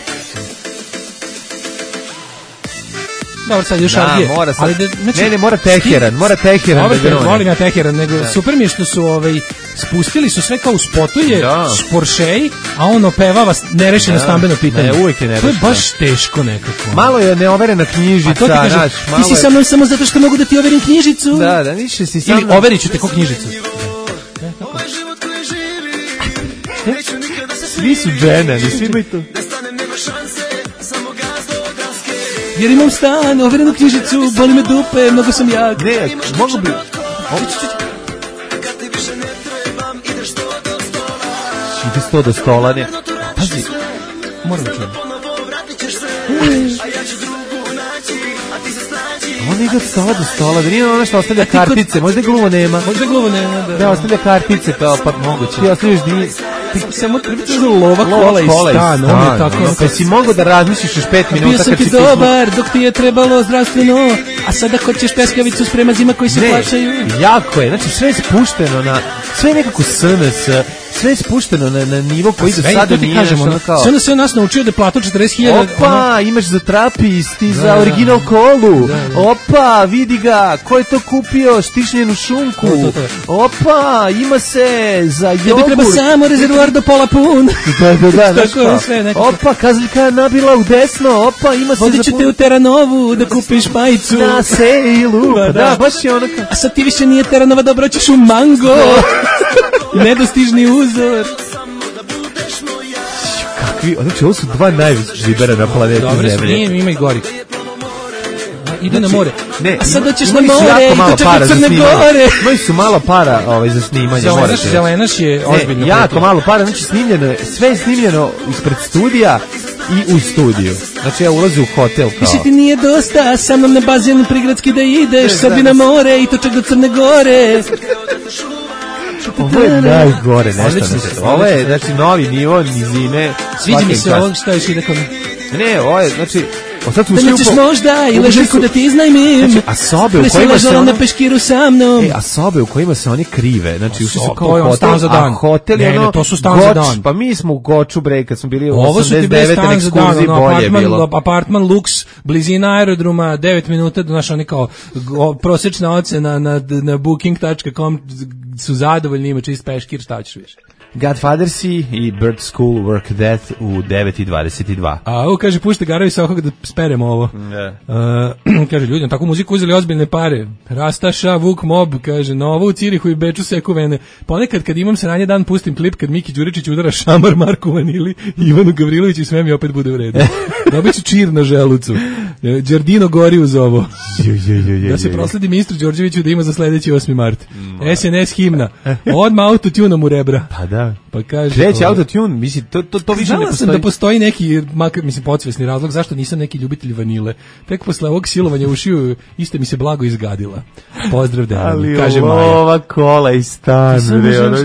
Dobro, sad još da, Argije. Mora sad, ali da, znači, ne, ne, mora Teheran, mora Teheran. Dobro, da da volim ja Teheran, nego da. Super mi je što su ovaj, spustili su sve kao u spotu je da. Porsche, a on opevava nerešeno da. Stambeno pitanje. Ne, uvijek je nerešeno. To je baš teško nekako. Malo je neoverena knjižica. A to ti kaže, naš, ti si je... sa mnom samo zato što mogu da ti overim knjižicu. Da, da, više si sa mnom. Ili overit ću te ko knjižicu. Svi su dženani, svi imaju to. Jer imam stan, overenu knjižicu, boli me dupe, mnogo sam jak. Ne, mogu bi... Ide sto do stola, ne. Pazi, moram da čujem. On ide od stola do stola, da nije ono što ostavlja kartice, možda je gluvo nema. Možda je gluvo nema, da. Da, ostavlja kartice, kao pa moguće. Ti ostavljaš dvije... Ti samo treba da lova, kola i stan, on je tako... Pa si mogo da razmišljiš još pet minuta... Bio sam ti dobar, dok ti je trebalo zdravstveno, a sada hoćeš peskavicu s premazima koji se plaćaju. Jako je, znači sve je spušteno na... Sve je nekako S N S, sve je spušteno na, na nivo koji do sada nije kažemo, ono kao... Sve ono sve nas naučio da je platu četrdeset hiljada... Opa, ono... imaš za trapist i da, za original kolu. Da, da. Opa, vidi ga, ko je to kupio, štišnjenu šunku. To, to, to. Opa, ima se za jogurt. Tebi treba samo rezervoar do pola pun. Da, da, da. Tako je sve nekako. Opa, kazaljka nabila u desno, opa, ima se... Vodit ću te u Teranovu da kupiš majicu. Na sejlu. Pa, da, da, baš je ono kao... A sad ti više nije Teranova, dobro ćeš u Mango. Nedostižni uzor. Kakvi, znači ovo su dva najveća žibera na planeti Dobre, Zemlje. Dobre, nije, ima i gori. Ide na more. Ne, a sad doćeš ima, na more i doćeš na Crne Gore. Imaju su malo para ovaj, za snimanje. Zelenaš, zelenaš je ozbiljno. Ne, jako malo para, znači snimljeno je, sve je snimljeno ispred studija i u studiju. Znači ja ulazim u hotel kao. Više ti nije dosta, sa mnom na bazen prigradski da ideš, sad bi na more i to čak do Crne Gore. Ovo je najgore nešto. Ovo je, znači, novi nivo nizine. Sviđa mi se ovo što još ide kod... Ne, ovo je, znači... Da nećeš možda i leželjku da ti iznajmim. Znači, a sobe u kojima se ono... na peškiru sa mnom. E, a sobe u kojima se oni krive. Znači, ušli su kao hotel, stan za dan. A hotel je ne, ono... Ne, to su stan za dan. Pa mi smo u Goču, bre, kad smo bili u Ovo osamdeset devete na ekskurziji, bolje je bilo. Apartman Lux, blizina aerodroma, devet minuta, znaš, oni kao prosječna ocena na, na booking tačka com su zadovoljni, ima čist peškir, šta ćeš više. Godfathersi i Bird School Work Death u devet i dvadeset dva. A ovo kaže, pušte Garovi sa okog da speremo ovo. Yeah. Uh, kaže, ljudi, tako muziku uzeli ozbiljne pare. Rastaša, Vuk Mob, kaže, novo u Cirihu i Beču seku vene. Ponekad kad imam sranje dan, pustim klip kad Miki Đuričić udara šamar Marku Vanili i Ivanu Gavrilović i sve mi opet bude u redu. Dobit ću čir na želucu. Đardino gori uz ovo. Da se prosledi ministru Đorđeviću da ima za sledeći osmi mart. S N S himna. Odmah autotunom u rebra. Pa da. Pa kaže, kreće autotune, mislim, to, to, to više ne postoji. Znala sam da postoji neki, makar, mislim, podsvesni razlog zašto nisam neki ljubitelj vanile. Tek posle ovog silovanja ušiju, iste mi se blago izgadila. Pozdrav da kaže Maja. Ali ova kola i stan.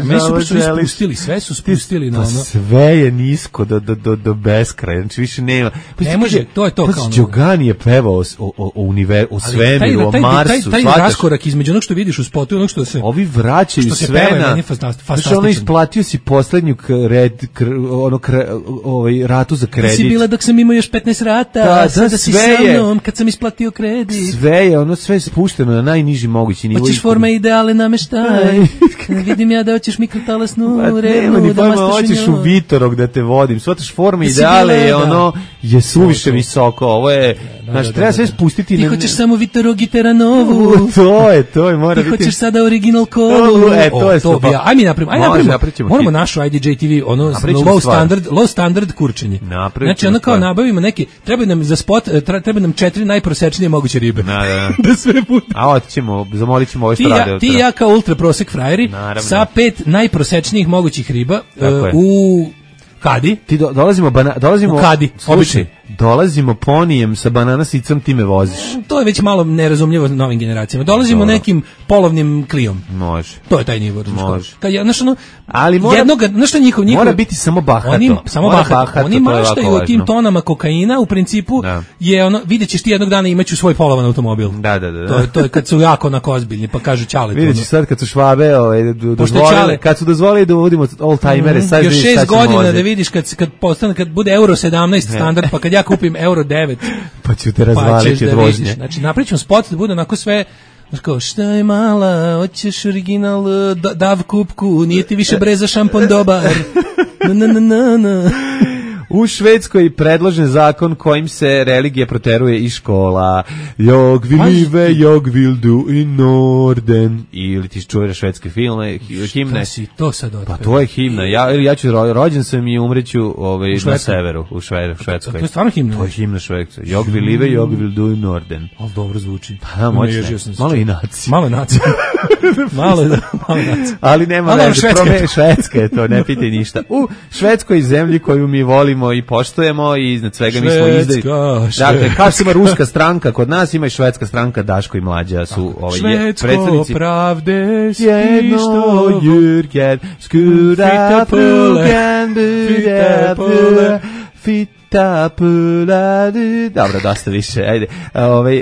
Meni su baš spustili, sve su spustili na ono. Sve je nisko do, do, do, do beskraja, znači više nema. Pa ne može, to je to kao ono. Đogani je pevao o, o, o, univer, o svemiru, o Marsu. Taj, taj, taj raskorak između onog što vidiš u spotu i onog što se... Ovi vraćaju sve na... Znači ono isplatio si poslednju kred, kr, ono kre, ovaj ratu za kredit. Ti si bila dok sam imao još petnaest rata, da, sada da si sa mnom kad sam isplatio kredit. Sve je, ono sve je spušteno na najniži mogući nivo. Hoćeš forma ideale nameštaj. Vidim ja da hoćeš mikrotalasnu renu, da mastaš hoćeš u Vitorog da te vodim. Svataš forma ideale je ono je suviše visoko. Ovo je, znači treba sve spustiti. Ti hoćeš samo Vitorog i Teranovu. To je, to je, mora biti. Ti hoćeš sada original kolu. E, to je to. Aj mi napravimo, aj napravimo. Moramo našu I D J T V, ono low standard, low standard kurčenje. Znači ono kao nabavimo neki, treba nam za spot, treba nam četiri najprosečnije moguće ribe. Da, da. Da sve puta. A otićemo, zamolit ćemo ove što rade. Ti ja kao ultra prosek frajeri sa pet najprosečnijih mogućih riba uh, u Kadi. Ti do, dolazimo bana, dolazimo u Kadi, običaj. dolazimo ponijem sa banana sicom, ti me voziš. To je već malo nerazumljivo novim generacijama. Dolazimo Dobro. nekim polovnim klijom. Može. To je taj nivo. Može. Kad je, znaš, ono, ali mora, jednoga, znaš njihov, njihov, mora biti samo bahato. Oni, samo bahato. bahato. Oni maštaju o tim tonama kokaina, u principu da. je ono, vidjet ćeš ti jednog dana imaću svoj polovan automobil. Da, da, da. To je, to je kad su jako onako ozbiljni, pa kažu čale. Vidjet ćeš sad kad su švabe, ovaj, dozvolili, kad su dozvolili da uvodimo old-timere, mm, sad još šest godina da vidiš kad, kad, postane, kad bude euro sedamnaest standard, pa kad ja kupim euro devet, pa ću te razvaliti od vožnje. Znači, napravit ćemo spot da bude onako sve, kao, šta je mala, hoćeš original da, dav kupku, nije ti više breza šampon dobar. Na, na, na, na, na. U Švedskoj predložen zakon kojim se religija proteruje iz škola. Jag vill live, jag vill do i Norden. Ili ti čuješ švedske filme, himne. Šta si to sad otpeo? Pa to je himna. Ja, ja ću, rođen sam i umreću ovaj, na severu, u Švedu, Švedskoj. To je stvarno himna? To je himna Švedskoj. Jag vill live, jag vill do i Norden. Ali dobro zvuči. Pa, moćne. Malo i naci. Malo naci. malo, malo naci. Ali nema veze, prome Švedska je to, ne pitaj ništa. U Švedskoj zemlji koju mi volimo i poštujemo i iznad svega mi smo izdali. Dakle, kao što ima ruska stranka, kod nas ima i švedska stranka, Daško i Mlađa su ovaj predsjednici. Švedsko pravde jedno Jürgen skura pulgen bude pule fita pula. Dobro, dosta više. Ajde. Ovaj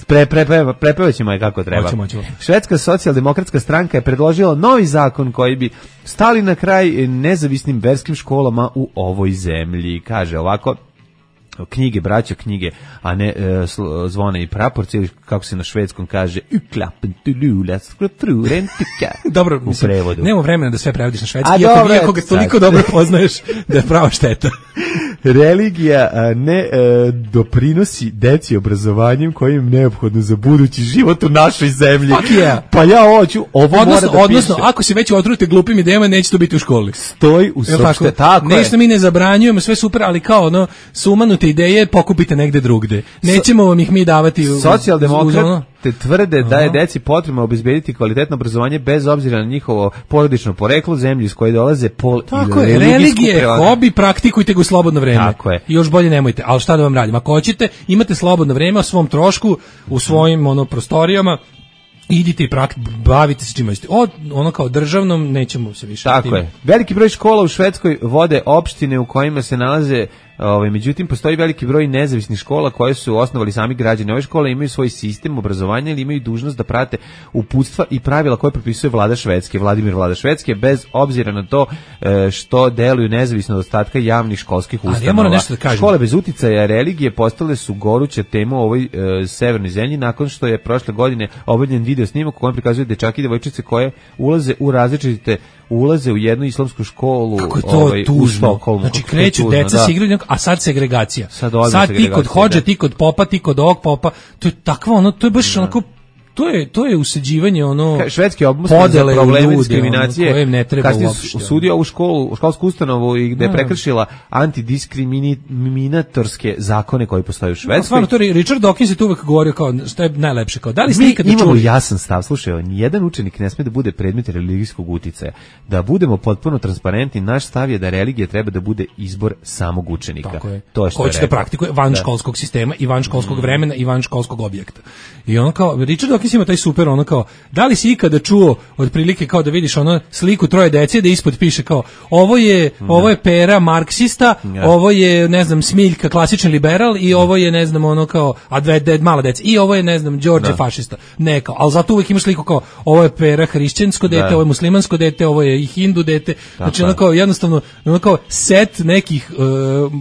pre pre prepevaćemo je kako treba. Moćemo, moćemo. Švedska socijaldemokratska stranka je predložila novi zakon koji bi stali na kraj nezavisnim verskim školama u ovoj zemlji. Kaže ovako: knjige, braća, knjige, a ne e, zvone i praporci, ili kako se na švedskom kaže dobro, u prevodu. Nema vremena da sve prevodiš na švedski, iako iako ga toliko dobro poznaješ da je prava šteta. Religija a, ne a, doprinosi deci obrazovanjem kojim je neophodno za budući život u našoj zemlji. Yeah. Pa ja hoću, ovo odnosno, mora da odnosno, piše. ako se već otrujete glupim idejama, neće to biti u školi. Stoj u sopšte, tako je. Nešto mi ne zabranjujemo, sve super, ali kao ono, sumanute ideje pokupite negde drugde. Nećemo vam ih mi davati u... Socijaldemokrate tvrde da je deci potrebno obezbediti kvalitetno obrazovanje bez obzira na njihovo porodično poreklo, zemlju iz koje dolaze, pol tako i religijsku religije, prevadu. Hobi, praktikujte ga u slobodno vreme. Tako je. I još bolje nemojte, ali šta da vam radim? Ako hoćete, imate slobodno vreme o svom trošku, u svojim ono, prostorijama, idite i prakt, bavite se čima ćete. Od ono kao državnom nećemo se više. Tako tim. Je. Veliki broj škola u Švedskoj vode opštine u kojima se nalaze, ovaj, međutim postoji veliki broj nezavisnih škola koje su osnovali sami građani. Ove škole imaju svoj sistem obrazovanja ili imaju dužnost da prate uputstva i pravila koje propisuje vlada Švedske, Vladimir vlada Švedske, bez obzira na to što deluju nezavisno od ostatka javnih školskih ustanova. Ali ja moram nešto da kažem. Škole bez uticaja religije postale su goruća tema u ovoj e, severnoj zemlji nakon što je prošle godine objavljen video snimak u kojem prikazuju dečaki i devojčice koje ulaze u različite ulaze u jednu islamsku školu. Kako je to ovaj, tužno? Znači kreću tužno, deca se igraju, a sad segregacija. Sad, sad ti kod hođe, ti kod popa, ti kod ovog popa. To je takva ono, to je baš da. Onako, to je to je usađivanje ono švedski obmusnik za probleme diskriminacije koje ne treba uopšte. Kad je osudio ovu školu, školsku ustanovu i gde je prekršila antidiskriminatorske zakone koji postoje u Švedskoj. Stvarno, to Richard Dawkins je tu uvek govorio kao što je najlepše, kao da li ste ikada čuli? Mi imamo jasan stav, slušaj, nijedan učenik ne sme da bude predmet religijskog uticaja. Da budemo potpuno transparentni, naš stav je da religija treba da bude izbor samog učenika. Tako je. To je što ko će da praktikuje van da. školskog sistema i van školskog mm. vremena i van školskog objekta. I on kao Richard Dawkins ima taj super ono kao, da li si ikada čuo otprilike kao da vidiš ono sliku troje dece da ispod piše kao ovo je mm. ovo je Pera marksista, yeah. ovo je ne znam Smiljka klasični liberal i mm. ovo je ne znam ono kao a dve, dve mala deca i ovo je ne znam Đorđe da. fašista. Ne kao, al zato uvek imaš sliku kao ovo je Pera hrišćansko dete, da. ovo je muslimansko dete, ovo je i hindu dete. Znači ono kao jednostavno ono kao set nekih uh,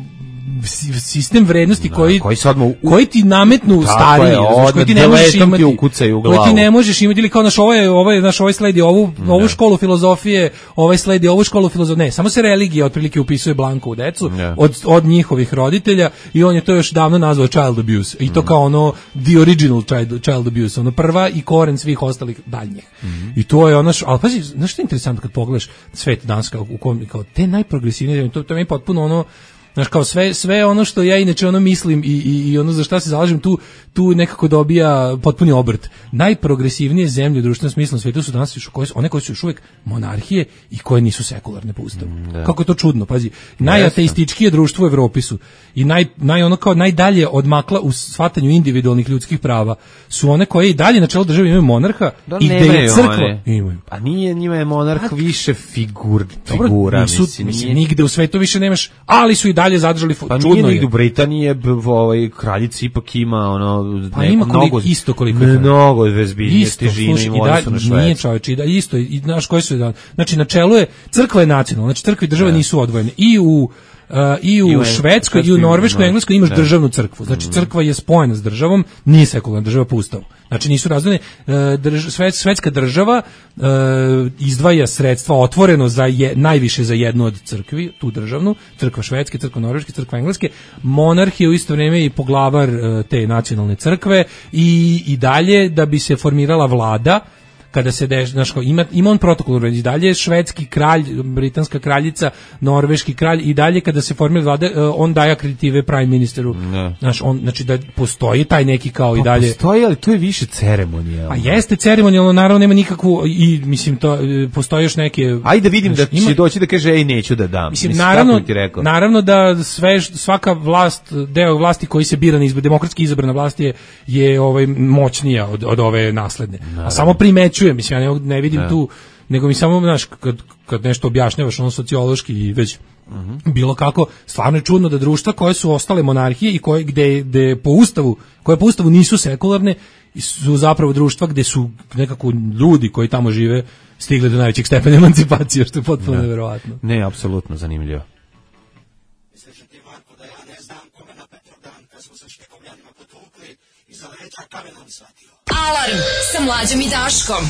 sistem vrednosti da, koji koji, sad mu, koji ti nametnu stariji, znači koji ti ne možeš imati u glavu. Koji ti ne možeš imati ili kao naš ovo je ovo je naš ovaj sledi ovu ne. ovu školu filozofije, ovaj sledi ovu školu filozofije. Ne, samo se religija otprilike upisuje blanko u decu ne. od od njihovih roditelja i on je to još davno nazvao child abuse. I to mm. kao ono the original child, child abuse, ono prva i koren svih ostalih daljnjih. Mm. I to je ono, al pazi, znaš što je interesantno kad pogledaš svet danas kao u kom kao te najprogresivnije, to to je potpuno ono Znaš, kao sve, sve ono što ja inače ono mislim i, i, i ono za šta se zalažem, tu, tu nekako dobija potpuni obrt. Najprogresivnije zemlje u društvenom smislu na svijetu su danas još, koje su, one koje su još uvijek monarhije i koje nisu sekularne po ustavu. Mm, kako je to čudno, pazi. Najateističkije društvo u Evropi su i naj, naj ono kao najdalje odmakla u shvatanju individualnih ljudskih prava su one koje i dalje na čelu države imaju monarha da, i gde je crkva. Imaju. A nije njima je monarh a, više figur, figura, dobro, nisu, mislim. mislim nije... Nigde u svetu više nemaš, ali su i dalje zadržali pa čudno nije je. U Britaniji ovaj kraljica ipak ima ono pa ne, ima koliko, mnogo isto koliko mnogo vezbiljnije težine i odnosu na Švedsku. Nije čoveče, i da isto i znaš koji su znači na čelu je crkva je nacionalna, znači crkva i država ne. Nisu odvojene. I u Uh, i u, I u Švedskoj, i u Norveškoj, i Engleskoj imaš ne. Državnu crkvu. Znači crkva je spojena s državom, nije sekularna država po ustavu. Znači nisu razdvojene. Uh, drž, svetska država uh, izdvaja sredstva otvoreno za je, najviše za jednu od crkvi, tu državnu, crkva švedske, crkva norveške, crkva engleske. Monarh je u isto vrijeme i poglavar uh, te nacionalne crkve i, i dalje da bi se formirala vlada kada se deš, znaš, ima, ima on protokol i dalje švedski kralj, britanska kraljica, norveški kralj i dalje kada se formira vlada, on daje akreditive prime ministeru. Znaš, on, znači da postoji taj neki kao pa i dalje. Postoji, ali to je više ceremonijalno. A jeste ceremonijalno, naravno nema nikakvu i mislim to postoji još neke. Ajde vidim znaš, da će ima, doći da kaže ej neću da dam. Mislim, mislim naravno, naravno da sve svaka vlast, deo vlasti koji se bira na izbor, demokratski izabrana vlast je je ovaj moćnija od od ove nasledne. Naravno. A samo primećuje, mislim ja ne, ne vidim ne. Tu, nego mi samo znaš kad kad nešto objašnjavaš ono sociološki i već uh-huh. bilo kako, stvarno je čudno da društva koje su ostale monarhije i koje gde gde po ustavu, koje po ustavu nisu sekularne, su zapravo društva gde su nekako ljudi koji tamo žive stigli do najvećeg stepena emancipacije, što je potpuno neverovatno. Ne, apsolutno zanimljivo. Alarm sa Mlađom i Daškom.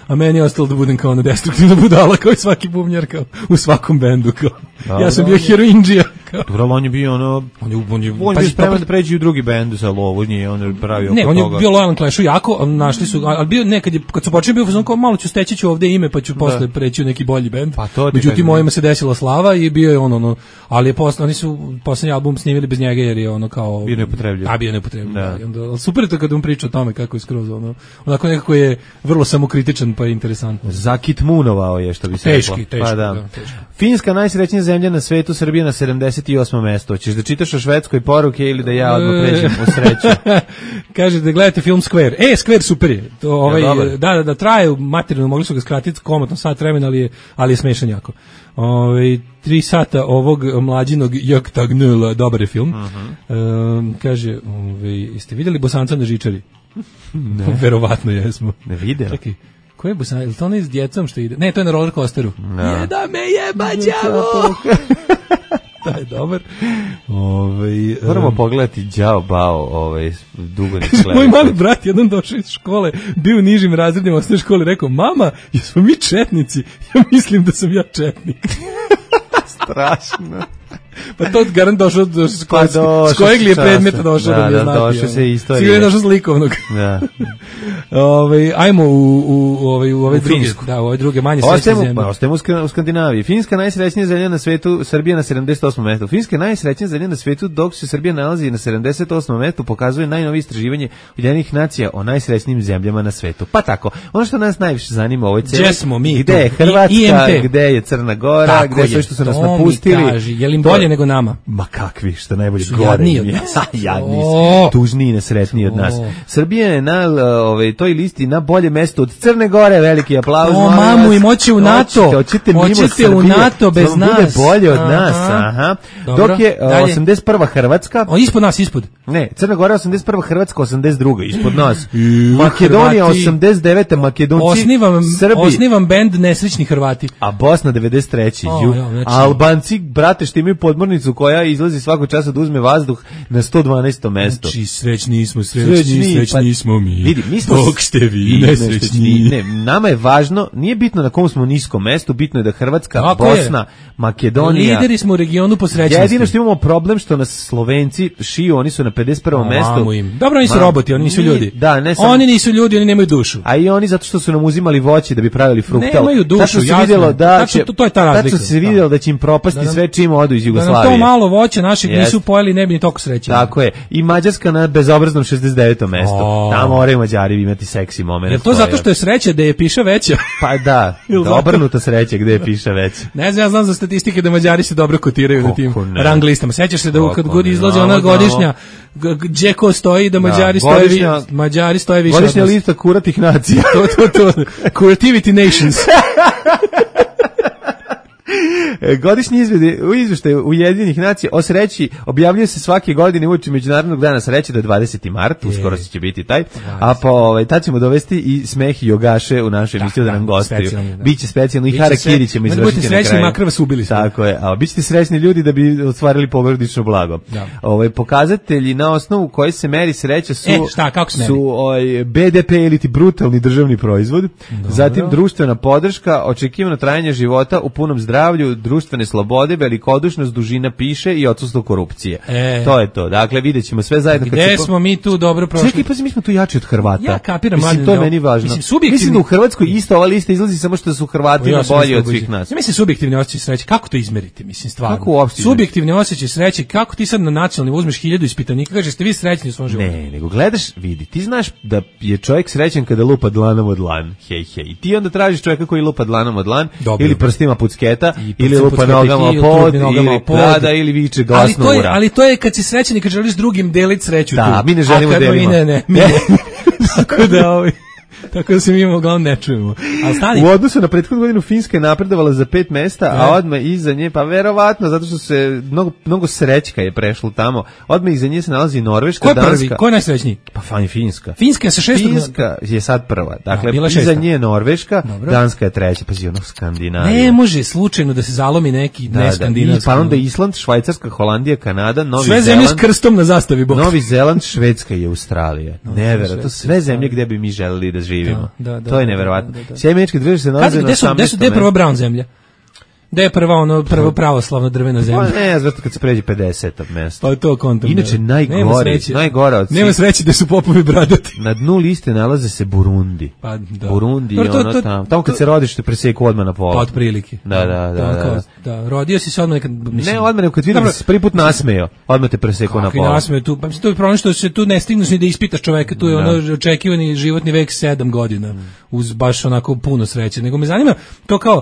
A meni je ostalo da budem kao ona destruktivna budala, kao i svaki bubnjar, kao u svakom bendu. Kao. Da, ja sam bio heroindžija. Dobro, on je bio ono... On je, on je, on je spreman da pređe u drugi bendu sa lovu, nije on je pravio oko ne, toga. Ne, on je bio lojalan Clashu jako, našli su, ali bio nekad je, kad su počeli bio fazon kao malo ću steći ću ovde ime, pa ću da. Posle preći u neki bolji bend. Pa to međutim, mojima se desila slava i bio je on ono, ali je posle, oni su poslednji album snimili bez njega jer je ono kao... Bio neupotrebljiv. A bio neupotrebljiv, da. Da. Onda, super je to kad on priča o tome kako je skroz ono, onako nekako je vrlo samokritičan pa je interesantno. Zakitmunovao je, što bi se teški, reklo. Teški, pa da. Da, teški. Finska najsrećnija zemlja na svetu, Srbija na sedamdeset osmom mestu. Hoćeš da čitaš o Švedskoj poruke ili da ja odmah pređem po sreću? Kaže da gledate film Square. E, Square super je. To, ovaj, ja, da, da, da, traje materijalno, mogli su ga skratiti komotno sat vremena, ali je, ali je smešan jako. Ovaj tri sata ovog mlađinog Joktagnula, dobar je film. Uh-huh. Um, kaže, ovaj, jeste vidjeli Bosanca na žičari? Ne. Verovatno jesmo. Ne vidio. Čekaj. Ko je Bosan? Je li to onaj s djecom što ide? Ne, to je na roller coasteru. No. Je da me jeba đavo! To je dobar. Ove, moramo um, pogledati Đao Bao, ovaj, dugo ne gledati. Moj mali brat jedan došao iz škole, bio u nižim razredima osnovne škole, rekao, mama, jesmo mi četnici? Ja mislim da sam ja četnik. Strašno. Pa to garant došao do škole, s kojeg li je predmeta došao da, da bi znati. Da, došao se istorije. Sigurno je došao s likovnog. Da. Ove, ajmo u, u, u, ove, u ove u druge, Finsku. Da, u ove druge manje srećne zemlje. Ostajemo u Skandinaviji. Finska najsrećnija zemlja na svetu, Srbija na sedamdeset osmom mestu. Finska najsrećnija zemlja na svetu, dok se Srbija nalazi na sedamdeset osmom mestu, pokazuje najnovije istraživanje Ujedinjenih nacija o najsrećnijim zemljama na svetu. Pa tako, ono što nas najviše zanima u ovoj celi, gde je Hrvatska, gde je Crna Gora, tako gde je sve što su nas napustili. Kaži, je li im bolje nego nama? Ma kakvi, što najbolje gore. Jadniji od nas. Jadniji, tužniji i nesretniji od nas. Srbija je na ovaj, toj listi na bolje mesto od Crne Gore, veliki aplauz. O, mamu, im hoće u NATO. Hoćete u NATO bez nas. Bude bolje od nas. Aha. Dok je osamdeset prva Hrvatska. O, ispod nas, ispod. Ne, Crna Gora osamdeset prva, Hrvatska osamdeset druga, ispod nas. Makedonija osamdeset deveta, Makedonci, osnivam, Srbi. Osnivam bend Nesrećni Hrvati. A Bosna devedeset treće. O, ja, znači... Albanci, brate, što imaju podmornicu koja izlazi svakog časa da uzme vazduh na sto dvanaestom mesto. Znači, srećni smo, srećni, srećni, srećni pa, smo mi. Vidi, mi smo dok ste vi nesrećni. Ne, nama je važno, nije bitno na kom smo niskom mestu, bitno je da Hrvatska, tako Bosna, je. Makedonija. Lideri smo u regionu po srećnosti. Jedino što imamo problem što nas Slovenci šiju, oni su na pedeset prvom mestu. Im. Dobro, oni su Mam, roboti, oni nisu ljudi. Da, ne sam... Oni nisu ljudi, oni nemaju dušu. A i oni zato što su nam uzimali voće da bi pravili fruktal. Nemaju dušu, jasno. Vidjelo da će, to, to je ta razlika. Tačno se vidjelo da će im propasti da, da, sve čim odu iz Jugoslavije. Jugoslavije. to malo voća našeg yes. nisu pojeli, ne bi ni toliko srećeni. Tako je. I Mađarska na bezobraznom šezdeset devetom mestu. Oh. Tamo moraju Mađari imati seksi moment. Je to zato što je sreća da je piša veća? Pa da, obrnuta sreća gde je piša veća. Ne znam, ja znam za statistike da Mađari se dobro kotiraju Kako na tim ne. rang listama. Sećaš se da Kako kad god izlazi ona godišnja gdje ko stoji da Mađari da, stoje godišnja, Mađari stoje više. Godišnja lista kuratih nacija. to, to, to. Curativity Nations. Godišnji izvještaj Ujedinjenih nacija o sreći objavljuje se svake godine uoči Međunarodnog dana sreće do dvadeseti mart, uskoro će biti taj, a po ovaj, tad ćemo dovesti i Smeh i Jogaše u našoj emisiju da, da nam gostuju. Biće specijalno i Harakiri ćemo izvršiti na kraju. Srećni, makar vas ubili smo. Tako je, a bićete srećni ljudi da bi ostvarili porodično blago. Da. Ovaj, pokazatelji na osnovu koji se meri sreća su, e, šta, kako se meri? su ovaj, B D P ili ti brutalni državni proizvod, Dobro. zatim društvena podrška, očekivano trajanje života u punom zdravlju, društvene slobode, velikodušnost, dužina piše i odsustvo korupcije. E. To je to. Dakle, vidjet ćemo sve zajedno. Gde kad smo po... mi tu dobro prošli? Čekaj, pa mi smo tu jači od Hrvata. Ja kapiram, mislim, to je meni važno. Mislim, subjektivni... mislim da u Hrvatskoj isto ova lista izlazi samo što su Hrvati na bolji od svih nas. Ja mislim subjektivni osjećaj sreće. Kako to izmeriti? Mislim, stvarno. Kako uopšte? Subjektivni osjećaj sreće. Kako ti sad na nacionalni uzmeš hiljadu ispitanika, kažeš ste vi srećni u svom životu? Ne, nego gledaš, vidi, ti znaš da je čovjek srećan kada lupa dlanom od dlan. Hej, hej. I ti onda tražiš čovjeka koji lupa dlanom od dlan ili prstima pucketa ili lupa nogama pod ili prada ili viče glasno ura. Ali to je kad si srećan i kad želiš drugim deliti sreću. Da, tu. mi ne želimo delimo. Ne, ne, mi ne. Tako da ovaj tako da se mi uglavnom ne čujemo. Al stani. U odnosu na prethodnu godinu Finska je napredovala za pet mesta, a odmah iza nje, pa verovatno zato što se mnogo mnogo srećka je prešlo tamo. Odmah iza nje se nalazi Norveška, ko Danska. Prvi? Ko je najsrećniji? Pa fajn Finska. Finska je sa šestom. Finska je sad prva. Dakle, a, iza nje je Norveška, Dobro. Danska je treća, pa ono Skandinavija. Ne može slučajno da se zalomi neki da, ne skandinavski. Pa onda Island, Švajcarska, Holandija, Kanada, Novi sve Zeland. Sve zemlje s krstom na zastavi, bok. Novi Zeland, Švedska i Australija. No, Neverovatno, to sve zemlje gdje bi mi želeli da živimo. Da, da, da, to je neverovatno. Da, da, da. Sjedinjene Američke Države se nalaze na osamnaestom mestu. Gde je prva brown zemlja? Da je prva ono prvo pravoslavno drvena zemlja. Pa ne, zato kad se pređe pedeseto mesto. Pa to kontam. Inače najgore, najgora od svih. Nema sreće da su popovi bradati. Na dnu liste nalaze se Burundi. Pa da. Burundi je ono tamo. Tamo kad se rodiš te preseku odmah na pola. Pa otprilike. Da, da, da, da. Da, rodio si se odmah nekad, mislim. Ne, odmah kad vidim da se prvi put nasmejao, odmah te preseku na pola. Kako nasmejao tu? Pa mislim to je problem što se tu ne stigneš ni da ispitaš čoveka, tu je ono očekivani životni vek sedam godina. Uz baš onako puno sreće. Nego me zanima to kao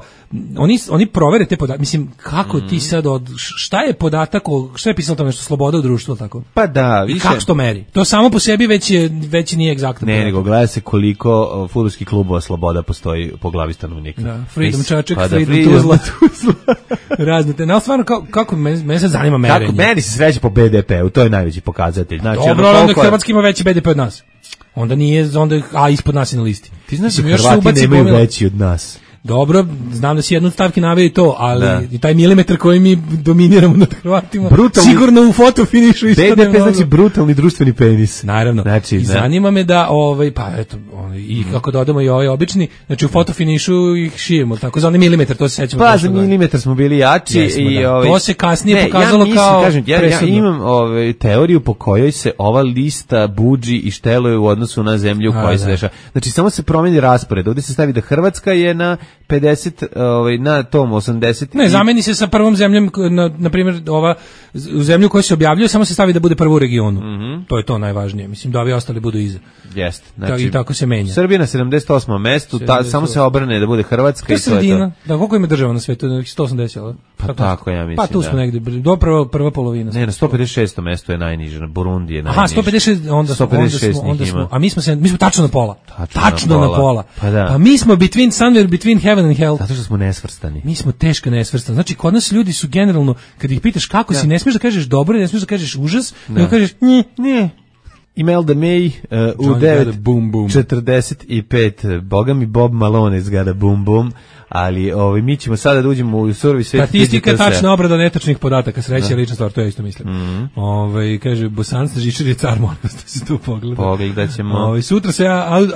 oni oni provere te podatke, mislim kako mm. ti sad od šta je podatak o šta je pisalo tamo nešto sloboda u društvu tako? Pa da, više. Kako to meri? To samo po sebi već je već nije egzaktno. Ne, nego gleda se koliko fudbalskih klubova sloboda postoji po glavi stanovnika. Da, Freedom Čačak, pa Freedom, Freedom Tuzla, Tuzla. Razne te. No, stvarno kako kako mene se zanima merenje. Kako meni se sreće po B D P-u, to je najveći pokazatelj. Znači, dobro, ono onda Hrvatska ima veći B D P od nas. Onda nije, onda a ispod nas je na listi. Ti znaš da Hrvati nemaju pomila... veći od nas. Dobro, znam da si jednu stavki naveo i to, ali da. I taj milimetar koji mi dominiramo nad Hrvatima, brutalni, sigurno u fotofinišu B D P znači brutalni društveni penis. Naravno. Znači, I ne. zanima me da, ovaj, pa eto, ovaj, i kako dodamo i ovaj obični, znači u fotofinišu ih šijemo, tako za onaj milimetar, to se sećamo. Pa za milimetar smo bili jači. Jesmo, i, da. ovaj, to se kasnije ne, pokazalo ja mislim, kao kažem, ja, ja imam ovaj, teoriju po kojoj se ova lista budži i šteluje u odnosu na zemlju u kojoj se dešava. Znači samo se promeni raspored, ovdje se stavi da Hrvatska je na pedeset ovaj na tom osamdeset. Ne, zameni se sa prvom zemljom, na, na primjer ova u zemlju koja se objavljuje, samo se stavi da bude prvo u regionu. Mm -hmm. To je to najvažnije. Mislim da ovi ostali budu iza. Jeste. Znači, i tako se menja. Srbija na sedamdeset osmom mestu, ta, samo se obrne da bude Hrvatska to i to sredina. je to. Da, koliko ima država na svetu? sto osamdeset, al? Pa tako, tako ja mislim. Pa tu smo da. negde, do prva, prva polovina. Ne, na sto pedeset šestom mestu je najniže, na Burundi je najniže. Aha, sto pedeset šest, onda, sto pedeset šest onda, smo, onda smo, a mi smo se, mi smo tačno na pola. Tačno, tačno na pola. Na pola. Pa, da. Pa mi smo between somewhere between heaven and hell. Zato što smo nesvrstani. Mi smo teško nesvrstani. Znači, kod nas ljudi su generalno, kad ih pitaš kako ja. si, ne smiješ da kažeš dobro, ne smiješ da kažeš užas, nego kažeš ne, ne. Imelda May uh, u devet četrdeset pet, boga mi Bob Malone izgleda bum bum, ali ovaj, mi ćemo sada da uđemo u surovi svet. Statistika, tačna obrada netačnih podataka, sreća je lična stvar, to ja isto mislim. Mm -hmm. Ovaj, kaže, Bosanska žičar je car, molim da se tu pogleda. Pogledat ćemo. Ovaj, sutra se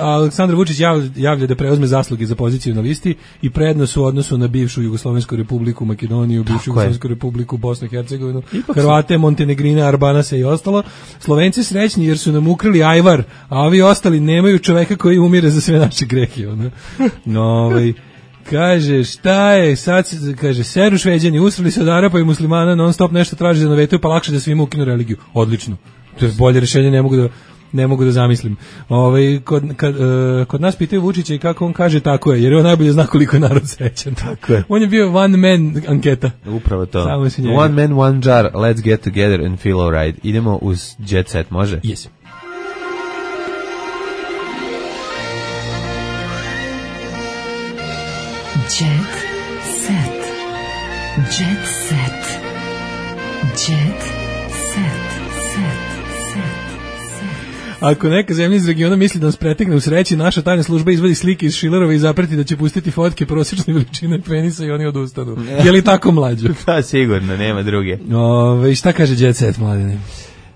Aleksandar Vučić javlja da preuzme zasluge za poziciju na listi i prednost u odnosu na bivšu Jugoslovensku republiku Makedoniju, bivšu Jugoslovensku republiku Bosnu i Hercegovinu, Hrvate, Montenegrine, Arbanase i ostalo. Slovenci srećni jer su nam ukrali ajvar, a ovi ostali nemaju čoveka koji umire za sve naše grehe. No, ovaj Kaže, šta je, sad, kaže, seru Šveđani, usrali se od Arapa i muslimana, non stop nešto traži za navetu, pa lakše da svima ukinu religiju. Odlično. To je bolje rješenje, ne mogu da ne mogu da zamislim. Ovaj kod kad, uh, kod nas pitaju Vučića i kako on kaže, tako je, jer on najbolje zna koliko je narod srećan. Tako je. On je bio one man anketa. Upravo to. One man, one jar, let's get together and feel alright. Idemo uz Jet Set, može? Yes. Jet Set. Jet Set. Jet Set. Ako neka zemlja iz regiona misli da nas pretekne u sreći, naša tajna služba izvadi slike iz Šilerova i zapreti da će pustiti fotke prosječne veličine penisa i oni odustanu. Je li tako, mlađo? Pa sigurno, nema druge. Ove, šta kaže Jet Set, mladine?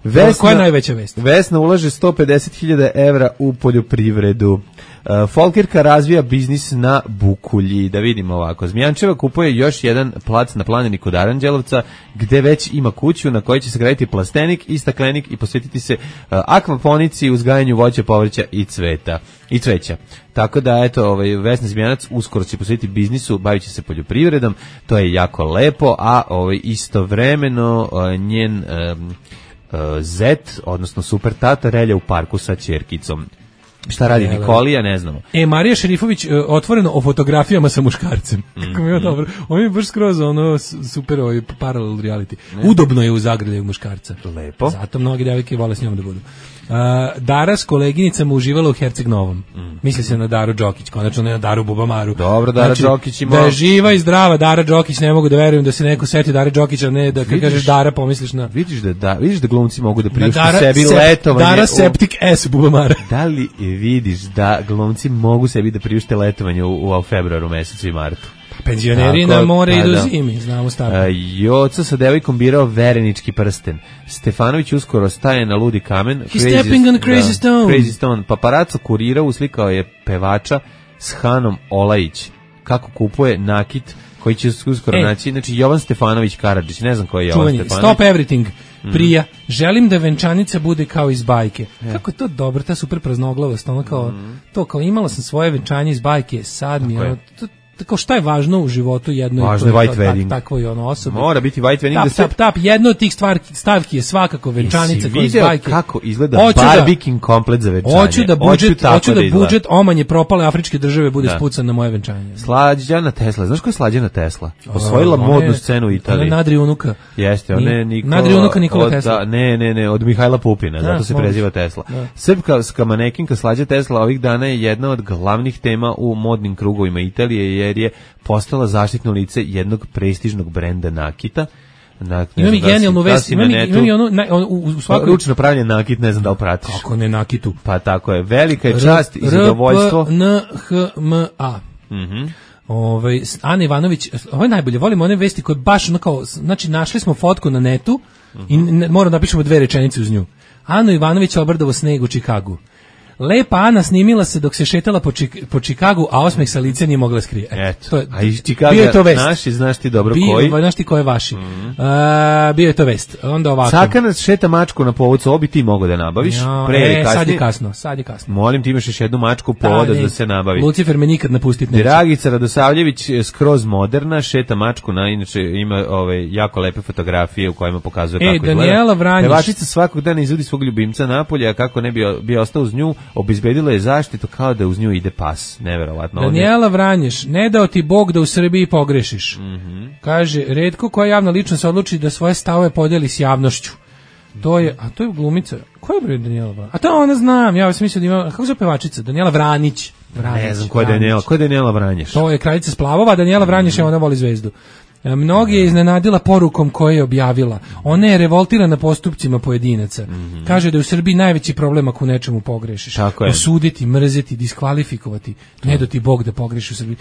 Vesna, koja je najveća vest? Vesna ulaže sto pedeset hiljada evra u poljoprivredu. Uh, Folkirka razvija biznis na Bukulji. Da vidimo ovako. Zmijančeva kupuje još jedan plac na planini kod Aranđelovca, gde već ima kuću na kojoj će se graditi plastenik i staklenik i posvetiti se uh, akvaponici, uzgajanju voća, povrća i cveta i cveća. Tako da, eto, ovaj, Vesna Zmijanac uskoro će posvetiti biznisu, bavit će se poljoprivredom, to je jako lepo, a ovaj, istovremeno uh, njen um, uh, zet, odnosno super tata, relja u parku sa ćerkicom. Šta radi ne, Nikolija, ne znamo. E, Marija Šerifović uh, otvoreno o fotografijama sa muškarcem. Mm. Kako mi je dobro. On je baš skroz ono super ovaj parallel reality. Ne. Udobno je u zagrljaju muškarca. Lepo. Zato mnogi devojke vole s njom da budu. Uh, Dara s koleginicama uživala u Herceg Novom. Mm. Misli se na Daru Đokić, konačno ne na Daru Bubamaru. Dobro, Dara znači, Đokić ima... Da je živa i zdrava Dara Đokić, ne mogu da verujem da se neko seti Dare Đokića, ne da kad kažeš Dara pomisliš na... Vidiš da, da, vidiš da glumci mogu da priušte Dara, sebi sep, letovanje... Dara Septic u... S Bubamara. Da li vidiš da glumci mogu sebi da priušte letovanje u, u februaru mesecu i martu? Penzioneri na more idu zimi, znamo stavno. Uh, Joca sa devojkom birao verenički prsten. Stefanović uskoro staje na ludi kamen. He's crazy, stepping on the crazy da, stone. Crazy stone. Paparaco kurirao, uslikao je pevača s Hanom Olajić. Kako kupuje nakit koji će uskoro e. naći. Znači, Jovan Stefanović Karadžić, ne znam ko je Jovan Čuveni, Stefanović. Stop everything. Mm. Prija, želim da venčanica bude kao iz bajke. Yeah. Kako je to dobro, ta super praznoglavost, ono kao, mm. to kao imala sam svoje venčanje iz bajke, sad mi je ono, to, tako šta je važno u životu jednoj važno je white wedding. Tako je ono osobe. Mora biti white wedding. Tap, da se... tap, tap, jedno od tih stvarki, stavki je svakako venčanica koja iz bajke. Kako izgleda barbikin komplet za venčanje. Hoću da budžet, hoću da budžet omanje propale afričke države bude da. Spucan na moje venčanje. Slađana Tesla, znaš ko je Slađana Tesla? Osvojila o, modnu scenu u Italiji. Ona Nadri unuka. Jeste, ona je Nikola. Nadri unuka Nikola Tesla. Da, ne, ne, ne, od Mihajla Pupina, da, zato se preziva Tesla. Da. Srpska manekinka Slađa Tesla ovih dana je jedna od glavnih tema u modnim krugovima Italije, jer je postala zaštitno lice jednog prestižnog brenda nakita. Na, ima mi genijalnu vest, ima mi, ima mi ono, na, on, u, u svakoj... Ručno pravljen nakit, ne znam da li pratiš. Kako ne nakitu? Pa tako je, velika je čast i zadovoljstvo. R P N H M A. Mhm. Ovaj Ana Ivanović, ovo je najbolje, volimo one vesti koje baš ono kao, znači našli smo fotku na netu uh-huh. i ne, moramo da napišemo dve rečenice uz nju. Ana Ivanović obrdovo sneg u Čikagu. Lepa Ana snimila se dok se šetala po, Čik, po Čikagu, a osmeh sa lice nije mogla skrije. Eto, to je, a iz Čikaga naši, znaš ti dobro bio, koji? Znaš ti ko je vaši. Mm. A, bio je to vest. Onda ovako. Sakanac šeta mačku na povodcu, obi ti mogo da nabaviš. Jo, pre e, kasnije. Sad je kasno, sad je kasno. Molim ti imaš još jednu mačku povoda da, da se nabavi. Lucifer me nikad napustiti neće. Dragica Radosavljević skroz moderna, šeta mačku, na, inače ima ove, jako lepe fotografije u kojima pokazuje e, kako Daniela Vranjić. Pevačica svakog dana izvodi svog ljubimca napolje, a kako ne bi, bi ostao uz nju, obezbedila je zaštitu kao da uz nju ide pas. Neverovatno. Daniela Vranješ, ne dao ti Bog da u Srbiji pogrešiš. Mm-hmm. Kaže, retko koja javna ličnost odluči da svoje stavove podeli s javnošću. To je, a to je glumica. Ko je bre Daniela Vranjić? A to ona znam, ja sam mislio da ima, kako se pevačica? Daniela Vranić. Vranić. Ne znam ko je Daniela, ko je Daniela Vranješ? To je kraljica Splavova, Daniela Vranješ je ona voli zvezdu. Mnogi je iznenadila porukom koju je objavila. Ona je revoltirana postupcima pojedinaca. Mm-hmm. Kaže da je u Srbiji najveći problem ako u nečemu pogrešiš. Osuditi, mrzeti, diskvalifikovati. Ne do ti Bog da pogreši u Srbiji.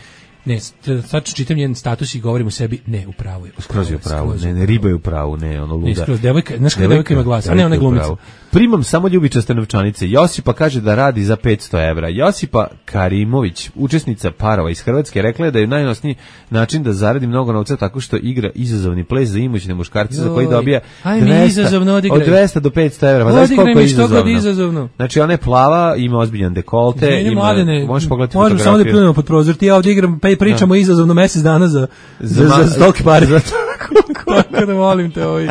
Ne, sad čitam njen status i govorim u sebi, ne, u pravu je. Skroz je u pravu, ne, ne, riba je u pravu, ne, ono luda. Ne, skroz, devojka, znaš kada devojka ima glas, a ne ona glumica. Primam samo ljubičaste novčanice. Josipa kaže da radi za petsto evra. Josipa Karimović, učesnica parova iz Hrvatske, rekla je da je najnosniji način da zaradi mnogo novca tako što igra izazovni ples za imućne muškarce za koji dobija dvesta, od dvesta do petsto evra. Pa znaš koliko je izazovno? izazovno? Znači ona je plava, ima ozbiljan dekolte, ne, ima, mladene, možeš pogledati fotografiju. Možemo samo da pljunemo pod prozor, ti ja ovdje igram pa i pričamo da. izazovno mesec dana za, za, za, za stok pare. Tako da molim te ovaj.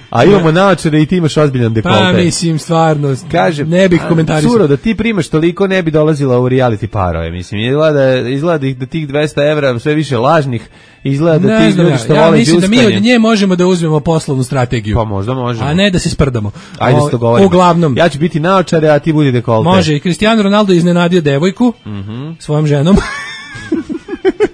A imamo naočare i ti imaš ozbiljan dekolte. Pa mislim, stvarno, kažem, ne bih komentarisao. Suro, da ti primaš toliko ne bi dolazila u reality parove, mislim. Izgleda, izgleda da tih dvesta evra sve više lažnih, izgleda da ti ljudi što ja, vole ja mislim džuskanje. Da mi od nje možemo da uzmemo poslovnu strategiju. Pa možda možemo. A ne da se sprdamo. Ajde o, se dogovorimo. Uglavnom. Ja ću biti naočare, a ti budi dekolte. Može, i Cristiano Ronaldo iznenadio devojku mm -hmm. svojom ženom.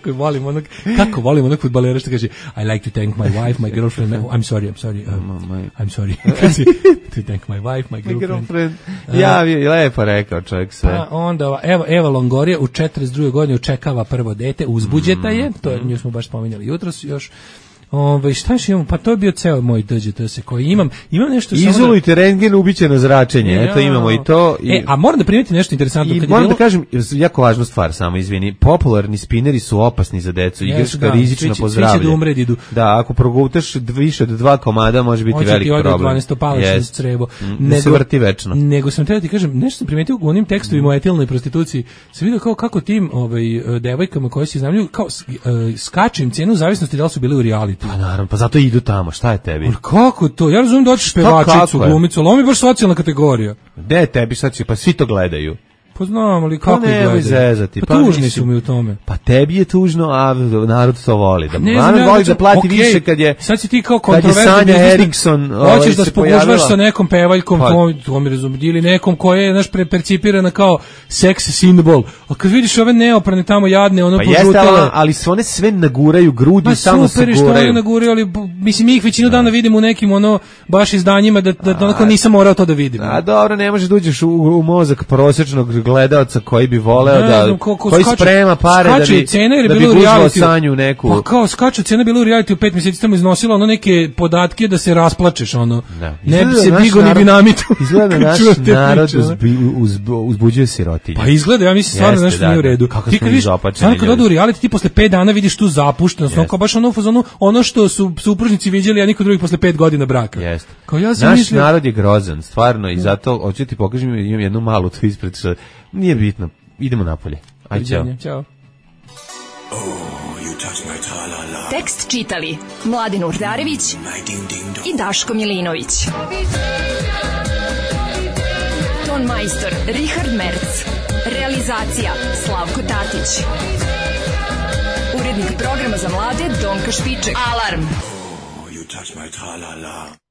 Kako volim onog, kako volim onog fudbalera što kaže I like to thank my wife, my girlfriend, my, I'm sorry, I'm sorry, um, I'm sorry. To thank my wife, my girlfriend. My girlfriend. Ja, je lepo rekao čovjek sve. Pa onda, evo, Eva Longoria u četrdeset drugoj godini očekava prvo dete, uzbuđeta je, to je, nju smo baš spominjali jutros još. Ove, šta još imam? Pa to je bio ceo moj D Ž T S koji imam. Imam nešto izolujte da... rentgen, ubiće na zračenje. Ja. Eto imamo i to. I... E, a moram da primetim nešto interesantno. I kad moram bilo... da kažem, jako važnu stvar, samo izvini. Popularni spineri su opasni za decu. Igračka da, rizična po zdravlje. Svi će da umre, idu. Da, ako progutaš više od dva komada, može biti Hoće veliki problem. dvanaesto palačno crevo. Ne se vrti večno. Nego sam treba ti kažem, nešto sam primetio u onim tekstovima mm. o etilnoj prostituciji. Sam vidio kao kako tim ovaj, devojkama koje se iznajmljuju, kao skače im cenu u zavisnosti da li su bili u reality. Pa naravno, pa zato idu tamo, šta je tebi? Pa kako to? Ja razumijem da hoćeš pevačicu, glumicu, ali ovo mi je baš socijalna kategorija. Gde je tebi sad će, pa svi to gledaju. Pa znam, ali kako pa gledaju? Zezati. Pa, pa tužni mislim, su mi u tome. Pa tebi je tužno, a narod to voli. Da, ne narod znam, voli ja, da plati okay, više kad je sad si ti kao kontroverzno. Kad je Sanja Eriksson hoćeš da spogužvaš sa nekom pevaljkom, pa. to, to mi razumijem, ili nekom koja je naš percipirana kao sex symbol. A kad vidiš ove neoprane tamo jadne, ono pa požutele. Pa jeste, ali se one sve naguraju, grudi samo se guraju. Pa super, što one naguraju, ali mislim, mi ih većinu dana vidimo u nekim ono baš izdanjima da, da, da onako nisam morao to da vidim. A dobro, ne možeš da uđeš u, u mozak prosječnog gledaoca koji bi voleo da znam, ko, ko koji skaču, sprema pare da bi cena, da bi gužvao Sanju neku. Pa kao skaču cena bilo u reality u pet mjeseci tamo iznosila ono neke podatke da se rasplačeš ono. Da. Ne bi se digo ni dinamitu. Izgleda naš narod uzbi, uz, uzbuđuje sirotinju. Pa izgleda, ja mislim stvarno nešto nije u redu. Kako ti kad vidiš, stvarno kad odu u reality ti posle pet dana vidiš tu zapuštenost, ono kao baš ono fazonu, ono što su supružnici viđeli, a niko drugi posle pet godina braka. Jeste. Kao ja naš mislio... narod je grozan, stvarno, i zato hoću ti pokažem, imam jednu malu tu ispred što nije bitno. Idemo napolje. Ajde, čao. Ćao. Tekst čitali Mladin Urdarević i Daško Milinović. Ton majstor Richard Merc. Realizacija Slavko Tatić. Urednik programa za mlade Donka Špiček. Alarm! Oh, you touch my tra-la-la.